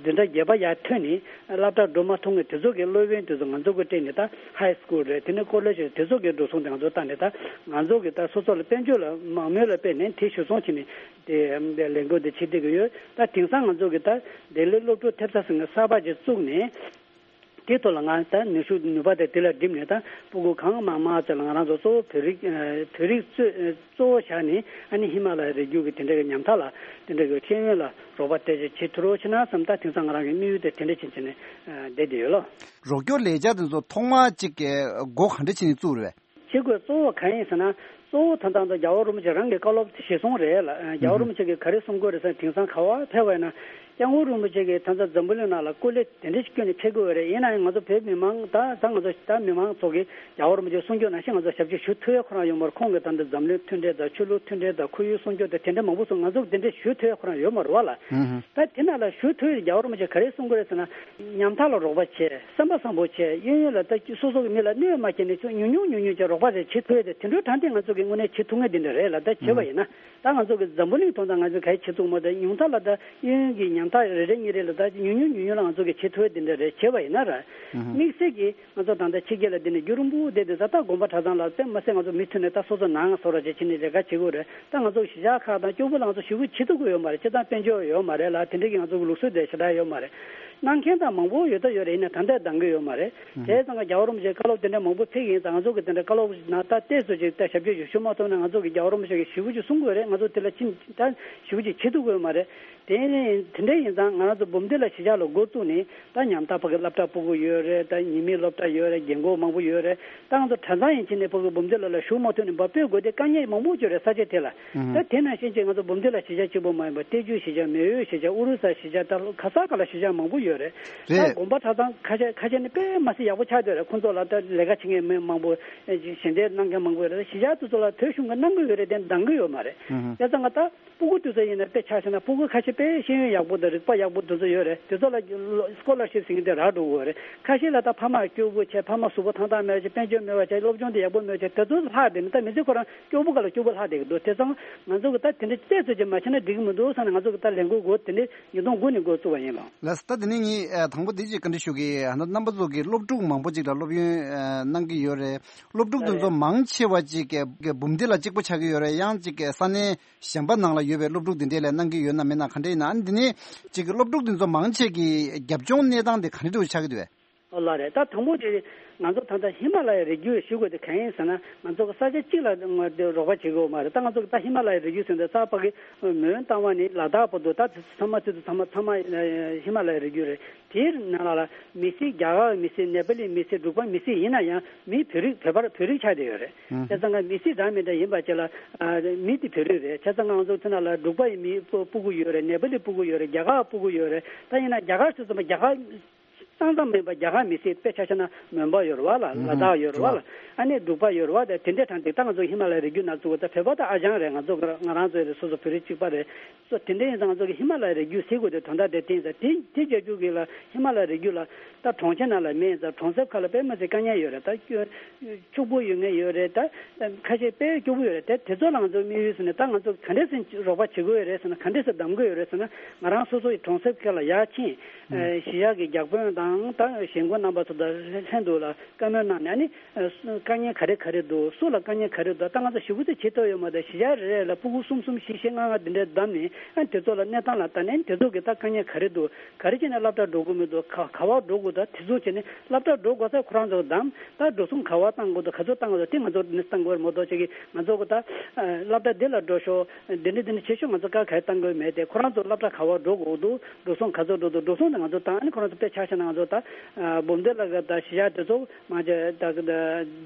འཛིན་གྲྭ་བརྒྱད་པ་ཡར་ཐོན་ནས་སློབ་གྲྭ་འགྲོ་མ་ཐུབ་མཁན་དེ་ཚོ་གི་སློབ་དཔོན་དེ་ཚོ་ང་ཚོ་གི་སྤྲད་ནས། ད་ཧའི་སི་ཀུལ་རེད། དེ་ནས་ཀོ་ལེ་ཇི་རེད། དེ་ཚོ་གི་འགྲོ་སོང་དེ་ང་ཚོ་བཏང་ནས། ད་ང་ཚོ་གི་ད་སོ་སོ་ལ་དཔལ་འབྱོར་ལ་མང་མོས་ལ་དཔེ་ནས་དེ་ཞུ་སོང་བྱས་ནས་དེ་ལས་འགུལ་དེ་བྱེད་བསྡད་ཀྱི་ཡོད། ད་དེང་སང་ང་ཚོ་གི་ད་ལྡི་ལི་སློབ་ཕྲུག་ཐེབས་རྩ་ཟེར་མཁན་གསར་པ་ཅིག་བཙུགས་ནས། དེ་ཐོག་ལ་ང་ད་ནུས་ཤུགས་ནུས་པ་དེ་དེ་ལ་བསྒྲིམས་ནས། ད་ཕྲུ་གུ་གང་མང་མང་ཅིག་ལ་ང་རང་ཚོ་གཙོ་བོ་བོད་རིགས་ཨ་བོད་རིགས་གཙོ་གཙོ་བོ་བཞག་ནས། ཨ་ནི་ཧི་མ་ལ་ཡའི་རི་རྒྱུད་ཀྱི་དེ་འདྲ་གི་ཉམ་ཐག་ལ་དེ་འདྲ་གི་ཤེས་ཡོན་ལ་རོགས་པ་དེ་ཅིག་བྱེད་ཐུབ་རོགས་བྱེད་ན་བསམ། ད་དེང་སང་ང་རང་གི་དམིགས་ཡུལ་དེ་དེ་འདྲ་ཅིག་བྱས་ནས་ཨ་བསྡད་བསྡད་ཡོད་ལོ། རོགས་སྐྱོར་ལས་འཆར་དེ་ཚོ་ཐོག་མ་གཅིག་གི་འགོ་ག་འདྲ་བྱས་ནས་བཙུགས་རེད་པས། བྱེད་དགོས་གཙོ་བོ་གང་ཡིན་ཟེར་ན། གཙོ་བོ་ད་ལྟ་ད་རྒྱལ་བ་རིན་པོ་ཆེ་རང་གི་བཀའ་སློབ་གཞིར་བཟུང་རེད་ལ། རྒྱལ་བ་རིན་པོ་ཆེ་གིས་ག་རེ་གསུང་གི་ཡོད་རེད་ཟེར་ན། དེང་སང་ག་པར་ཕེབས་པ་ཡིན་ན། སྐྱབས་མགོན་རིན་པོ་ཆེ་གིས་ད་ལྟ་འཛམ་བུ་གླིང་ནང་ལ་སྐུ་ལས་དེ་འདྲ་ཞིག་བསྐྱོན་ནས་ཕེབས་ཀྱི་ཡོད་རེད། ཡིན་ན་ཡང་ང་ཚོ་བོད་མི་མང་ད་ད་ང་ཚོ་ད་མི་མང་ཚོ་གིས་རྒྱལ་བ་རིན་པོ་ཆེ་གསུང་ཆོས་ནང་བཞིན་ང་ཚོ་ཞབས་ཕྱི་ཞུ་ཐུབ་ཡ་ཁོ་རང་ཡོད་མ་རེད། ཁོང་གིས་ད་ལྟ་འཛམ་གླིང་མཐུན་འབྲེལ་དང་། ཆོས་ལུགས་མཐུན་འབྲེལ་དང་། ཁོར་ཡུག་སྲུང་སྐྱོབ་དང་། དེ་འདྲ་མང་པོ་སོང་། ང་ཚོ་དེ་འདྲ་ཞུ་ཐུབ་ཡ་ཁོ་རང་ཡོད་མ་རེད་པ་ལ། ད་དེ་ནང་ལ་ཞུ་ཐུབ་ཡ་རྒྱལ་བ་རིན་པོ་ཆེ་ག་རེ་གསུང་གི་རེད་ཟེར་ན། ཉམ་ཐག་ལ་རོགས་པ་བྱས། སེམས་པ་བཟང་པོ་བྱས། གཡས་གཡོན་ལ་ད་སོ་སོ་གི་མི་ལ་གནོད་མ་བྱས་ནས་ཅུང་ཉུང་ཉུང་ཉུང་ཉུང་བྱས་རོགས་པ་རེ་བྱེད་ཐུབ་ཡ་དེ། དེ་འདྲའི་དྲང་བདེན་ང་ཚོ་གི་དངོས་གནས་བྱེད་ཐུབ་མཁན་དེ་འདྲ་རེད་ལ། ད་བྱས་པ་ཡིན་ན། ད་ང་ཚོ་གི་འཛམ་བུ་གླིང་ཐོག་ད་ང་ཚོས་ག་རེ་བྱེད་ཐུབ་མ། ད་ཉུང་མཐའ་ལ་ད་གཡས་གཡོན་གྱི་ཉམ་ཐག་རེ་རེ་གཉིས་རེ་ལ་ད་ཉུང་ཉུང་ཉུང་ཉུང་ལ་ང་ཚོ་གི་བྱེད་ཐུབ་ཡ་དེ་འདྲ་རེད། བྱས་པ་ཡིན་ན་ར། དམིགས་བསལ་གྱི་ང་ཚོ་ད་ལྟ་ཕྱི་རྒྱལ་ལ་བསྡད་ནས་རྒྱུན་རིང་པོ་བསྡད་དུས་ཙང་། ད་དགོན་པ་གྲྭ་ཚང་ལ་དཔེ་མ་སྲིད་ང་ཚོ་མུ་མཐུད་ནས་ད་སོ་སོ་ནང་སོ་ར་བྱས་བྱས་ནས་ལས་ཀ་བྱེད་དགོས་རེད། ད་ང་ཚོ་གཞིས་ཆགས་ཁག་དང་སྐྱོ་པོ་ལ་ང་ཚོ་ཞེ་པོ་བྱེད་ཐུབ་ཀྱི་ཡོད་མ་རེད། སྤྱིར་བཏང་དཔལ་འབྱོར་ཡོད་མ་རེད་ལ། དེ་འདྲ་གི་ང་ཚོ་གི་ལུགས་སྲོལ་དེ་ཞེ་དྲག་ཡོད་མ་རེད། གནང་མཁན་ད་མང་པོ་ཡོད་ད་ཡོད་རེད། ཡིན་ན་ད་ལྟ་འདང་གི་ཡོད་མ་རེད། དེ་ཙང་ཀ་རྒྱལ་བ་རིན་པོ་ཆེའི་བཀའ་སློབ་དེ་འདྲ་མང་པོ་ཕེབས་ཡིན་ཙང་། ང་ཚོ་གི་དེ་འདྲ་བཀའ་སློབ་ན་ད་ཏོག་ཙམ་ཅིག་ད་ཞབས་ཕྱི་ཞུ་ཞུ་མ་ཐུབ་ན། ང་ཚོ་གི་རྒྱལ་བ་རིན་པོ་ཆེ་གི་ཞེ་པོ་ཅིག་གསུང་དགོས་རེད། ང་ཚོ་དེ་ལ་ཕྱིན་ད་ཞེ་པོ་ཅིག་བྱེད་ཐུབ་ཀྱི་ཡོད་མ་རེད། དེ་ནས་དེ་འདྲ་ཡིན་ཙང་ང་རང་ཚོ་འབུམ་སྡེ་ལ་གཞིས་ཆགས་ལ་འགོ་བཙུགས་ནས། ད་ཉམ་ཐག་ཕ་གི་སློབ་གྲྭ་སྤུ་གུ་ཡོད་རེད། ད་ཉི་མའི་སློབ་གྲྭ་ཡོད་རེད། རྒན་རྒོན་མང་པོ་ཡོད་རེད། ད་ང་ཚོ་གྲྭ་ཚང་ཡིན་ཕྱིན་ནས་ཕ་གི་འབུམ་སྡེ་ལ་ལ་ཞུགས་མ་ཐུབ་ནས་འབབ་སྤོས་དགོས་དེ་དཀའ་ངལ་མང་པོ་ཅིག་རེད། ས་ཆ་དེ་ལ། ད་དེ་ནང་བཞིན་ཅིག་ང་ཚོ་འབུམ་སྡེ་ལ་གཞིས་ཆགས་གཅིག་པོ་མ་ཡིན་པར། ཏེ་ཇུ་གཞིས་ཆགས། མེ་ཡོ་གཞིས་ཆགས། ཨུ་རུ་ས་གཞིས་ཆགས། ད་ག་ས་ག་ལ་གཞིས་ཆགས་མང་པོ་ཡོད་རེད། ད་རེད། དགོན་པ་གྲྭ་ཚང་ཁ་ཤས་ཁ་ཤས་ནི་དཔེ་མ་སྲིད་ཡག་པོ་ཆགས་བསྡད་རེད། ཁོང་ཚོ་ལ་ད་ལས་ཀ་བྱེད་མཁན་མི་མང་པོ། ཞལ་འདེབས་གནང་མཁན་མང་པོ་ཡོད་རེད། གཞིས་ཆགས་དེ་ཚོ་ལ་བོད་གཞུང་གིས་གནང་གི་ཡོད་རེད་དེ། འདང་གི་ཡོད་མ་རེད། བྱས་ཙང་ང་ད་སྤུ་གུ་དེ་ཚོ་ཡིན་ན་དཔེ་ཆ་བཞག་ན། སྤུ་གུ་ཁ་ཤས་དཔེ་ཤེས་ཡོན་ཡག་པོ་དང་རིག་པ་ཡག་པོ་དེ་ཚོ་ཡོད་རེད། དེ་ཚོ་ལ་སྐོ་ལར་ཤིབ་ཟེར་མཁན་དེ་རག་འགྲོ་གི་ཡོད་རེད། ཁ་ཤས་ལ་ད་ཕ་མ་སྐྱོ་པོ་བྱས། ཕ་མ་གཟུགས་པོ་ཐང་ཐང་མེད་བྱས། དཔལ་འབྱོར་མེད་པ་བྱས། སློབ་སྦྱོང་དེ་ཡག་པོ་མེད་བྱས། དེ་ཚོ་ལྷག་བསྡད་ནས། ད་མི་ཚེ་ཁོ་རང་སྐྱོ་པོ་ག་ལ་སྐྱོ་པོ་ལྷག་བསྡད་ཀྱི་འདུག་བྱས་ཙང་ང་ཚོ་གི་ད་དེ་འདྲ་ཏོག་ཙམ་ཅིག་མ་བྱས་ན་འགྲིག་གི་མི་འདུག་བསམ་ནས། ང་ཚོ་གི་ད་ལས་འགུལ་འགོ་དེ་འདྲ་ཉིས་སྟོང་དགུ་ནས་འགོ་བཙུགས་པ་ཡིན་ལགས། ལགས་སོ། ད་དེ་ནས་ངས་ཨ་དང་པོ་དེ་ཅིག་བཀའ་འདྲི་ཞུ་གི། ཨ་ནི་རྣམ་པ་ཚོ་གིས་སློབ་ཕྲུག་མང་པོ་ཅིག་ལ་སློབ་ཡོན་ཨ་གནང་གི་ཡོད་རེད། སློབ་ཕྲུག་དེ་ཚོ་རེད། མང་ཆེ་བ་ཅིག་གི་གི་འབུམ་སྡེ་ལ་གཅིག་པོ་ཆགས་ཀྱི་ཡོད་རེད། ཡང་ཅིག་གི་ས་གནས་གཞན་པ་ནང་ལ་ཡོད་པའི་སློབ་ཕྲུག་དེ་འདྲས་ལ་གནང་གི་ཡོད་ན་མེད་ན་ག་འདྲས་ཡིན་ན། ཨ་ནི་དེ་ནས་ཅིག་གི་སློབ་ཕྲུག་དེ་ཚོ་མང་ཆེ་གི་རྒྱབ་ལྗོངས་གནས་སྟངས་དེ་ག་འདྲས་འདྲ་བོ་ཆགས་ཀྱི་འདུག་གས། ཨོ་ལགས་རེད། ད་དང་པོ་དེ་ང་ཚོ་ད་ལྟ་ཧི་མ་ལ་ཡའི་རི་རྒྱུད་ཞུ་དགོས་དེ་གང་ཡིན་ཟེར་ན། ང་ཚོ་གི་ས་ཆ་གཅིག་ལ་ང་དེ་རོགས་པ་བྱེད་དགོས་མ་རེད། ད་ང་ཚོ་གི་ད་ཧི་མ་ལ་ཡའི་རི་རྒྱུད་ཟེར་འདི་ས་ཕ་གི་མོན་རྟ་དབང་ནས་ལ་དྭགས་བར་དུ། ད་ཚང་མ་ཚུད་དུ་ཚང་མ་ཚང་མ་ཧི་མ་ལ་ཡའི་རི་རྒྱུད་རེད། དེའི་ནང་ལ་ལ་མི་སེར། རྒྱ་གར་མི་སེར། ནེ་པ་ལི་མི་སེར། འབྲུག་པ་མི་སེར་ཡིན་ན་ཡང་མི་བོད་རིགས། བོད་པ་བོད་རིགས་ཆགས་བསྡད་ཡོད་རེད། བྱས་ཙང་ང་མི་སེར་འདྲ་མི་འདྲ་ཡིན་པ་བྱས་ལ་ཨ་མི་དེ་བོད་རིགས་རེད། བྱས་ཙང་ང་ཚོ་དེ་ནང་ལ་འབྲུག་པ་ཡི་མི་སྤུ་སྤུ་གུ་ཡོད་རེད། ནེ་པ་ལི་སྤུ་གུ་ཡོད་རེད། རྒྱ་གར་སྤུ་གུ་ཡོད་རེད། ད་ཡིན་ན་རྒྱ་གར་ཟེར་ཙམ་པ་རྒྱ་གར་ཙང་ཙང་མིན་པ། རྒྱ་གར་མི་སེར་དཔེ་ཆ་བཞག་ན་མོན་པ་ཡོད་རེད་པ་ལ། ལ་དྭགས་ཡོད་རེད་པ་ལ། ཨ་ནི་འབྲུག་པ་ཡོད་རེད་པ། ད་དེ་འདྲའི་གྲངས་དེ། ད་ང་ཚོ་ཧི་མ་ལ་ཡའི་རི་རྒྱུད་ནང་ཚུད་པ་ད་བོད་པ་ད་ཨ་ཅང་རེད། ང་ཚོ་ང་རང་ཚོ་ཡི་སོ་སོ་བོད་རིགས་གཅིག་པ་རེད། སོ་དེ་འདྲ་ཡིན་ཙང་ང་ཚོ་གི་ཧི་མ་ལ་ཡའི་རི་རྒྱུད་ཟེར་དགོས་དེ་དོན་དག་དེ་བསྟན་ཙང་། དེ་དེ་རྒྱབ་སྐྱོར་གྱི་ལ་ཧི་མ་ལ་ཡའི་རི་རྒྱུད་ལ་ད་གྲོང་ཁྱེར་ནང་ལ་མེད་ཙང་གྲོང་གསེབ་ཁག་ལ་དཔེ་མ་སྲིད་དཀའ་ངལ་ཡོད་རེད། ད་སྐྱོ་ཕྱུག་པོ་ཡོད་མཁན་ཡོད་རེད། ད་ཁ་ཤས་དཔེ་སྐྱོ་པོ་ཡོད་རེད། དེ་དེ་ཚོ་ལ་ང་ཚོ་དམིགས་ཡུལ་ཟེར་ནས། ད་ང་ཚོ་ག་འདྲས་སེ་རོགས་པ་བྱེད་དགོས་ཡོད་རེད་ཟེར་ན། ག་འདྲས་སེ་གདམ་དགོས་ཡོད་རེད་ཟེར་ན། ང་རང་སོ་སོ་ཡི་གྲོང་གསེབ་ཁག་ལ་ཡར་ཕྱིན། ཨ་གཞིས་ཆགས་ཀྱི་བརྒྱ་དཔོན་དང་ད་གཞིས་འགོ་རྣམ་པ་ཚོ་དང་ལྷན་དུ་ལ་བཀའ་མོལ་གནང་ནས། ཨ་ནི་ཨ་དཀའ་ངལ་ག་རེ་ག་རེ་འདུག་སུ་ལ་དཀའ་ངལ་ག་རེ་འདུག་ད་ང་ཚོ་ཞེ་པོ་ཅིག་བྱེད་ཐུབ་ཡོད་མ་རེད། གཞིས་ཆགས་རེ་རེ་ལ་སྤུ་གུ་གསུམ་གསུམ་བཞི་བཞི་ལྔ་ལྔ་འདི་འདྲ་བདམས་ནས། ཨ་དེ་ཚོ་ལ་གནས་སྟངས་ལ་ལྟ་ནས། དེ་ཚོ་གི་ད་དཀའ་ངལ་ག་རེ་འདུག་ག་རེ་བྱས་ནས་སློབ་གྲྭ་འགྲོ་དགོས་མི་འདུག་ག་ག་པར་འགྲོ་དགོས་འདུག་དེ་ཚོ་བྱས་ནས་སློབ་གྲྭ་འགྲོ་དགོས་ས་ཁོ་རང་ཚོ་གདམ། ད་འགྲོ་སོང་ག་པར་བཏང་དགོས་འདུག་ག་ཚོད་བཏང་དགོས་འདུག་དེ་ང་ཚོ་ནས་བཏང་དགོས་རེད་མ་གཏོགས། ཅིག་གི་ང་ཚོ་གི་ད་ཨ་སློབ་གྲྭ་འདི་ལ་འགྲོ་ཤོག་འདི་འདྲ་འདི་འདྲ་བྱེད་ཤོག་ང་ཚོ་བཀའ་ག་རེ་བཏང་དགོས་མེད་དེ། ཁོ་རང་ཚོ་སློབ་གྲྭ་ག་པར་འགྲོ་དགོས་འདུག་འགྲོ་སོང་ག་ཚོད་འགྲོ་འདུག་འགྲོ་སོང་དེ་ང་ཚོ་བཏང་། ཨ་ནི་ཁོ་རང་ཚོ་དཔེ་ཆ་བཞག་ན་ང་ཚོ་ད་ཨ་འབུམ་སྡེ་ལ་གི་ད་གཞིས་ཆགས་དེ་ཚོ་མ་ཆ་ད་གི་ད་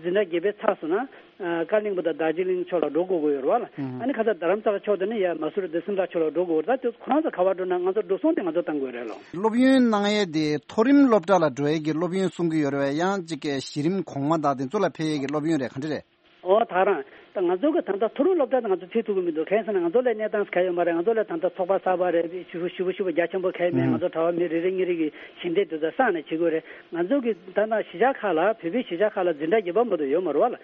འཛིན་གྲྭ་བརྒྱད་པའི་ཚར་སོང་ན། ཨ་ཀ་ལིང་པོ་དང་རྡོ་རྗེ་གླིང་ཕྱོགས་ལ་འགྲོ་དགོས་ཀྱི་ཡོད་རེད་པ་ལ། ཨ་ནི་ཁ་ས་རྡ་རམ་ས་ལ་ཕྱོགས་དེ་ནི་ཡ་མ་སུ་རི་དང་སིམ་ལ་ཕྱོགས་ལ་འགྲོ་དགོས་རེད། ད་དེ་ཁོ་རང་ཚོ་ག་པར་འགྲོ་ན་ང་ཚོ་འགྲོ་སོང་དེ་ང་ཚོ་བཏང་དགོས་རེད་ལོ། སློབ་ཡོན་གནང་ཡས་དེ་མཐོ་རིམ་སློབ་གྲྭ་ལ་འགྲོ་ཡས་ཀྱི་སློབ་ཡོན་གསུང་གི་ཡོད་རེད་པས། ཡང་གཅིག་གི་གཞི་རིམ་གོང་མ་དང་དེ་ཚོ་ལ་ཕེབས་ཡས་ཀྱི་སློབ་ཡོན་རེད། ག་འདྲ་རེད། ཨོ་ད་རང་ ད་ང་ཚོ་གི་ད་ལྟ་མཐོ་རིམ་སློབ་གྲྭ་དང་ང་ཚོ་ཕྱེ་ཐུབ་ཀྱི་མི་འདུག་གང་ཡིན་ཟེར་ན་ང་ཚོ་ལ་གནས་སྟངས་ག་ཡོད་མ་རེད། ང་ཚོ་ལ་ད་ལྟ་ཚོགས་པ་གསར་པ་རེད། ཞེ་པོ་ཞེ་པོ་ཞེ་པོ་རྒྱ་ཆེན་པོ་ག་ཡོད་མེད། ང་ཚོ་གྲྭ་པ་མི་རེ་རེ་གཉིས་རེ་གི་ཞལ་འདེབས་དེ་ཚོ་བསགས་ནས་བྱེད་དགོས་རེད། ང་ཚོ་གི་ད་ལྟ་གཞིས་ཆགས་ཁག་ལ་བོད་པའི་གཞིས་ཆགས་ཁག་ལ་འཛིན་གྲྭ་བརྒྱད་པ་མ་གཏོགས་ཡོད་མ་རེད་བ་ལ།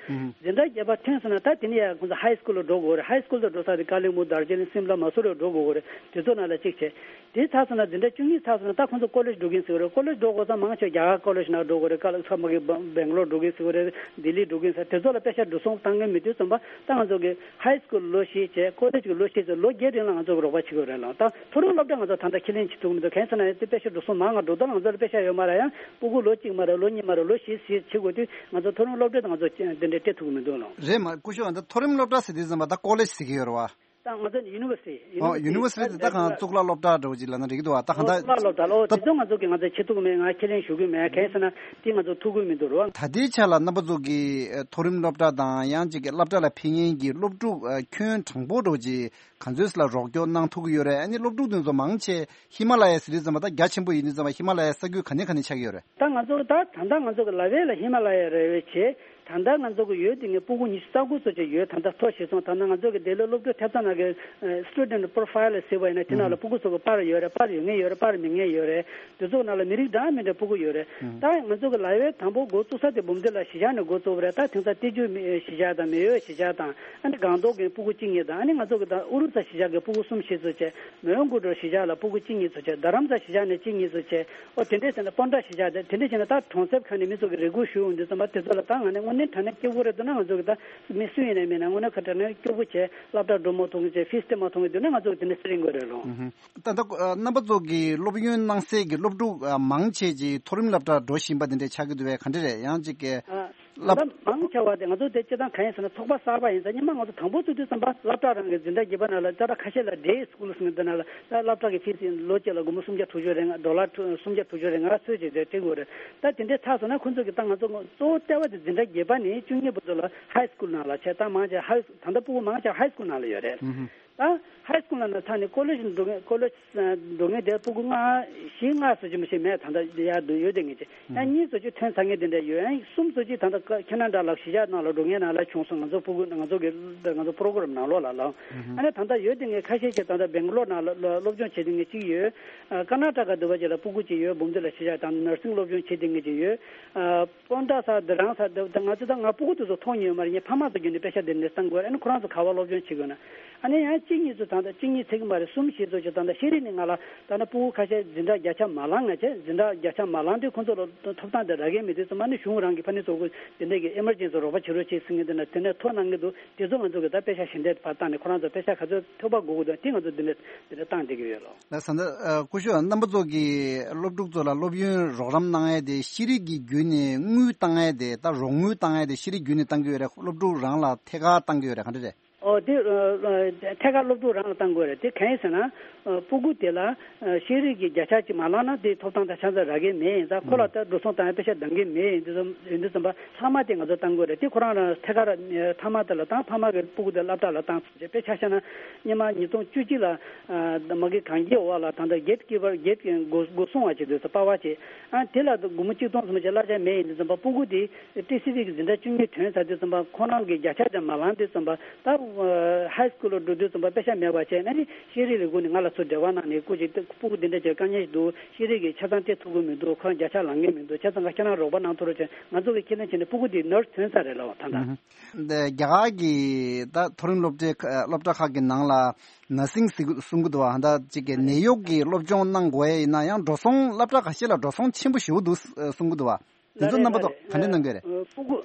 འཛིན་གྲྭ་བརྒྱད་པ་ཐོན་སོང་ན་ད་དེ་ནས་ཡང་ཁོང་ཚོ་ཧའི་སྐུལ་ལ་འགྲོ་དགོས་རེད། ཧའི་སྐུལ་དུ་འགྲོ་ས་དེ་ཀ་ལི་མུ་དར་ཇི་ལིང་སིམ་ལ་མ་སུ་རི་འགྲོ་དགོས་རེད། དེ་ཚོ་ནང་ལ་གཅིག་བྱས། དེ་ཚར་སོང་ན་འཛིན་གྲྭ་བཅུ་གཉིས་ཚར་སོང་ན་ད་ཁོང་ཚོ་ཀོ་ལེཇ་འགྲོ་གིན་ཟེར་གི་རེད། ཀོ་ལེཇ་འགྲོ་དགོས་ཙང་མང་ཆེ་རྒྱ་གར་ཀོ་ལེཇ་ནང་འགྲོ་དགོས་རེད། ཀ་ལ་ས་མ་གི་སྦེང་ལོར་འགྲོ་གིན་ཟེར་གི་རེད། ལྡི་ལི་འགྲོ་གིན་ཟེར། དེ་ཚོ་ལ་པེ་ཤ་འགྲོ་སོང་བཏང་གི་མི་དུས་ཙམ་པ་ད་ང་ཚོ་གི་ཧའི་སྐུལ་ལོ་བཞི་བྱས་ཀོ་ལེཇ་གི་ལོ་བཞི་བྱས་ལོ་བརྒྱད་རིང་ལ་ང་ཚོ་གི་རོགས་པ་བྱེད་དགོས་རེད་ལ། ད་མཐོ་རིམ་སློབ་གྲྭ་ང་ཚོ་ད་ལྟ་ཁས་ལེན་བྱེད་ཐུབ་མི་འདུག་གང་ཡིན་ཟེར་ན་དེ་པེ་ཤ་འགྲོ་སོང་མང་ང་འགྲོ་ད་ང་ཚོ་ལ་པེ་ཤ་ཡོད་མ་རེད། ཡང་སྤུ་གུ་ལོ་གཅིག་མ་རེད། ལོ་གཉིས་མ་རེད། ལོ་བཞི་བཞི་བྱེད་དགོས་དུས་ང་ཚོ་མཐོ་རིམ་སློབ་གྲྭ་དང་ང་ཚོ་དེ་འདྲ་སྤྲད་ཐུབ་ཀྱི་མི་འདུག་ལ། རེད་མ་སྐུ་ཞབས། ད་མཐོ་རིམ་སློབ་གྲྭ་ཟེར་དུས་ཙམ་པ་ད་ཀོ་ལེཇ་ཟེར་གི་ཡོད་རེད་བ། ད་ང་ཚོ་ཡུ་ནི་ཝར་སི་ཊི། ཨོ་ཡུ་ནི་ཝར་སི་ཊི་དེ་ད་གང་གཙུག་ལག་སློབ་གྲྭ་འདྲ་བོ་ཅིག་ལབ་ན་འགྲིག་གི་འདུག་བ། ད་གང་ལྟར་གཙུག་ལག་སློབ་གྲྭ་ལ། ཨོ་ད་དེ་ཚོ་ང་ཚོ་གི་ང་ཚོ་བྱེད་ཐུབ་ཀྱི་མེད། ང་ཁས་ལེན་ཞུ་གི་མེད། གང་ཡིན་ཟེར་ན་དེ་ང་ཚོ་ཐུབ་ཀྱི་མི་འདུག་རེད་བ། ད་ལྟའི་ཆ་ལ་རྣམ་པ་ཚོ་གི་མཐོ་རིམ་སློབ་གྲྭ་དང་ཡང་ཅིག་གི་སློབ་གྲྭ་ལ་ཕེབས་མཁན་གྱི་སློབ་ཕྲུག་ཁྱོན་དྲང་པོ་འདྲ་བོ་ཅིག་ག་ཚོད་ལ་རོགས་སྐྱོར་གནང་ཐུབ་ཀྱི་ཡོད་རེད། ཨ་ནི་སློབ་ཕྲུག་དེ་ཚོ་མང་ཆེ་ཧི་མ་ལ་ཡ་ཟེར་དུས་ཙམ་པ་ད་རྒྱ་ཆེན་པོ་ཡིན་དུས་ཙམ་པ་ཧི་མ་ལ་ཡའི་ས་ཁུལ་ག་ནས་ག་ནས་ཆགས་ཀྱི་ཡོད་རེད། ད་ང་ཚོ་ད་ད་ལྟ་ང་ཚོ་གི་ལ་ཝེ་ལ་ཧི་མ་ལ་ཡ་རེད་བས་བྱས། ད་ལྟ་ང་ཚོ་གི་ཡོད་དེ་ངས་སྤུ་གུ་ཉི་ཤུ་རྩ་དགུ་ཙམ་ཅིག་ཡོད། ད་ལྟ་ཐོ་ཤེས་སོང་། ད་ལྟ་ང་ཚོ་གི་དེ་ལ་སློབ་ཕྲུག་ཐེབས་རྩ་ནང་གི་student profile ཟེར་བ་ཡིན་ན་དེ་ནང་ལ་སྤུ་གུ་ཚོ་གི་པར་ཡོད་རེད། པར་ཡོད་མཁན་ཡོད་རེད། པར་མེད་མཁན་ཡོད་རེད། དེ་ཚོ་ནང་ལ་མི་རིགས་འདྲ་མི་འདྲ་སྤུ་གུ་ཡོད་རེད། ད་ང་ཚོ་གི་ལ་ཝེ་དང་པོ་འགོ་བཙུགས་ས་དེ་འབུམ་སྡེ་ལ་གཞིས་ཆགས་ནས་འགོ་བཙུགས་པ་རེད། ད་དེང་སང་སྟོད་རྒྱུད་གཞིས་ཆགས་དང་མེས་ཡོད་གཞིས་ཆགས་དང་ཨ་ནི་སྒང་ཏོག་གི་སྤུ་གུ་གཅིག་གཉིས་དང་ཨ་ནི་ང་ཚོ་གི་ད་ཨུ་རུ་ས་གཞིས་ཆགས་ཀྱི་སྤུ་གུ་གསུམ་བཞི་ཙམ་བྱས། མོན་གྷོ་སྒང་དྲུག་གཞིས་ཆགས་ལ་སྤུ་གུ་གཅིག་གཉིས་ཙམ་བྱས། རྡ་རམ་ས་གཞིས་ཆགས་ནས་གཅིག་གཉིས་ཙམ་བྱས། ཨོ་དེ་འདྲས་བྱས་ན་སྤོན་ཊ་གཞིས་ཆགས་དེ་དེ་འདྲས་བྱས་ན་ད་གྲོང་གསེབ་ཁག་ནས་མི་ཚོ་གི་རེ་སྐུལ་ཞུ་འོང་དུས་ཙམ་པ་དེ་ཚོ་ལ་ད་ང་ནས་དངོས་གནས་དྲང་གནས་སྐྱོ་པོ་རེད་འདུག་ན། ང་ཚོ་གི་ད་མི་སུ་ཡིན་ནའི་མིན་ན་དངོས་གནས་ཁ་དྲང་གནས་སྐྱོ་པོ་བྱས། སློབ་གྲྭ་འགྲོ་མ་ཐུབ་མཁན་བྱས། ཕིས་སྤྲད་མ་ཐུབ་མཁན་འདུག་ན་ང་ཚོ་གི་དེ་འདྲས་སེ་རིང་དགོས་རེད་ལོ། ད་ལྟ་རྣམ་པ་ཚོ་གི་སློབ་ཡོན་གནང་སའི་གི་སློབ་ཕྲུག་མང་ཆེ་ཅིག་མཐོ་རིམ་སློབ་གྲྭ་འགྲོ་བཞིན་པ་དེ་འདྲས་ཆགས་ཀྱི་འདུག་པས། ག་འདྲས་རེད། ཡང་ཅིག་གི་ད་ལྟ་མང་ཆེ་བ་དེ་ང་ཚོ་དེ་སྤྱིར་བཏང་གང་ཡིན་ཟེར་ན་ཚོགས་པ་གསར་པ་ཡིན་ཙང་སྔོན་མ་ང་ཚོ་དང་པོ་བཙུགས་དུས་ཙམ་པ་སློབ་གྲྭ་རང་གི་འཛིན་གྲྭ་བརྒྱད་པ་ནང་ལ་ད་ལྟ་ཁ་ཤས་ལ་day school ཟེར་མཁན་དེ་ནང་ལ་ད་སློབ་གྲྭ་གི་ཕིས་ལོ་གཅིག་ལ་སྒོར་མོ་སུམ་བརྒྱ་དྲུག་ཅུ་རེ་ལྔ། ཌོ་ལར་སུམ་བརྒྱ་དྲུག་ཅུ་རེ་ལྔ་ཚོད་ཅིག་དེ་སྤྲད་དགོས་རེད། ད་དེ་འདྲས་ཚར་སོང་ན་ཁོང་ཚོ་གི་ད་ང་ཚོ་གཙོ་བོ་ལྟེ་བ་དེ་འཛིན་གྲྭ་བརྒྱད་པ་ནས་བཅུ་གཉིས་བར་དུ་ལ་ཧའི་སྐུལ་ནང་ལ་བྱས། ད་མང་ཆེ་ཧའི་ད་ལྟ་སྤུ་གུ་མང་ཆེ་ཧའི་སྐུལ་ནང་ལ་ཡོད་རེད། ད་ཧའི་སྐུལ་ནང་ནས་ཚར་ནས་ཀོ་ལེཇ་འགྲོ་མཁན་ཀོ་ལེཇ་འགྲོ་མཁན་དེ་སྤུ་གུ་ལྔ་བཞི་ལྔ་བཟོ་ཅིག་མ་ཞིག་མེད། ད་ལྟ་ཡར་འདུག་ཡོད་དེ་ངེས་ཅིག་ཡང་གཉིས་བཟོ་ཅིག་ཐོན་ཚར་མཁན་དེ་འདྲ་ཡོད། ཡང་གསུམ་བཟོ་ཅིག་ད་ལྟ་ཁ་ཁེ་ན་ཌ་ལ་གཞིས་ཆགས་ནང་ལ་འགྲོ་མཁན་ནང་ལ་བྱུང་སོང་། ང་ཚོ་སྤུ་གུ་ང་ཚོ་གི་ང་ཚོ་པོ་རོ་གྷ་རམ་ནང་ལོགས་ལ་ལ། ཨ་ནི་ད་ལྟ་ཡོད་དེ་ངེས་ཁ་ཤས་ཅིག་ད་ལྟ་སྦེང་ལོར་ནང་ལ་ལ་སློབ་སྦྱོང་བྱེད་དེ་ངེས་ཅིག་ཡོད། ཨ་ཀར་ནཱ་ཊ་ཀ་འདི་པ་ཅིག་ལ་སྤུ་གུ་ཅིག་ཡོད། འབུམ་སྡེ་ལ་གཞིས་ཆགས་དང་ནར་སིང་སློབ་སྦྱོང་བྱེད་དེ་ངེས་ཅིག་ཡོད། ཨ་སྤོན་ཊ་ཟེར་དེ་རང་ཟེར་དེ་ད་ང་ཚོ་ད་ང་སྤུ་གུ་དེ་ཚོ་མཐོང་མྱོང་མ་རེད། ངས་ཕ་མ་ཚོ་བརྒྱུད་ནས་པེ་ཤ་དེ་འདྲས་བཏང་དགོས་རེད། ཨ་ནི་ཁོ་རང་ཚོ་ག་པར་སློབ་སྦྱོང་བྱེད་དགོས་ན། ཨ་ནི་ཡང་གཅིག་གཉིས་ཚོ་ད་ལྟ་གཅིག་གཉིས་ཚིག་མ་རེད། གསུམ་བཞི་ཚོ་ཅིག་ད་ལྟ་ཤེས་རིག་ནས་ང་ལ་ད་ལྟ་སྤུ་གུ་ཁ་ཤས་འཛིན་གྲྭ་བརྒྱ་ཆ་མ་ལངས་ང་བྱས། འཛིན་གྲྭ་བརྒྱ་ཆ་མ་ལངས་དུས་ཁོ་ཚོ་ལ་ཐོབ་ཐང་དེ་རག་གི་མེད་དུས་ཙམ་པ་ནི་གཞུང་རང་གི་ཕ་ནི་ཚོ་གུ་དེ་འདྲས་ཀྱི་ཨེ་མར་ཇེན་སི་རོགས་པ་བྱེད་རོགས་བྱེད་ཟེར་མཁན་དེ་ན་དེ་ནས་ཐོ་གནང་གི་འདུག་དེ་ཚོ་ང་ཚོ་གི་ད་པེ་ཤ་ཞལ་འདེབས་ཕར་བཏང་ནས་ཁོ་རང་ཚོ་པེ་ཤ་ག་ཚོད་ཐོབ་པ་དགོས་ཀྱི་འདུག་དེ་ང་ཚོ་དེ་འདྲས་དེ་འདྲས་བཏང་བསྡད་ཀྱི་ཡོད་ལོ། ལགས་སོ། ད་སྐུ་ཞབས་རྣམ་པ་ཚོ་གིས་སློབ་ཕྲུག་ཚོ་ལ་སློབ་ཡོན་རོགས་རམ་གནང་ཡས་དེ་ཤེས་རིག་གི་བརྒྱུད་ནས་དངུལ་བཏང་ཡས་དེ། ད་རོགས་དངུལ་བཏང་ཡས་དེ་ཤེས་རིག་བརྒྱུད་ནས་བཏང་གི་ཡོད་རེད། སློབ་ཕྲུག་རང་ལ་ཐད་ཀར་བཏང་གི་ཡོད་རེད། ག་འདྲ་རེད། ཨོ་དེ་ཨ་ཨ་ཐད་ཀར་སློབ་ཕྲུག་རང་ལ་བཏང་དགོས་རེད། དེ་གང་ཡིན་ཟེར་ན་ཨ་སྤུ་གུ་དེ་ལ་ཨ་ཤེས་རིག་གི་བརྒྱ་ཆ་གཅིག་མ་ལངས་ན་དེ་ཐོབ་ཐང་ད་ཆ་ཚང་རག་གི་མེད། ཡིན་ཙང་ཁོ་ལ་ད་འགྲོ་སོང་བཏང་ཡས་པེ་ཤ་འདང་གི་མེད། ཡིན་དུས་ཙམ་ཡིན་དུས་ཙམ་པ་ལྷག་མ་དེ་ང་ཚོ་བཏང་དགོས་རེད། དེ་ཁོ་རང་རང་ཐད་ཀར་ཨ་ཕ་མ་དེ་ལ་བཏང་། ཕ་མ་གི་སྤུ་གུ་དེ་སློབ་གྲྭ་ལ་བཏང་། དཔེ་ཆ་བཞག་ན་སྔོན་མ་ཉིས་སྟོང་བཅུ་གཅིག་ལ་ཨ་མ་གི་གངས་སྐྱིད་འོག་ལ་ད་ལྟ་གེ་ཊི་ཀིབ་པར་གེ་ཊི་སྒོ་སྒོ་སྲུང་བ་བྱེད་དུས་ཙམ་པ་བ་བྱེད། ཨ་དེ་ལ་སྒོར་མོ་གཅིག་སྟོང་ཙམ་ཅིག་གླ་ཆ་མེད། ཡིན་དུས་ཙམ་པ་སྤུ་གུ་དེ་ཏི་སི་ཝི་གི་འཛིན་གྲྭ་བཅུ་གཉིས་ཐོན་ཚར་དུས་ཙམ་པ་ཁོ་རང་གི་བརྒྱ་ཆ་དེ་མ་ལངས་དུས་ཙམ་པ་ད་ཧའི་སྐུལ་ལ་འགྲོ་དུས་ཙམ་པ་པེ་ཤ་མེད་པ་བྱས་ནས་ནི་ཤེས་རིག་ལས་ཁུངས་ནས་ང་ལ་ཚུར་འབྲེལ་བ་གནང་ནས་སྐུ་མཁྱེན་སྤུ་གུ་འདི་འདྲ་ཅིག་དཀའ་ངལ་ཞིག་འདུག་ཤེས་རིག་གི་ཆ་ཚང་སྤྲད་ཐུབ་ཀྱི་མི་འདུག་ཁོ་རང་བརྒྱ་ཆ་ལངས་ཀྱི་མི་འདུག་བྱས་ཙང་ཁྱེད་རང་རོགས་པ་གནང་ཐུབ་རོགས་བྱས། ང་ཚོ་གི་ཁས་ལེན་བྱས་ནས་སྤུ་གུ་འདི་ནར་སི་ཐོན་ཚར་རེད་ལབ་པ་ད་ལྟ། ཨུ་ཧུ། འདི་རྒྱ་གར་གྱི་ད་མཐོ་རིམ་སློབ་གྲྭའི་ཁ་སློབ་གྲྭ་ཁག་གི་ནང་ལ་ནར་སིང་ཟེར་གི་གསུང་གི་འདུག་བ། ད་ཅིག་གི་ནད་གཡོག་གི་སློབ་སྦྱོང་གནང་དགོས་ཡ་ཡིན་ན་ཡང་འགྲོ་སོང་སློབ་གྲྭ་ཁ་ཤས་ལ་འགྲོ་སོང་ཆེན་པོ་ཞེ་པོ་འདུག་གསུང་གི་འདུག་བ། དེ་ཚོ་རྣམ་པ་ཚོ་ག་འདྲ་གནང་གི་རེད། ཨ་སྤུ་གུ་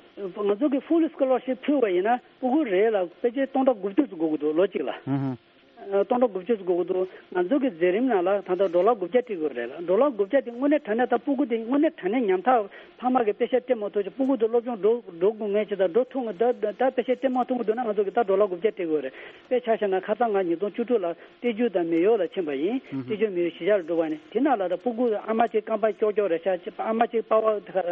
ང་ཚོ་གི་ཧྥུལ་སི་ཀོ་ལར་ཤིབ་ཕུལ་བ་ཡིན་ན་སྤུ་གུ་རེ་ལ་ཕལ་ཆེར་སྟོང་ཕྲག་དགུ་བཅུ་ཙམ་དགོས་ཀྱི་འདུག་ལོ་གཅིག་ལ། ཨ་སྟོང་ཕྲག་དགུ་བཅུ་ཙམ་དགོས་ཀྱི་འདུག་ང་ཚོ་གི་མཛད་རིམ་ནང་ལ་ད་ལྟ་ཌོ་ལར་དགུ་བརྒྱ་སྤྲད་དགོས་རེད་ལ། ཌོ་ལར་དགུ་བརྒྱ་དེ་དངོས་གནས་དྲང་གནས་ད་སྤུ་གུ་དེ་དངོས་གནས་དྲང་གནས་ཉམ་ཐག་ཕ་མ་གི་པེ་ཤ་སྤྲད་མ་ཐུབ་ཅིག་སྤུ་གུ་དེ་སློབ་སྦྱོང་འགྲོ་འགྲོ་དགོས་ངེས་ཅིག་དང་འགྲོ་ཐུབ་ངེས་ད་ད་པེ་ཤ་སྤྲད་མ་ཐུབ་ཀྱི་འདུག་ན་ང་ཚོ་གི་ད་ཌོ་ལར་དགུ་བརྒྱ་སྤྲད་དགོས་རེད། དཔེ་ཆ་བཞག་ན་ཁ་སང་ང་ཉིས་སྟོང་བཅུ་དྲུག་ལ་ཏེ་ཇུ་དང་མེ་ཡོ་ལ་ཕྱིན་པ་ཡིན། ཨུ་ཧུ། ཏེ་ཇུ་མེ་ཡོ་གཞིས་ཆགས་ལ་འགྲོ་བ་ནི་དེ་ནང་ལ་ད་སྤུ་གུ་ཨ་མ་གཅིག་རྐང་པ་ཀྱོག་ཀྱོག་རེད་ཤག་ཨ་མ་གཅིག་པ་ཝ་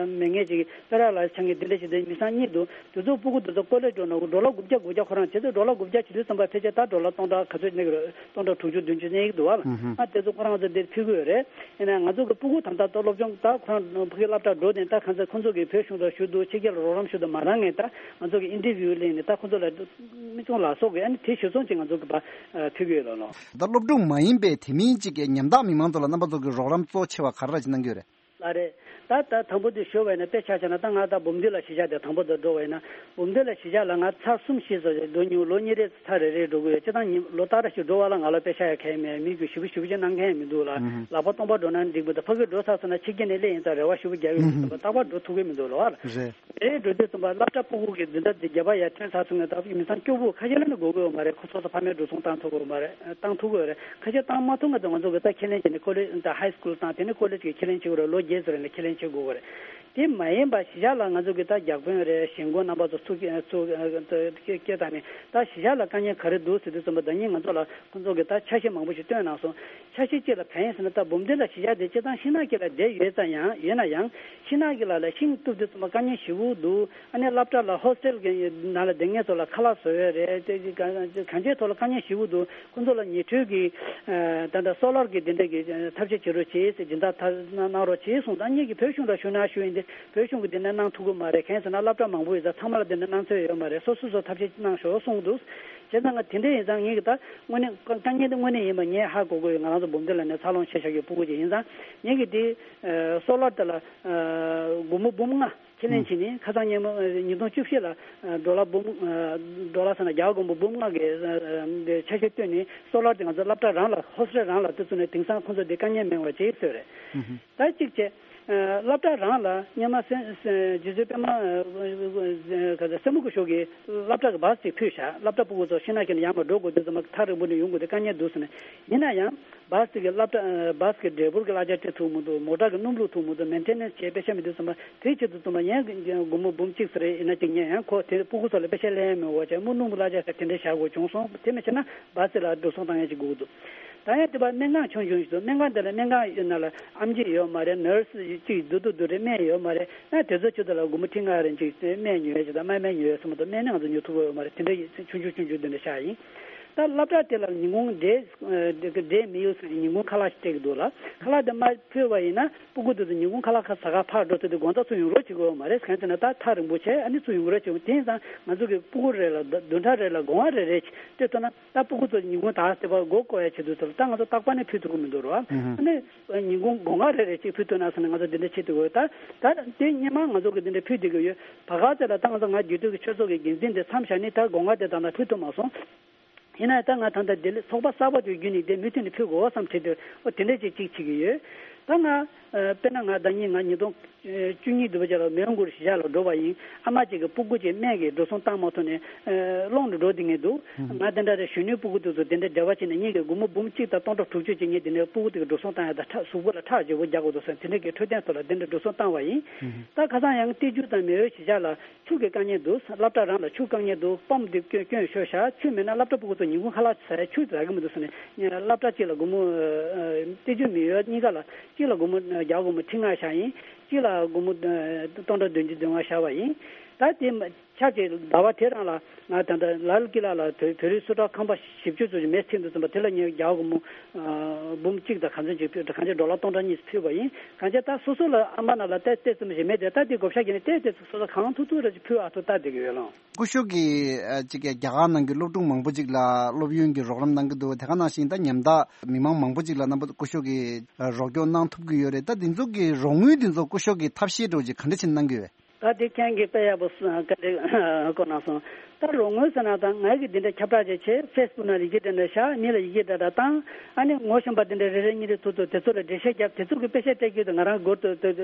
མེད་མཁན་ཅིག་པེ་ར་ལ་ཆགས་མཁན་དེ་འདྲ་ཞིག་དེ་མི་ཚང་གཉིས་འདུག་དེ་ཚོ་སྤུ་གུ་དེ་ཚོ་ཀོ་ལེ་འགྲོ་ན་ཌོ་ལར་དགུ་བརྒྱ་དགུ་བརྒྱ་ཁོ་རང་བྱས་ཚེ་ཌོ་ལར་དགུ་བརྒྱ་བྱེད་དུས་ཙམ་པ་ཕལ་ཆེར་ད་ཌོ་ལར་སྟོང་ཕྲག་ག་ཚོད་ སྟོང་ཕྲག་དྲུག་ཅུ་བདུན་ཅུ་གནས་ཀྱི་འདུག་བ། ཨ་དེ་ཚོ་ཁོ་རང་ཚོ་འདིར་ཕུལ་གྱི་ཡོད་རེད། ཡིན་ན་ང་ཚོ་གི་སྤུ་གུ་ད་ལྟ་ད་སློབ་སྦྱོང་ད་ཁོ་རང་ཕ་གི་སློབ་གྲྭ་འགྲོ་དེ་ད་གང་ཚེ་ཁོ་ཚོ་གི་བོད་གཞུང་དང་ཞུ་འདུག་ཕྱི་རྒྱལ་ལ་རོགས་རམ་ཞུ་འདུག་མ་རང་ངས་ད་ང་ཚོ་གི་ཨིན་ཊར་བིའུ་ལེན་ནས་ད་ཁོ་ཚོ་ལ་མི་ཆུང་ལ་སོགས་གི་ཨ་ནི་དེ་ཞུ་སོང་ཅིག་ང་ཚོ་གི་ཕ་ཕུལ་གྱི་ཡོད་ལ་ལོ། ད་སློབ་ཕྲུག་མ་ཡིན་པའི་དེ་མིན་གཅིག་གི་ཉམ་ཐག་མི་མང་ཚོ་ལ་རྣམ་པ་ཚོ་གི་རོགས་རམ་གཙོ་ཆེ་བ་ག་རེ་ར་ཅིག་གནང་གི་ཡོད་རེད། ལ་རེད། ད་ད་དང་པོ་དེ་ཞུ་བ་ཡིན་ན་དཔེ་ཆ་བཞག་ན་ད་ང་ད་འབུམ་སྡེ་ལ་གཞིས་ཆགས་དེ་དང་པོ་དེ་འགྲོ་བ་ཡིན་ན་འབུམ་སྡེ་ལ་གཞིས་ཆགས་ལ་ང་ཚར་གསུམ་བཞི་ཙམ་ཞིག་འགྲོ་མྱོང་། ལོ་གཉིས་རེ་ཚར་རེ་རེ་འགྲོ་གི་ཡོད། སྤྱིར་བཏང་ཉིན་ལོ་ལྟར་ཞིག་འགྲོ་བ་ལ་ང་ལ་དཔེ་ཆ་ཡ་གལ་མེད། མི་རྒྱུ་ཞིབ་པོ་ཞིབ་པོ་ཅིག་གནང་མཁན་ཡང་མི་འདུག་ལ། ལག་པ་སྟོང་པ་འགྲོ་ན་འགྲིག་མི་འདུག་ཕ་གི་འགྲོ་ཚར་སོང་ན་ཕྱི་རྒྱལ་ནས་སླེབས་ཡིན་ཙང་རེ་བ་ཞིབ་པོ་རྒྱག་ཡོད་མི་འདུག་རྟག་པར་འགྲོ་ཐུབ་ཀྱི་མི་འདུག་ལ་བ། རེད། རེ་འགྲོ་དུས་ཙམ་པ་སློབ་གྲྭ་སྤུ་གུ་གི་འཛིན་གྲྭ་དེ་བརྒྱ་པ་ཡར་ཐོན་ཚར་སོང་ནས་ད་མི་ཚང་སྐྱོ་པོ་ཁ་ཤས་ལ་ནི་དགོས་ཀྱི་ཡོད་མ་རེད། ཁོ་ཚོ་ཚོ་ཕ་མས་འགྲོ་སོང་བཏང་ཐུབ་ཀྱི་ཡོད་མ་རེད། བཏང་ཐུབ་ཀྱི་ཡོད་རེད། ཁ་ཤས་བཏང་མ་ཐུབ་ང་ཚོ་ང་ཚོ་གི་ད་ཁས་ལེན་བྱས་ནས་ཀོ་ལེ་ད་ཧའི་སྐུལ་བཏང་དེ་ནས་ཀོ་ལེ་གི་ཁས་ལེན་བྱེད་དགོས་རེད། ལོ་བརྒྱད་ཙམ་རིང་ལ་ཁས་ལེན་བྱེད་དགོས་ཀྱི་རེད། དེ་མ་ཡིན་པ་གཞིས་ཆགས་ལ་ང་ཚོ་གི་ད་རྒྱག་དཔོན་རེད། གཞིས་འགོ་རྣམ་པ་ཚོ་ཚུགས་ཚུགས་སྐད་བཏང་ནས་ད་གཞིས་ཆགས་ལ་དཀའ་ངལ་ག་རེ་འདུག་ཟེར་དུས་ཙམ་པ་ད་ཉིན་ང་ཚོ་ལ་ཁོང་ཚོ་གི་ད་ཆ་ཤས་མང་པོ་ཞིག་བཏོན་གནང་སོང་། ཆ་ཤས་གཅིག་ལ་གང་ཡིན་ཟེར་ན་ད་འབུམ་སྡེ་ལ་གཞིས་ཆགས་དེ་སྤྱིར་བཏང་ཤིང་ནགས་དཀྱིལ་ལ་བསྡད་ཡོད་ཙང་ཡང་ཡོད་ན་ཡང་ཤིང་ནགས་དཀྱིལ་ལ་ལ་ཤིང་གཏུབ་དུས་ཙམ་པ་དཀའ་ངལ་ཞེ་པོ་འདུག་ཨ་ནི་སློབ་གྲྭ་ལ་ཧོ་སི་ཊེལ་གྱི་ནང་ལ་བསྡད་མཁན་ཚོ་ལ་ཁ་ལག་བཟོ་ཡས་རེད། དེ་གང་ཅིའི་ཐོག་ལ་དཀའ་ངལ་ཞེ་པོ་འདུག་ཁོང་ཚོ་ལ་ཉི་འཕྲོས་ཀྱི་ད་ལྟ་སོ་ལར་གྱི་དེ་འདྲ་གི་ཐབས་ཤེས་བྱེད་རོགས་བྱེད་ཟེར་སྦྱིན་བདག་ཐ་གནང་རོགས་བྱེད་གསུངས། ད་ངེད་ཀྱི་བོད་གཞུང་ལ་ཞུ་ན་ཞུ་ཡིན་ཏེ་བོད་གཞུང་གི་དེ་འདྲ་གནང་ཐུབ་ཀྱི་མ་རེད། གང་ཡིན་ཟེར་ན་སློབ་གྲྭ་མང་པོ་ཡོད་ཙང་ཚང་མ་ལ་དེ་འདྲ་གནང་ཚོད་ཡོད་མ་རེད། སོ་སོ་སོ་ཐབས་ཤེས་གནང་ཤོག་གསུངས་འདུག་བྱས་ཙང་ང་དེ་འདྲ་ཡིན་ཙང་ངེད་ཀྱི་ད་དངོས་གནས་དཀའ་ངལ་དེ་དངོས་གནས་ཡིན་པ་ངས་ཧ་གོ་གི་ཡོད། ང་རང་ཚོ་འབུམ་སྡེ་ལ་ནས་འཚར་ལོངས་བྱས་བཞག་གི་སྤུ་གུ་ཅིག་ཡིན་ཙང་ངེད་ཀྱི་དེ་སོ་ལར་དེ་ལ་སྒོར་མོ་འབུམ་ལྔ་ཁས་ལེན་བྱས་ནས་ཁ་སང་ཉིན་མོ་ཉིས་སྟོང་བཅུ་བཞི་ལ་ཌོ་ལར་འབུམ་ཌོ་ལར་ཟེར་ན་རྒྱ་གར་སྒོར་མོ་འབུམ་ལྔ་གི་ཆ་ཤས་བཏོན་ནས་སོ་ལར་དེ་ང་ཚོ་སློབ་གྲྭ་རང་ལ་ཧོ་སི་ཊེལ་རང་ལ་དེ་བཙུགས་ནས་དེང་སང་ཁོང་ཚོ་དེ་དཀའ་ངལ་མེད་པ་བྱས་ཡོད་རེད། ད་གཅིག་བྱས། སློབ་གྲྭ་རང་ལ་སྔོན་མ་སེ་སེ་རྗེ་བཙུན་པད་མ་ག་ཚོད་སེར་མོ་སྐུ་ཞབས་ཀྱིས་སློབ་གྲྭ་གི་བཱས་ཅིག་ཕུལ་བཞག་སློབ་གྲྭ་སྤུ་གུ་ཚོ་ཤིང་ནགས་ཀྱི་ནས་ཡར་མར་འགྲོ་དགོས་དུས་ཙམ་པ་ཐག་རིང་པོ་ནས་ཡོང་དགོས་དུས་དཀའ་ངལ་འདུག་ཟེར་ནས། ཡིན་ན་ཡང་བཱས་དེ་གི་སློབ་གྲྭ་བཱས་གི་ཌ་རའི་ཝར་གི་གླ་ཆ་སྤྲད་ཐུབ་མི་འདུག་མོ་ཊ་གི་སྣུམ་བླུགས་ཐུབ་མི་འདུག་མེན་ཊེ་ནན་སི་བྱས་པེ་ཤ་མི་འདུག་ཟེར་བ་དེ་ཆེད་དུ་ཙམ་པ་ངས་སྒོར་མོ་འབུམ་གཅིག་ཙམ་རེ་ཡིན་ན་ཅིག་ཉན་ཡང་ཁོ་དེ་སྤུ་གུ་ཚོ་ལ་པེ་ཤ་ལེན་ཡ་མེད་འོ་བྱས་སྨུག་སྣུམ་གླ་ཆ་ཟེར་དེ་འདྲ་བཞག་དགོས་བྱུང་སོང་། དེ་མི་བྱེད་ན་བཱས་ལ་འགྲོ་སོང་བཏང་ཡ་ཅིག་དགོས་ཀྱི་འདུག་ད་ཡང་དེ་བ་སྨན་ཁང་ཆུང་ཆུང་ཞིག་འདུག་སྨན་ཁང་དེ་ལ་སྨན་ཁང་ཡོད་ན་ལ་ཨེམ་ཆི་ཡོད་མ་རེད། ནར་སི་ཅིག་འདུག་འདུག་འདུག་རེད། སྨན་ཡོད་མ་རེད། ཡང་དེ་ཚོ་ཆུ་དེ་ལ་སྒོར་མོ་ཁྲི་ལྔ་རེ་ཅིག་སྨན་ཉོ་ཡ་ཅིག་དང་སྨན་སྨན་ཉོ་ཡ་སོགས་མ་གཏོགས་སྨན་ནི་ང་ཚོ་ཉོ་ཐུབ་ཀྱི་ཡོད་མ་རེད། དེ་འདྲ་ཆུང་ཆུང་ཆུང་ཆུང་དེ་འདྲ་བཞག་ཡིན། ད་སློབ་གྲྭ་དེ་ལ་ཉིན་གུང་འབྲས་འབྲས་མི་ཡོད་ཟེར་ནས་ཉིན་གུང་ཁ་ལག་ཞིག་སྤྲད་ཀྱི་འདུག་ལ། ཁ་ལག་དེ་མ་ཕུལ་བ་ཡིན་ན་སྤུ་གུ་དེ་ཚོ་ཉིན་གུང་ཁ་ལག་ཁ་ཟ་ག་ཕར་འགྲོ་ཚུལ་དེ་དགོང་དག་ཚུར་ཡོང་རོགས་བྱེད་དགོས་ཡོད་མ་རེད། གང་ཡིན་ཟེར་ན་ད་ཐག་རིང་པོ་བྱས་ཨ་ནི་ཚུར་ཡོང་རོགས་བྱེད་དགོས། དེ་ཡིན་ཙང་ང་ཚོ་གི་སྤུ་གུ་རེ་ལ་བདུན་ཕྲག་རེ་ལ་སྒོ་ང་རེ་རེ་ཞིག་སྤྲད་ཐུབ་ན། ད་སྤུ་གུ་ཚོ་ཉིན་གུང་ད་ལྟ་བ་མགོ་སྐོར་ཡ་བྱེད་དུས་ཚོ་ལ་ད་ང་ཚོ་རྟག་པར་ནས་ཕུལ་ཐུབ་ཀྱི་མི་འདུག་རོ། ཨ་ནི་ཉིན་གུང་སྒོ་ང་རེ་རེ་གཅིག་ཕུལ་ཐུབ་ན་ཟེར་ནས་ང་ཚོ་འདི་འདྲ་བྱེད་ཐུབ་ཀྱི་ཡོད། ད་ད་དེ་སྔོན་མ་ང་ཚོ་གི་འདི་འདྲ་ཕུལ་བསྡད་ཀྱི་ཡོད། བར་སྐབས་དེ་ལ་ད་ང་ཚོ་ང་རྒྱུད་སྟོད་ཀྱི་ཆོས་ཚོགས་ཀྱི་འགན་འཛིན་དེ་མཚམས་བཞག་ནས་ད་སྒོ་ང་དེ་ད་ལྟ་ཕུལ་ཐུབ་མ་སོང་། ཡིན་ན་ད་ང་ད་ལྟ་ལྡི་ལི་ཚོགས་པ་གསར་པ་དེ་བརྒྱུད་ནས་དེ་མུ་མཐུད་ནས་ཕུལ་དགོས་བསམ་བྱེད་དུས་ཨོ་དེ་འདྲ་ཅིག་ཅིག་བྱེད་ཀྱི་ཡོད། ད་ང་དཔེར་ན་ང་ཟླ་ཉིན་ང་ཉིས་སྟོང་བཅུ་གཉིས་བདུན་པ་ཅིག་ལ་མོན་གྷོ་གཞིས་ཆགས་ལ་འགྲོ་བ་ཡིན། ཨ་མ་གཅིག་གི་སྤུ་གུ་གཅིག་སྨན་གྱི་འགྲོ་སོང་བཏང་མ་ཐུབ་ནས་སློང་དུ་འགྲོ་བསྡད་མཁན་འདུག་ང་དེ་འདྲ་རེད། གཞོན་ནུའི་སྤུ་གུ་དེ་ཚོ་དེ་འདྲ་འབྲེལ་བ་བྱས་ནས་ངེད་ཀྱི་སྒོར་མོ་འབུམ་གཅིག་དང་སྟོང་ཕྲག་དྲུག་ཅུ་ཅིག་ངས་དེ་འདྲའི་སྤུ་གུ་དེ་གི་འགྲོ་སོང་བཏང་ཡ་དང་ཁྲག་གཟུགས་པོ་ལ་ཁྲག་བརྗེ་པོ་རྒྱག་དགོས་འདུག་ཟེར་དེ་འདྲ་གི་འཕྲོད་བསྟེན་ཐོག་ལ་དེ་འདྲ་འགྲོ་སོང་བཏང་བ་ཡིན། ད་ཁ་སང་ཡང་བལྟས་འགྱུར་དང་མེ་འོད་གཞིས་ཆགས་ལ། ཆུ་གི་དཀའ་ངལ་འདུག་སློབ་གྲྭ་རང་ལ་ཆུ་དཀའ་ངལ་འདུག་སྤམ་འདི་སྐྱོན་སྐྱོན་ཤོར་ཤག་ཆུ་མེད་ན་སློབ་གྲྭ་སྤུ་གུ་ཚོ་ཉིན་གུང་ཁ་ལག་ཟ་ཡ་ཆུ་ཟ་གི་མི་འདུག་ཟེར་ནས་སློབ་གྲྭ་གཅིག་ལ་སྒོར་མོ་ཏི་ཅུ་མི་ཡོད་གཉིས་ཀ་ལ་གཅིག་ལ་སྒོར་མོ་རྒྱ་སྒོར་མོ་ཁྲི་ལྔ་བཞག་ཡིན། གཅིག་ལ་སྒོར་མོ་སྟོང་ཕྲག་བདུན་ཅུ་བདུན་ལྔ་བཞག་པ་ཡིན། ད་དེ་ཆ་ཅིག་ཟླ་བ་དེ་རང་ལ་ང་ད་ལྟ་ལ་ལ་ཀི་ལ་ལ་བོད་བོད་རིགས་སུ་གྲགས་ཁང་པ་བཞི་བཅུ་ཙམ་ཞིག་མེ་ཚིག་འདུག་ཙམ་པ་དེ་ལ་ངས་རྒྱ་སྒོར་མོ་འབུམ་གཅིག་དང་ག་ཚོད་ཅིག་ཕུལ་གང་ཅི་ཌོ་ལར་སྟོང་ཕྲག་གཉིས་ཕུལ་བ་ཡིན། གང་ཅི་ད་སོ་སོ་ལ་ཨ་མ་ན་ལ་ཏེ་ཏེ་ཙམ་ཞིག་མེད་དེ་ད་དེ་བགོ་བཤའ་བརྒྱབ་ནས་ཏེ་ཏེ་ཙམ་སོ་སོ་གང་ཐུབ་ཐུབ་རེ་ཅིག་ཕུལ་ཨ་ཐུབ་ལྟ་བསྡད་ཀྱི་ཡོད་ལོ། སྐུ་ཞབས་ཀྱིས་ཅིག་རྒྱ་གར་ནང་གི་སློབ་ཕྲུག་མང་པོ་ཅིག་ལ་སློབ་ཡོན་གྱི་རོགས་རམ་གནང་གི་འདུག་དེ་ག་ནང་བཞིན་ད་ཉམ་ཐག་མི་མང་མང་པོ་ཅིག་ལ་རྣམ་པ་སྐུ་ཞབས་ཀྱིས་རོགས་སྐྱོར་གནང་ཐུབ་ཀྱི་ཡོད་རེད། ད་འདི་ཚོ་གི་རོགས་དངུལ་འདི་ཚོ་སྐུ་ཞབས་ཀྱིས་ཐབས་ཤེས་འདྲ་བོ་ཅིག་ག་འདྲ་བྱས་གནང་གི་ཡོད། ད་དེ་ཁྱེད་ཀྱིས་དཔེ་ཡག་པོ་གསུངས་ག་རེ་གོ་གནང་སོང་། ད་རོགས་དངུལ་ཟེར་ན་ད་ང་གིས་འདི་འདྲ་ཁྱབ་བསྒྲགས་བྱས་བྱས་ཕེ་སི་བུག་ནང་ལ་ཡི་གེ་འདྲ་འདྲ་བཞག་མི་ལ་ཡི་གེ་འདྲ་འདྲ་བཏང་ཨ་ནི་ངོ་ཤེས་པ་འདི་འདྲ་རེ་རེ་གཉིས་རེ་ཐུག་ཐུག་དེ་ཚོ་ལ་འགྲེལ་བཤད་བརྒྱབ་དེ་ཚོ་གི་དཔེ་ཆ་སྤྲད་རྒྱུ་དེ་ང་རང་སྒོར་དུ་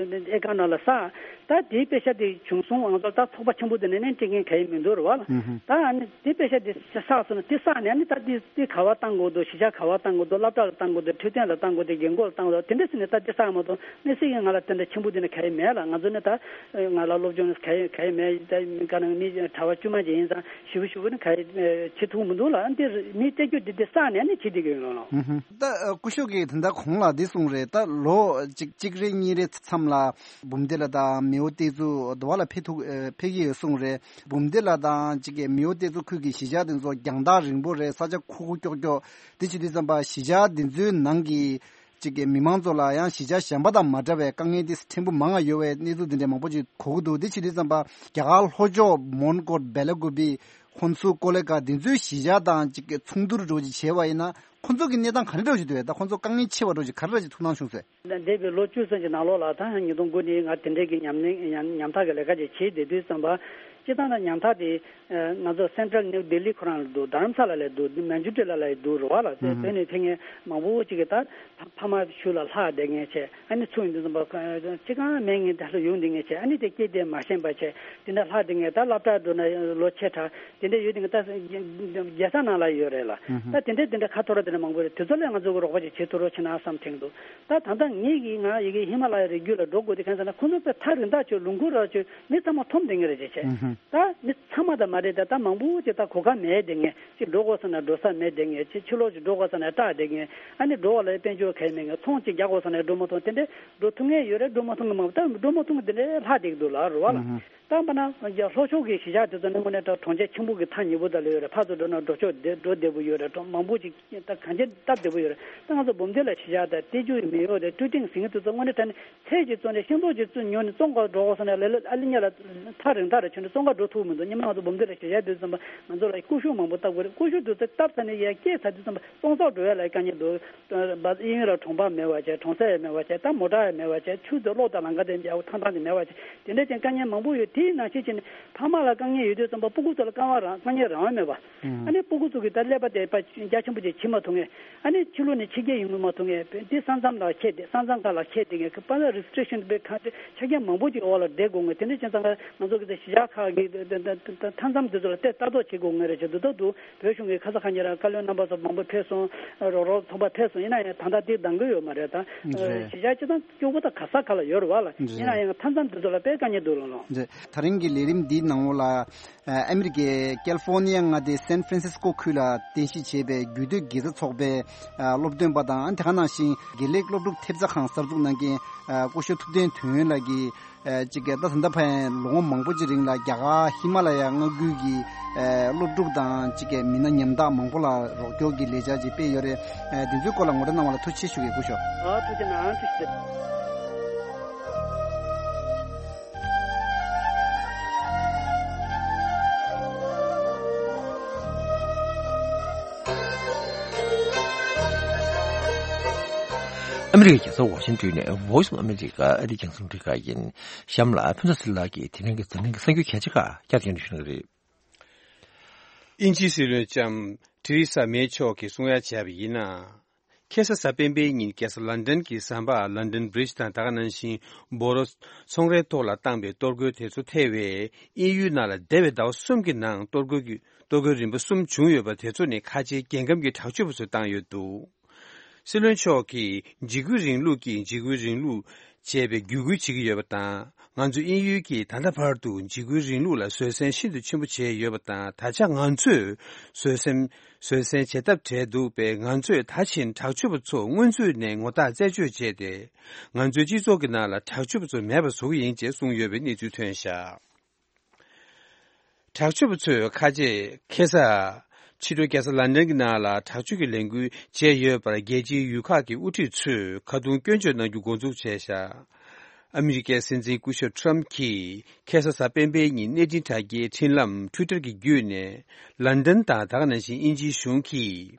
ཨེ་ཀ་ནང་ལ་བསགས། ད་དེའི་དཔེ་ཆ་དེ་བྱུང་སོང་ང་ཚོ་ད་ཚོགས་པ་ཆེན་པོ་དེ་ནས་ནས་སྤྲད་མཁན་ག་ཡི་མི་འདུག་རེད་བ་ལ། ད་ཨ་ནི་དེ་དཔེ་ཆ་དེ་བསགས་སོང་ན་དེ་བསགས་ནས་ཨ་ནི་ད་དེ་དེ་ག་བ་བཏང་དགོས་འདུག་གཞིས་ཆགས་ག་བ་བཏང་དགོས་འདུག་སློབ་གྲྭ་ལ་བཏང་དགོས་འདུག་འཕྲོད་བསྟེན་ལ་བཏང་དགོས་འདུག་རྒན་གོག་ལ་བཏང་དགོས་འདུག་དེ་འདྲ་ཟེར་ནས་ད་དེ་བསགས་མ་གཏོགས་དམིགས་བསལ་གྱི་ང་ལ་དེ་འདྲ་ཆེན་པོ་དེ་འདྲ་ག་ཡི་མེད་ལ། ང་ཚོ་ནི་ད་ང་ལ་སློབ་སྦྱོང་ག་ཡི་ག་ཡི་མེད། ད་ག་ནང་མི་གྲྭ་པ་དཀྱུས་མ་ཅིག་ཡིན་ཙང་ ཞིབ་པོ་ཞིབ་པོ་ནི་ག་རེ་བྱེད་ཐུབ་མི་འདུག་ལ། ཨ་འདི་མི་བསྐྱལ་རྒྱུ་འདི་འདི་བསགས་ནས་ནི་བྱེད་བསྡད་ཀྱི་ཡོད་ལ། ད་སྐུ་ཞབས་ཀྱིས་ད་ལྟ་གོང་ལ་འདི་གསུངས་རེད། ད་ལོ་གཅིག་གཅིག་རེ་གཉིས་རེ་མཚམས་ལ་འབུམ་སྡེ་ལ་དང་མེའོ་བསྟན་འཛིན་དུ་བ་ལ་ཕེབས་ཐུབ་ཕེབས་ཀྱི་ཡོད་གསུངས་རེད། འབུམ་སྡེ་ལ་དང་གཅིག་གི་མེའོ་བསྟན་འཛིན་ཁུལ་གྱི་གཞིས་ཆགས་དེ་ཚོ་རྒྱང་ཐག་རིང་པོ་རེད། ས་ཆ་ཁུག་ཁུག་ཀྱོག་ཀྱོག་དེ་བྱེད་དུས་ཙམ་པ་གཞིས་ཆགས་དེ་ཚོའི་ནང་གི་གཅིག་གི་མི་མང་ཚོ་ལ་ཡང་གཞིས་ཆགས་གཞན་པ་དང་མ་འདྲ་བའི་དཀའ་ངལ་དེ་ཕྲན་བུ་མང་ང་ཡོད་པའི་གནས་ཚུལ་འདི་འདྲའི་མང་པོ་ཅིག་གོ་གི་འདུག་དེ་བྱེད་དུས་ཙམ་པ་རྒྱ་གར་ལྷོ་ཕྱོགས་མོན་གྷོ་བེ་ལ་ཀུ་པི་ཧོན་སུར་ཀོ་ལེ་གྷལ་དེ་ཚོའི་གཞིས་ཆགས་དང་གཅིག་གི་མཚུངས་བསྡུར་འདྲ་ཅིག་བྱས་པ་ཡིན་ན་ཁོ་ཚོ་གི་གནས་སྟངས་ག་འདྲ་འདྲ་ཅིག་འདུག་ད་ཁོ་ཚོ་དཀའ་ངལ་ཆེ་བ་འདྲ་ཅིག་ག་རེ་འདྲ་ཅིག་ཐུགས་སྣང་བྱུང་ཟེར། འདས་པའི་ལོ་བཅུ་ཙམ་གྱི་ནང་ལོགས་ལ་ད་ཉིས་སྟོང་དགུ་ནས་ང་དེ་འདྲའི་གི་ཉམས་ལེན་ཉམ་ཉམ་ཐག་གི་ལས་ཀ་ཅིག་བྱེད་བསྡད་དུས་ཙམ་པ་སྤྱིར་བཏང་ན་ཉམ་ཐག་དེ་ང་ཚོ་སེན་ཊྲལ་ནིའུ་ལྡི་ལི་ཁོ་རང་ལ་འདུག་རྡ་རམ་ས་ལ་ལ་འདུག་མན་ཇུ་ཊི་ལ་ལ་འདུག་རེད་བ་ལ། དེ་བོད་ནས་ཕེབས་མཁན་མང་པོ་ཅིག་གིས་ད་ཕ་མ་ཤུལ་ལ་ལྷག་བསྡད་མཁན་བྱས། ཨ་ནི་ཚུར་ཡོང་དུས་ཙམ་པ་ཅི་གང་མེད་མཁན་དེ་ལ་ཡོང་བསྡད་མཁན་བྱས། ཨ་ནི་དེ་སྐྱེས་དེ་མ་ཤེས་པ་བྱས། དེ་འདྲ་ལྷག་བསྡད་མཁན་ད་སློབ་གྲྭ་འགྲོ་ན་ལོ་ཆེ་དྲགས་དེ་འདྲ་ཡོད་དེ་ད་རྒྱལ་ས་ནང་ལ་ཡོད་རེད་ལ། ད་དེ་འདྲ་དེ་འདྲ་ཁ་ཐོར་དེ་འདྲ་མང་པོ་རེད། དེ་ཚོ་ལ་ང་ཚོ་གི་རོགས་པ་ཅིག་བྱེད་ཐུབ་རོགས་བྱེད་ན་བསམ་དྲན་འདུག་ད་ད་ལྟ་ངེད་ཀྱིས་ང་ཡི་གེ་ཧི་མ་ལ་ཡའི་རི་རྒྱུད་ལ་འགྲོ་དགོས་དེ་གང་ཟེར་ན་ཁོ་ཚོ་དཔེ་ཐག་རིང་ཐག་ཆོད། ལུང་ཁུག་ར་ཆོད། མི་ཚང་མ་འཐོམ་བསྡད་མཁན་རེད་ཅེས་བྱས། ད་མི་ཚང་མ་ད་མ་རེད། ད་ད་མང་པོ་ཅིག་ད་གོ་སྐབས་མེད་བསྡད་མཁན་ཅིག་འགྲོ་དགོས་ས་ན་འགྲོ་ས་མེད་བསྡད་མཁན་ཅིག་ཕྱི་ལོགས་ཅིག་འགྲོ་དགོས་ས་ན་སྐྲག་བསྡད་མཁན། ཨ་ནི་འགྲོ་བ་ལ་དཔལ་འབྱོར་གལ་མེད་མཁན། ཚོང་ཅིག་རྒྱག་དགོས་ས་ན་འགྲོ་མ་ཐུབ། དེ་འདྲའི་འགྲོ་ཐུབ་མཁན་ཡོད་རེད། འགྲོ་མ་ཐུབ་མཁན་མང་པོ། ད་འགྲོ་མ་ཐུབ་མཁན་དེ་འདྲའི་ལྷག་བསྡད་ཀྱི་འདུག་ལ་རུ་བ་ལ། ད་ལྟ་ན་ལྷོ་ཕྱོགས་ཀྱི་གཞིས་ཆགས་དེ་ཚོ་ནི་དངོས་གནས་དྲང་གྲོང་ཁྱེར་ཆེན་པོ་གི་མཐའ་ཉེ་པོ་ད་ལོས་ཡོད་རེད། ཕར་ཚུར་འགྲོ་ན་འགྲོ་ཕྱོགས་བདེ་འགྲོ་བདེ་པོ་ཡོད་རེད། གྲོང་མང་པོ་ཅིག་ད་གང་ཅི་སྟབས་བདེ་པོ་ཡོད་རེད། ད་ང་ཚོ་འབུམ་སྡེ་ལ་གཞིས་ཆགས་དང་ཏེ་ཇུ་མེ་ཡོ་དང་ཀྲུའུ་ཀྲིང་ཟེར་མཁན་དེ་ཚོ་དངོས་གནས་དྲང་གནས་ཚད་ཅིག་བཙོན་ནས་ཤིང་ཏོག་ཅིག་བཙོན་ཉོ་ནས་བཙོན་ཁང་འགྲོ་དགོས་ས་ན་ལ་ལ་ཨ་ལི་ཉ་ལ་ཐག་རིང་ཐག་རེ་ཆོད་ནས་བཙོན་ཁང་འགྲོ་ཐུབ་མི་འདུག་སྔོན་མ་ང་ཚོ་འབུམ་སྡེ་ལ་གཞིས་ཆགས་དུས་ཙམ་པ་ང་ཚོ་ལ་ཀུ་ཤུ་མང་པོ་བཏབ་དགོས་རེད། ཀུ་ཤུ་དེ་ཚོ་བཏབ་ཚར་ནས་ཡར་སྐྱེལ་ཚར་དུས་ཙམ་པ་བཙོན་ཁང་འགྲོ་ཡ་ལ་དཀའ་ངལ་འདུག་གཡས་གཡོན་ལ་གྲོང་པ་མེད་པ་བྱས། གྲོང་གསེབ་ཡང་མེད་པ་བྱས། ད་མོ་ཊ་ཡང་མེད་པ་བྱས། ཆུ་དང་གློག་དང་ལམ་ཁ་དེ་འཇའ་པོ་ཐང་ཐང་དེ་མེད་པ་བྱས། དེ་འདྲ་ཅན་དཀའ་ངལ་མང་པོ་ཡོད། དེའི་ནང་བཞིན་བྱས་ནས་ཕ་མ་ལ་དཀའ་ངལ་ཡོད་དུས་ཙམ་པ་སྤུ་གུ་ཚོ་ལ་དཀའ་བ་རང་དཀའ་ངལ་རང་དབང་མེད་པ། ཨ་ནི་སྤུ་གུ་ཚོ་གི་ད་ཀླད་པ་དེ་པ་རྒྱ་ཆེན་པོ་ཅིག་བྱེད་མ་ཐུབ་མཁན། ཨ་ནི་ཕྱི་ལོགས་ནས་ཕྱི་རྒྱལ་ཡོང་མི་མ་ཐུབ་མཁན། དེ་ས་མཚམས་ལ་ཁད་དེ་ས་མཚམས་ཁག་ལ་ཁད་དེ་མཁན་པ་ལ་རི་སི་ཊི་རེག་ཤན་དེ་ཁ་ཆ་རྐྱེན་མང་པོ་ཅིག་འོག་ལ་བསྡད་དགོས་མཁན། དེ་འདྲ་བྱས་ཙང་ང་ཚོ་གི་ད་གཞིས་ཆགས་ཁག་གི་མཐའ་མཚམས་དེ་ཚོ་ལ་ལྟ་ལྟ་རྟོག་བྱེད་དགོས་མཁན་རེད་ཅེས་འདུག་ད་འདུག་བོད་གཞུང་གི་ཁ་ས་ཁ་ཉེ་རང་བཀའ་བློན་རྣམ་པ་ཚོ་མང་པོ་ཕེབས་སོང་། རོགས་རོགས་ཚོགས་པ་ཕེབས་སོང་། ཡིན་ན་ཡང་ད་ལྟ་དེ་འདང་གི་ཡོད་མ་རེད། ད་རེད། གཞིས་ཆགས་སྤྱི་བཏང་སྐྱོ་པོ་ད་ག་ས་ག་ལ་ཡོད་རེད་བ་ལ། རེད། ཡིན་ན་ཡང་མཐའ་མཚམས་དེ་ཚོ་ལ་དཔེ་དཀའ་ངལ་འདུག་ལོ་ལོ། རེད། ད་རིང་གི་ལས་རིམ་འདིའི་ནང་ལོགས་ལ་ཨ་མི་རི་ཀའི་ཀལ་ཧྥོ་ནི་ཡ་མངའ་སྡེའི་སན་ཧྥ་རན་སིས་ཀོ་ཁུལ་ལ་རྟེན་གཞི་བྱས་པའི་རྒྱུད་སྟོད་དགེ་རྩ་ཚོགས་པའི་སློབ་སྟོན་པ་དང་། དེ་ག་ནང་བཞིན་དགེ་ལེགས་སློབ་ཕྲུག་ཐེབས་རྩ་ཁང་གསར་འཛུགས་གནང་མཁན་སྐུ་ཞབས་ཐུབ་བསྟན་དོན་ཡོད་ལགས་ཀྱིས། ཨ་གཅིག་གི་ད་ད་ལྟ་ཕན་ལོ་ངོ་མང་པོ་ཅིག་རིང་ལ་རྒྱ་གར་ཧི་མ་ལ་ཡ་མངའ་ཁུལ་གྱི་ཨ་སློབ་ཕྲུག་དང་གཅིག་གི་མི་སྣ་ཉམ་ཐག་མང་པོ་ལ་རོགས་སྐྱོར་གྱི་ལས་འཆར་ཅིག་སྤེལ་ཡོད་རེད། ཨ་དེ་ཚོའི་སྐོར་ལ་ངོ་སྤྲོད་གནང་བ་ལ་ཐུགས་རྗེ་ཆེ་ཞུ་གི། སྐུ་ཞབས། ཨ་ཐུགས་རྗེ་གནང་། ཐུགས་རྗེ་ཆེ། ཨ་མི་རི་ཀའི་རྒྱལ་ས་ཝ་ཤིང་ཏོན་ནས་Voice of America ཨ་རིའི་རྒྱང་སྲིང་རིག་ཁག་ཡིན། གཤམ་ལ་ཕུན་ཚོགས་ཚེ་རིང་ལགས་ཀྱིས་དེ་རིང་གི་འཛམ་གླིང་གི་གསར་འགྱུར་གལ་ཆེ་ཁག་བསྐྱར་དུ་སྙན་སྒྲོན་ཞུ་གནང་གི་རེད། དབྱིན་ཇིའི་སྲིད་བློན་ལྕམ་ཐེ་རེ་ས་མེ་མཆོག་གིས་གསུང་ཡ་བྱས་པ་ཡིན་ན། ཁ་སང་གཟའ་སྤེན་པའི་ཉིན་རྒྱལ་ས་ལན་ཌན་གྱི་ཟམ་པ་ལན་ཌན་བྷི་རི་ཇི་དང་ད་ག་ནང་བཞིན་སྦོ་རོ་ཚོང་རའི་ཐོག་ལ་བཏང་པའི་གཏོར་རྒོལ་དེ་ཚོ་ཐེ་བའི་དབྱིན་ཡུལ་ནང་ལ་འདས་པའི་ཟླ་བ་གསུམ་གྱི་ནང་གཏོར་རྒོལ་གྱི་གཏོར་རྒོལ་རིམ་པ་གསུམ་བྱུང་ཡོད་པ་དེ་ཚོ་ནི་ཁ་ཆེའི་རྒྱལ་ཁམས་ཀྱི་དྲག་སྤྱོད་པ་ཚོས་བཏང་ཡོད་འདུག་སྲིད་བློན་མཆོག་གིས་འཇིགས་སྐུལ་རིང་ལུགས་ཀྱིས་འཇིགས་སྐུལ་རིང་ལུགས་བྱས་པའི་བརྒྱུད་སྐུལ་བྱེད་ཀྱི་ཡོད་པ་དང་། ང་ཚོ་དབྱིན་ཡུལ་གྱིས་ད་ལྟ་བར་དུ་འཇིགས་སྐུལ་རིང་ལུགས་ལ་བཟོད་བསྲན་ཤིན་ཏུ་ཆེན་པོ་བྱས་ཡོད་པ་དང་། ད་ཆ་ང་ཚོས་བཟོད་བསྲན་བཟོད་བསྲན་བྱེད་ཐབས་བྲལ་འདུག་པས། ང་ཚོས་ད་བཞིན་དྲག་སྤྱོད་པ་ཚོ་སྔོན་ཚུད་ནས་ངོ་རྟགས་རྩད་གཅོད་བྱས་ཏེ། ང་ཚོའི་སྤྱི་ཚོགས་ཀྱི་ནང་ལ་དྲག་སྤྱོད་པ་ཚོ་མེད་པ་བཟོ་གི་ཡིན་ཅེས་གསུངས་ཡོད་པའི་གནས་ཚུལ་ཐོན་བཞག་དྲག་སྤྱོད་པ་ཚོས་ཁ་ཆེ་ཁ་སང་ཕྱི་དྲོ་རྒྱལ་ས་ལན་ཌན་གྱི་ནང་ལ་དྲག་སྤྱོད་ཀྱི་ལས་འགུལ་བྱས་ཡོད་པར་རྒྱལ་སྤྱིའི་ཡུལ་ཁག་གི་དབུ་ཁྲིད་ཚོས་ཁ་རྡུང་སྐྱོན་བརྗོད་གནང་རྒྱུ་འགོ་འཛུགས་བྱས་བཞག་ཨ་མི་རི་ཀའི་སྲིད་འཛིན་སྐུ་ཞབས་ཊམ་གྱིས་ཁ་སང་གཟའ་སྤེན་པའི་ཉིན་གནས་འཕྲིན་དྲ་རྒྱའི་འཕྲིན་ལམ་ཊུའི་ཊར་གྱི་བརྒྱུད་ནས། ལན་ཌན་དང་ད་ག་ནང་བཞིན་དབྱིན་ཇིའི་གཞུང་གིས་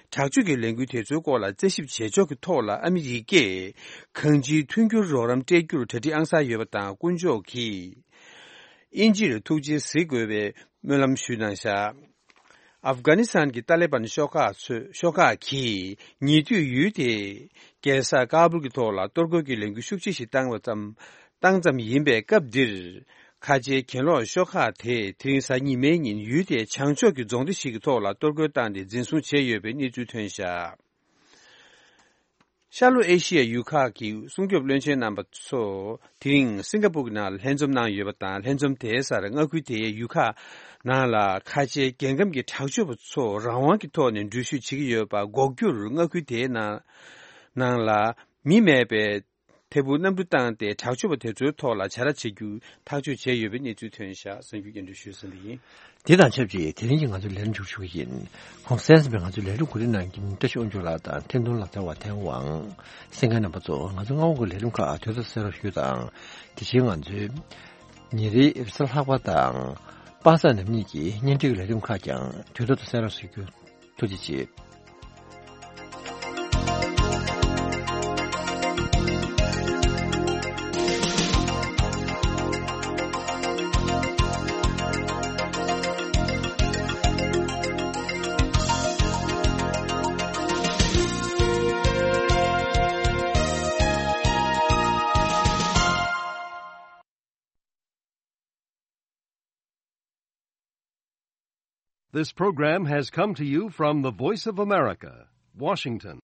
དྲག་སྤྱོད་ཀྱི་ལས་འགུལ་དེ་ཚོའི་སྐོར་ལ་རྩད་ཞིབ་བྱེད་ཕྱོགས་ཀྱི་ཐོག་ལ་ཨ་མི་རི་ཀས་གང་ཅིའི་མཐུན་འགྱུར་རོགས་རམ་སྤྲད་རྒྱུར་གྲ་སྒྲིག་ཨང་གསར་ཡོད་པ་དང་། དཀོན་མཆོག་གིས་དབྱིན་ཇིར་ཐུགས་རྗེ་གཟིགས་དགོས་པའི་སྨོན་ལམ་ཞུས་གནང་བཞག་ཨབ་གྷ་ནི་སི་ཐན་གྱི་ཏཱ་ལི་བན་ཤོག་ཁག་ཚོས་ཤོག་ཁག་གིས་ཉེ་དུས་ཡུལ་དེའི་རྒྱལ་ས་ཀ་བུལ་གྱི་ཐོག་ལ་གཏོར་རྒོལ་གྱི་ལས་འགུལ་ཤུགས་ཆེ་ཞིག་བཏང་བ་ཙམ་བཏང་ཙམ་ཡིན་པས། སྐབས་འདིར་ཁ་ཆེའི་གྱེན་ལོག་ཤོག་ཁག་དེས་དེ་རིང་གཟའ་ཉི་མའི་ཉིན་ཡུལ་དེའི་བྱང་ཕྱོགས་ཀྱི་རྫོང་སྡེ་ཞིག་གི་ཐོག་ལ་གཏོར་རྒོལ་བཏང་སྟེ་འཛིན་བཟུང་བྱས་ཡོད་པའི་གནས་ཚུལ་ཐོན་བཞག་ཤར་ལྷོ་ཨེ་ཤི་ཡའི་ཡུལ་ཁག་གི་སྲུང་སྐྱོབ་བློན་ཆེན་རྣམ་པ་ཚོ་དེ་རིང་སིང་ག་པུར་གྱི་ནང་ལ་ལྷན་འཛོམས་གནང་ཡོད་པ་དང་། ལྷན་འཛོམས་དེའི་སར་མངའ་ཁུལ་དེའི་ཡུལ་ཁག་ནང་ལ་ཁ་ཆེའི་རྒྱལ་ཁམས་ཀྱི་དྲག་སྤྱོད་པ་ཚོ་རང་དབང་གི་ཐོག་ནས་འགྲུལ་བཞུད་བྱེད་ཀྱི་ཡོད་པ་འགོག་རྒྱུར། མངའ་ཁུལ་དེའི་ནང་ནང་ལ་མི་མེད་པའི་ཐད་འཕུར་གནམ་གྲུ་བཏང་སྟེ་དྲག་སྤྱོད་པ་དེ་ཚོའི་ཐོག་ལ་བྱ་ར་བྱེད་རྒྱུ་ཐག་གཅོད་བྱས་ཡོད་པའི་གནས་ཚུལ་ཐོན་བཞག་གསར་འགྱུར་སྙན་སྒྲོན་ཞུས་ཟིན་པ་ཡིན། དེ་དང་ཆབས་ཅིག་དེ་རིང་གི་ང་ཚོའི་ལས་རིམ་མཇུག་ཞུ་གི་ཡིན། གོང་གསལ་ཟིན་པའི་ང་ཚོའི་ལས་རིམ་གོ་སྒྲིག་གནང་མཁན་བཀྲ་ཤིས་དབང་ཕྱུག་ལགས་དང་འཕྲིན་གཏོང་ལག་རྩལ་བ་ཐེངས་དབང་། གསན་མཁན་རྣམ་པ་ཚོ། ང་ཚོ་སྔ་པོ་གི་ལས་རིམ་ཁག་དུས་ཐོག་གསན་རོགས་ཞུ་དང་། དེ་བཞིན་ང་ཚོའི་ཉིན་རེའི་རེས་གཟའ་ལྷག་པ་དང་པ་སངས་ཉི་མ་གཉིས་ཀྱི་བརྙན་འཕྲིན་གྱི་ལས་རིམ་ཁག་ཀྱང་དུས་ཐོག་ཏུ་གསན་རོགས་ཞུ་རྒྱུ། ཐུགས་རྗེ་ཆེ། This program has come to you from the Voice of America, Washington.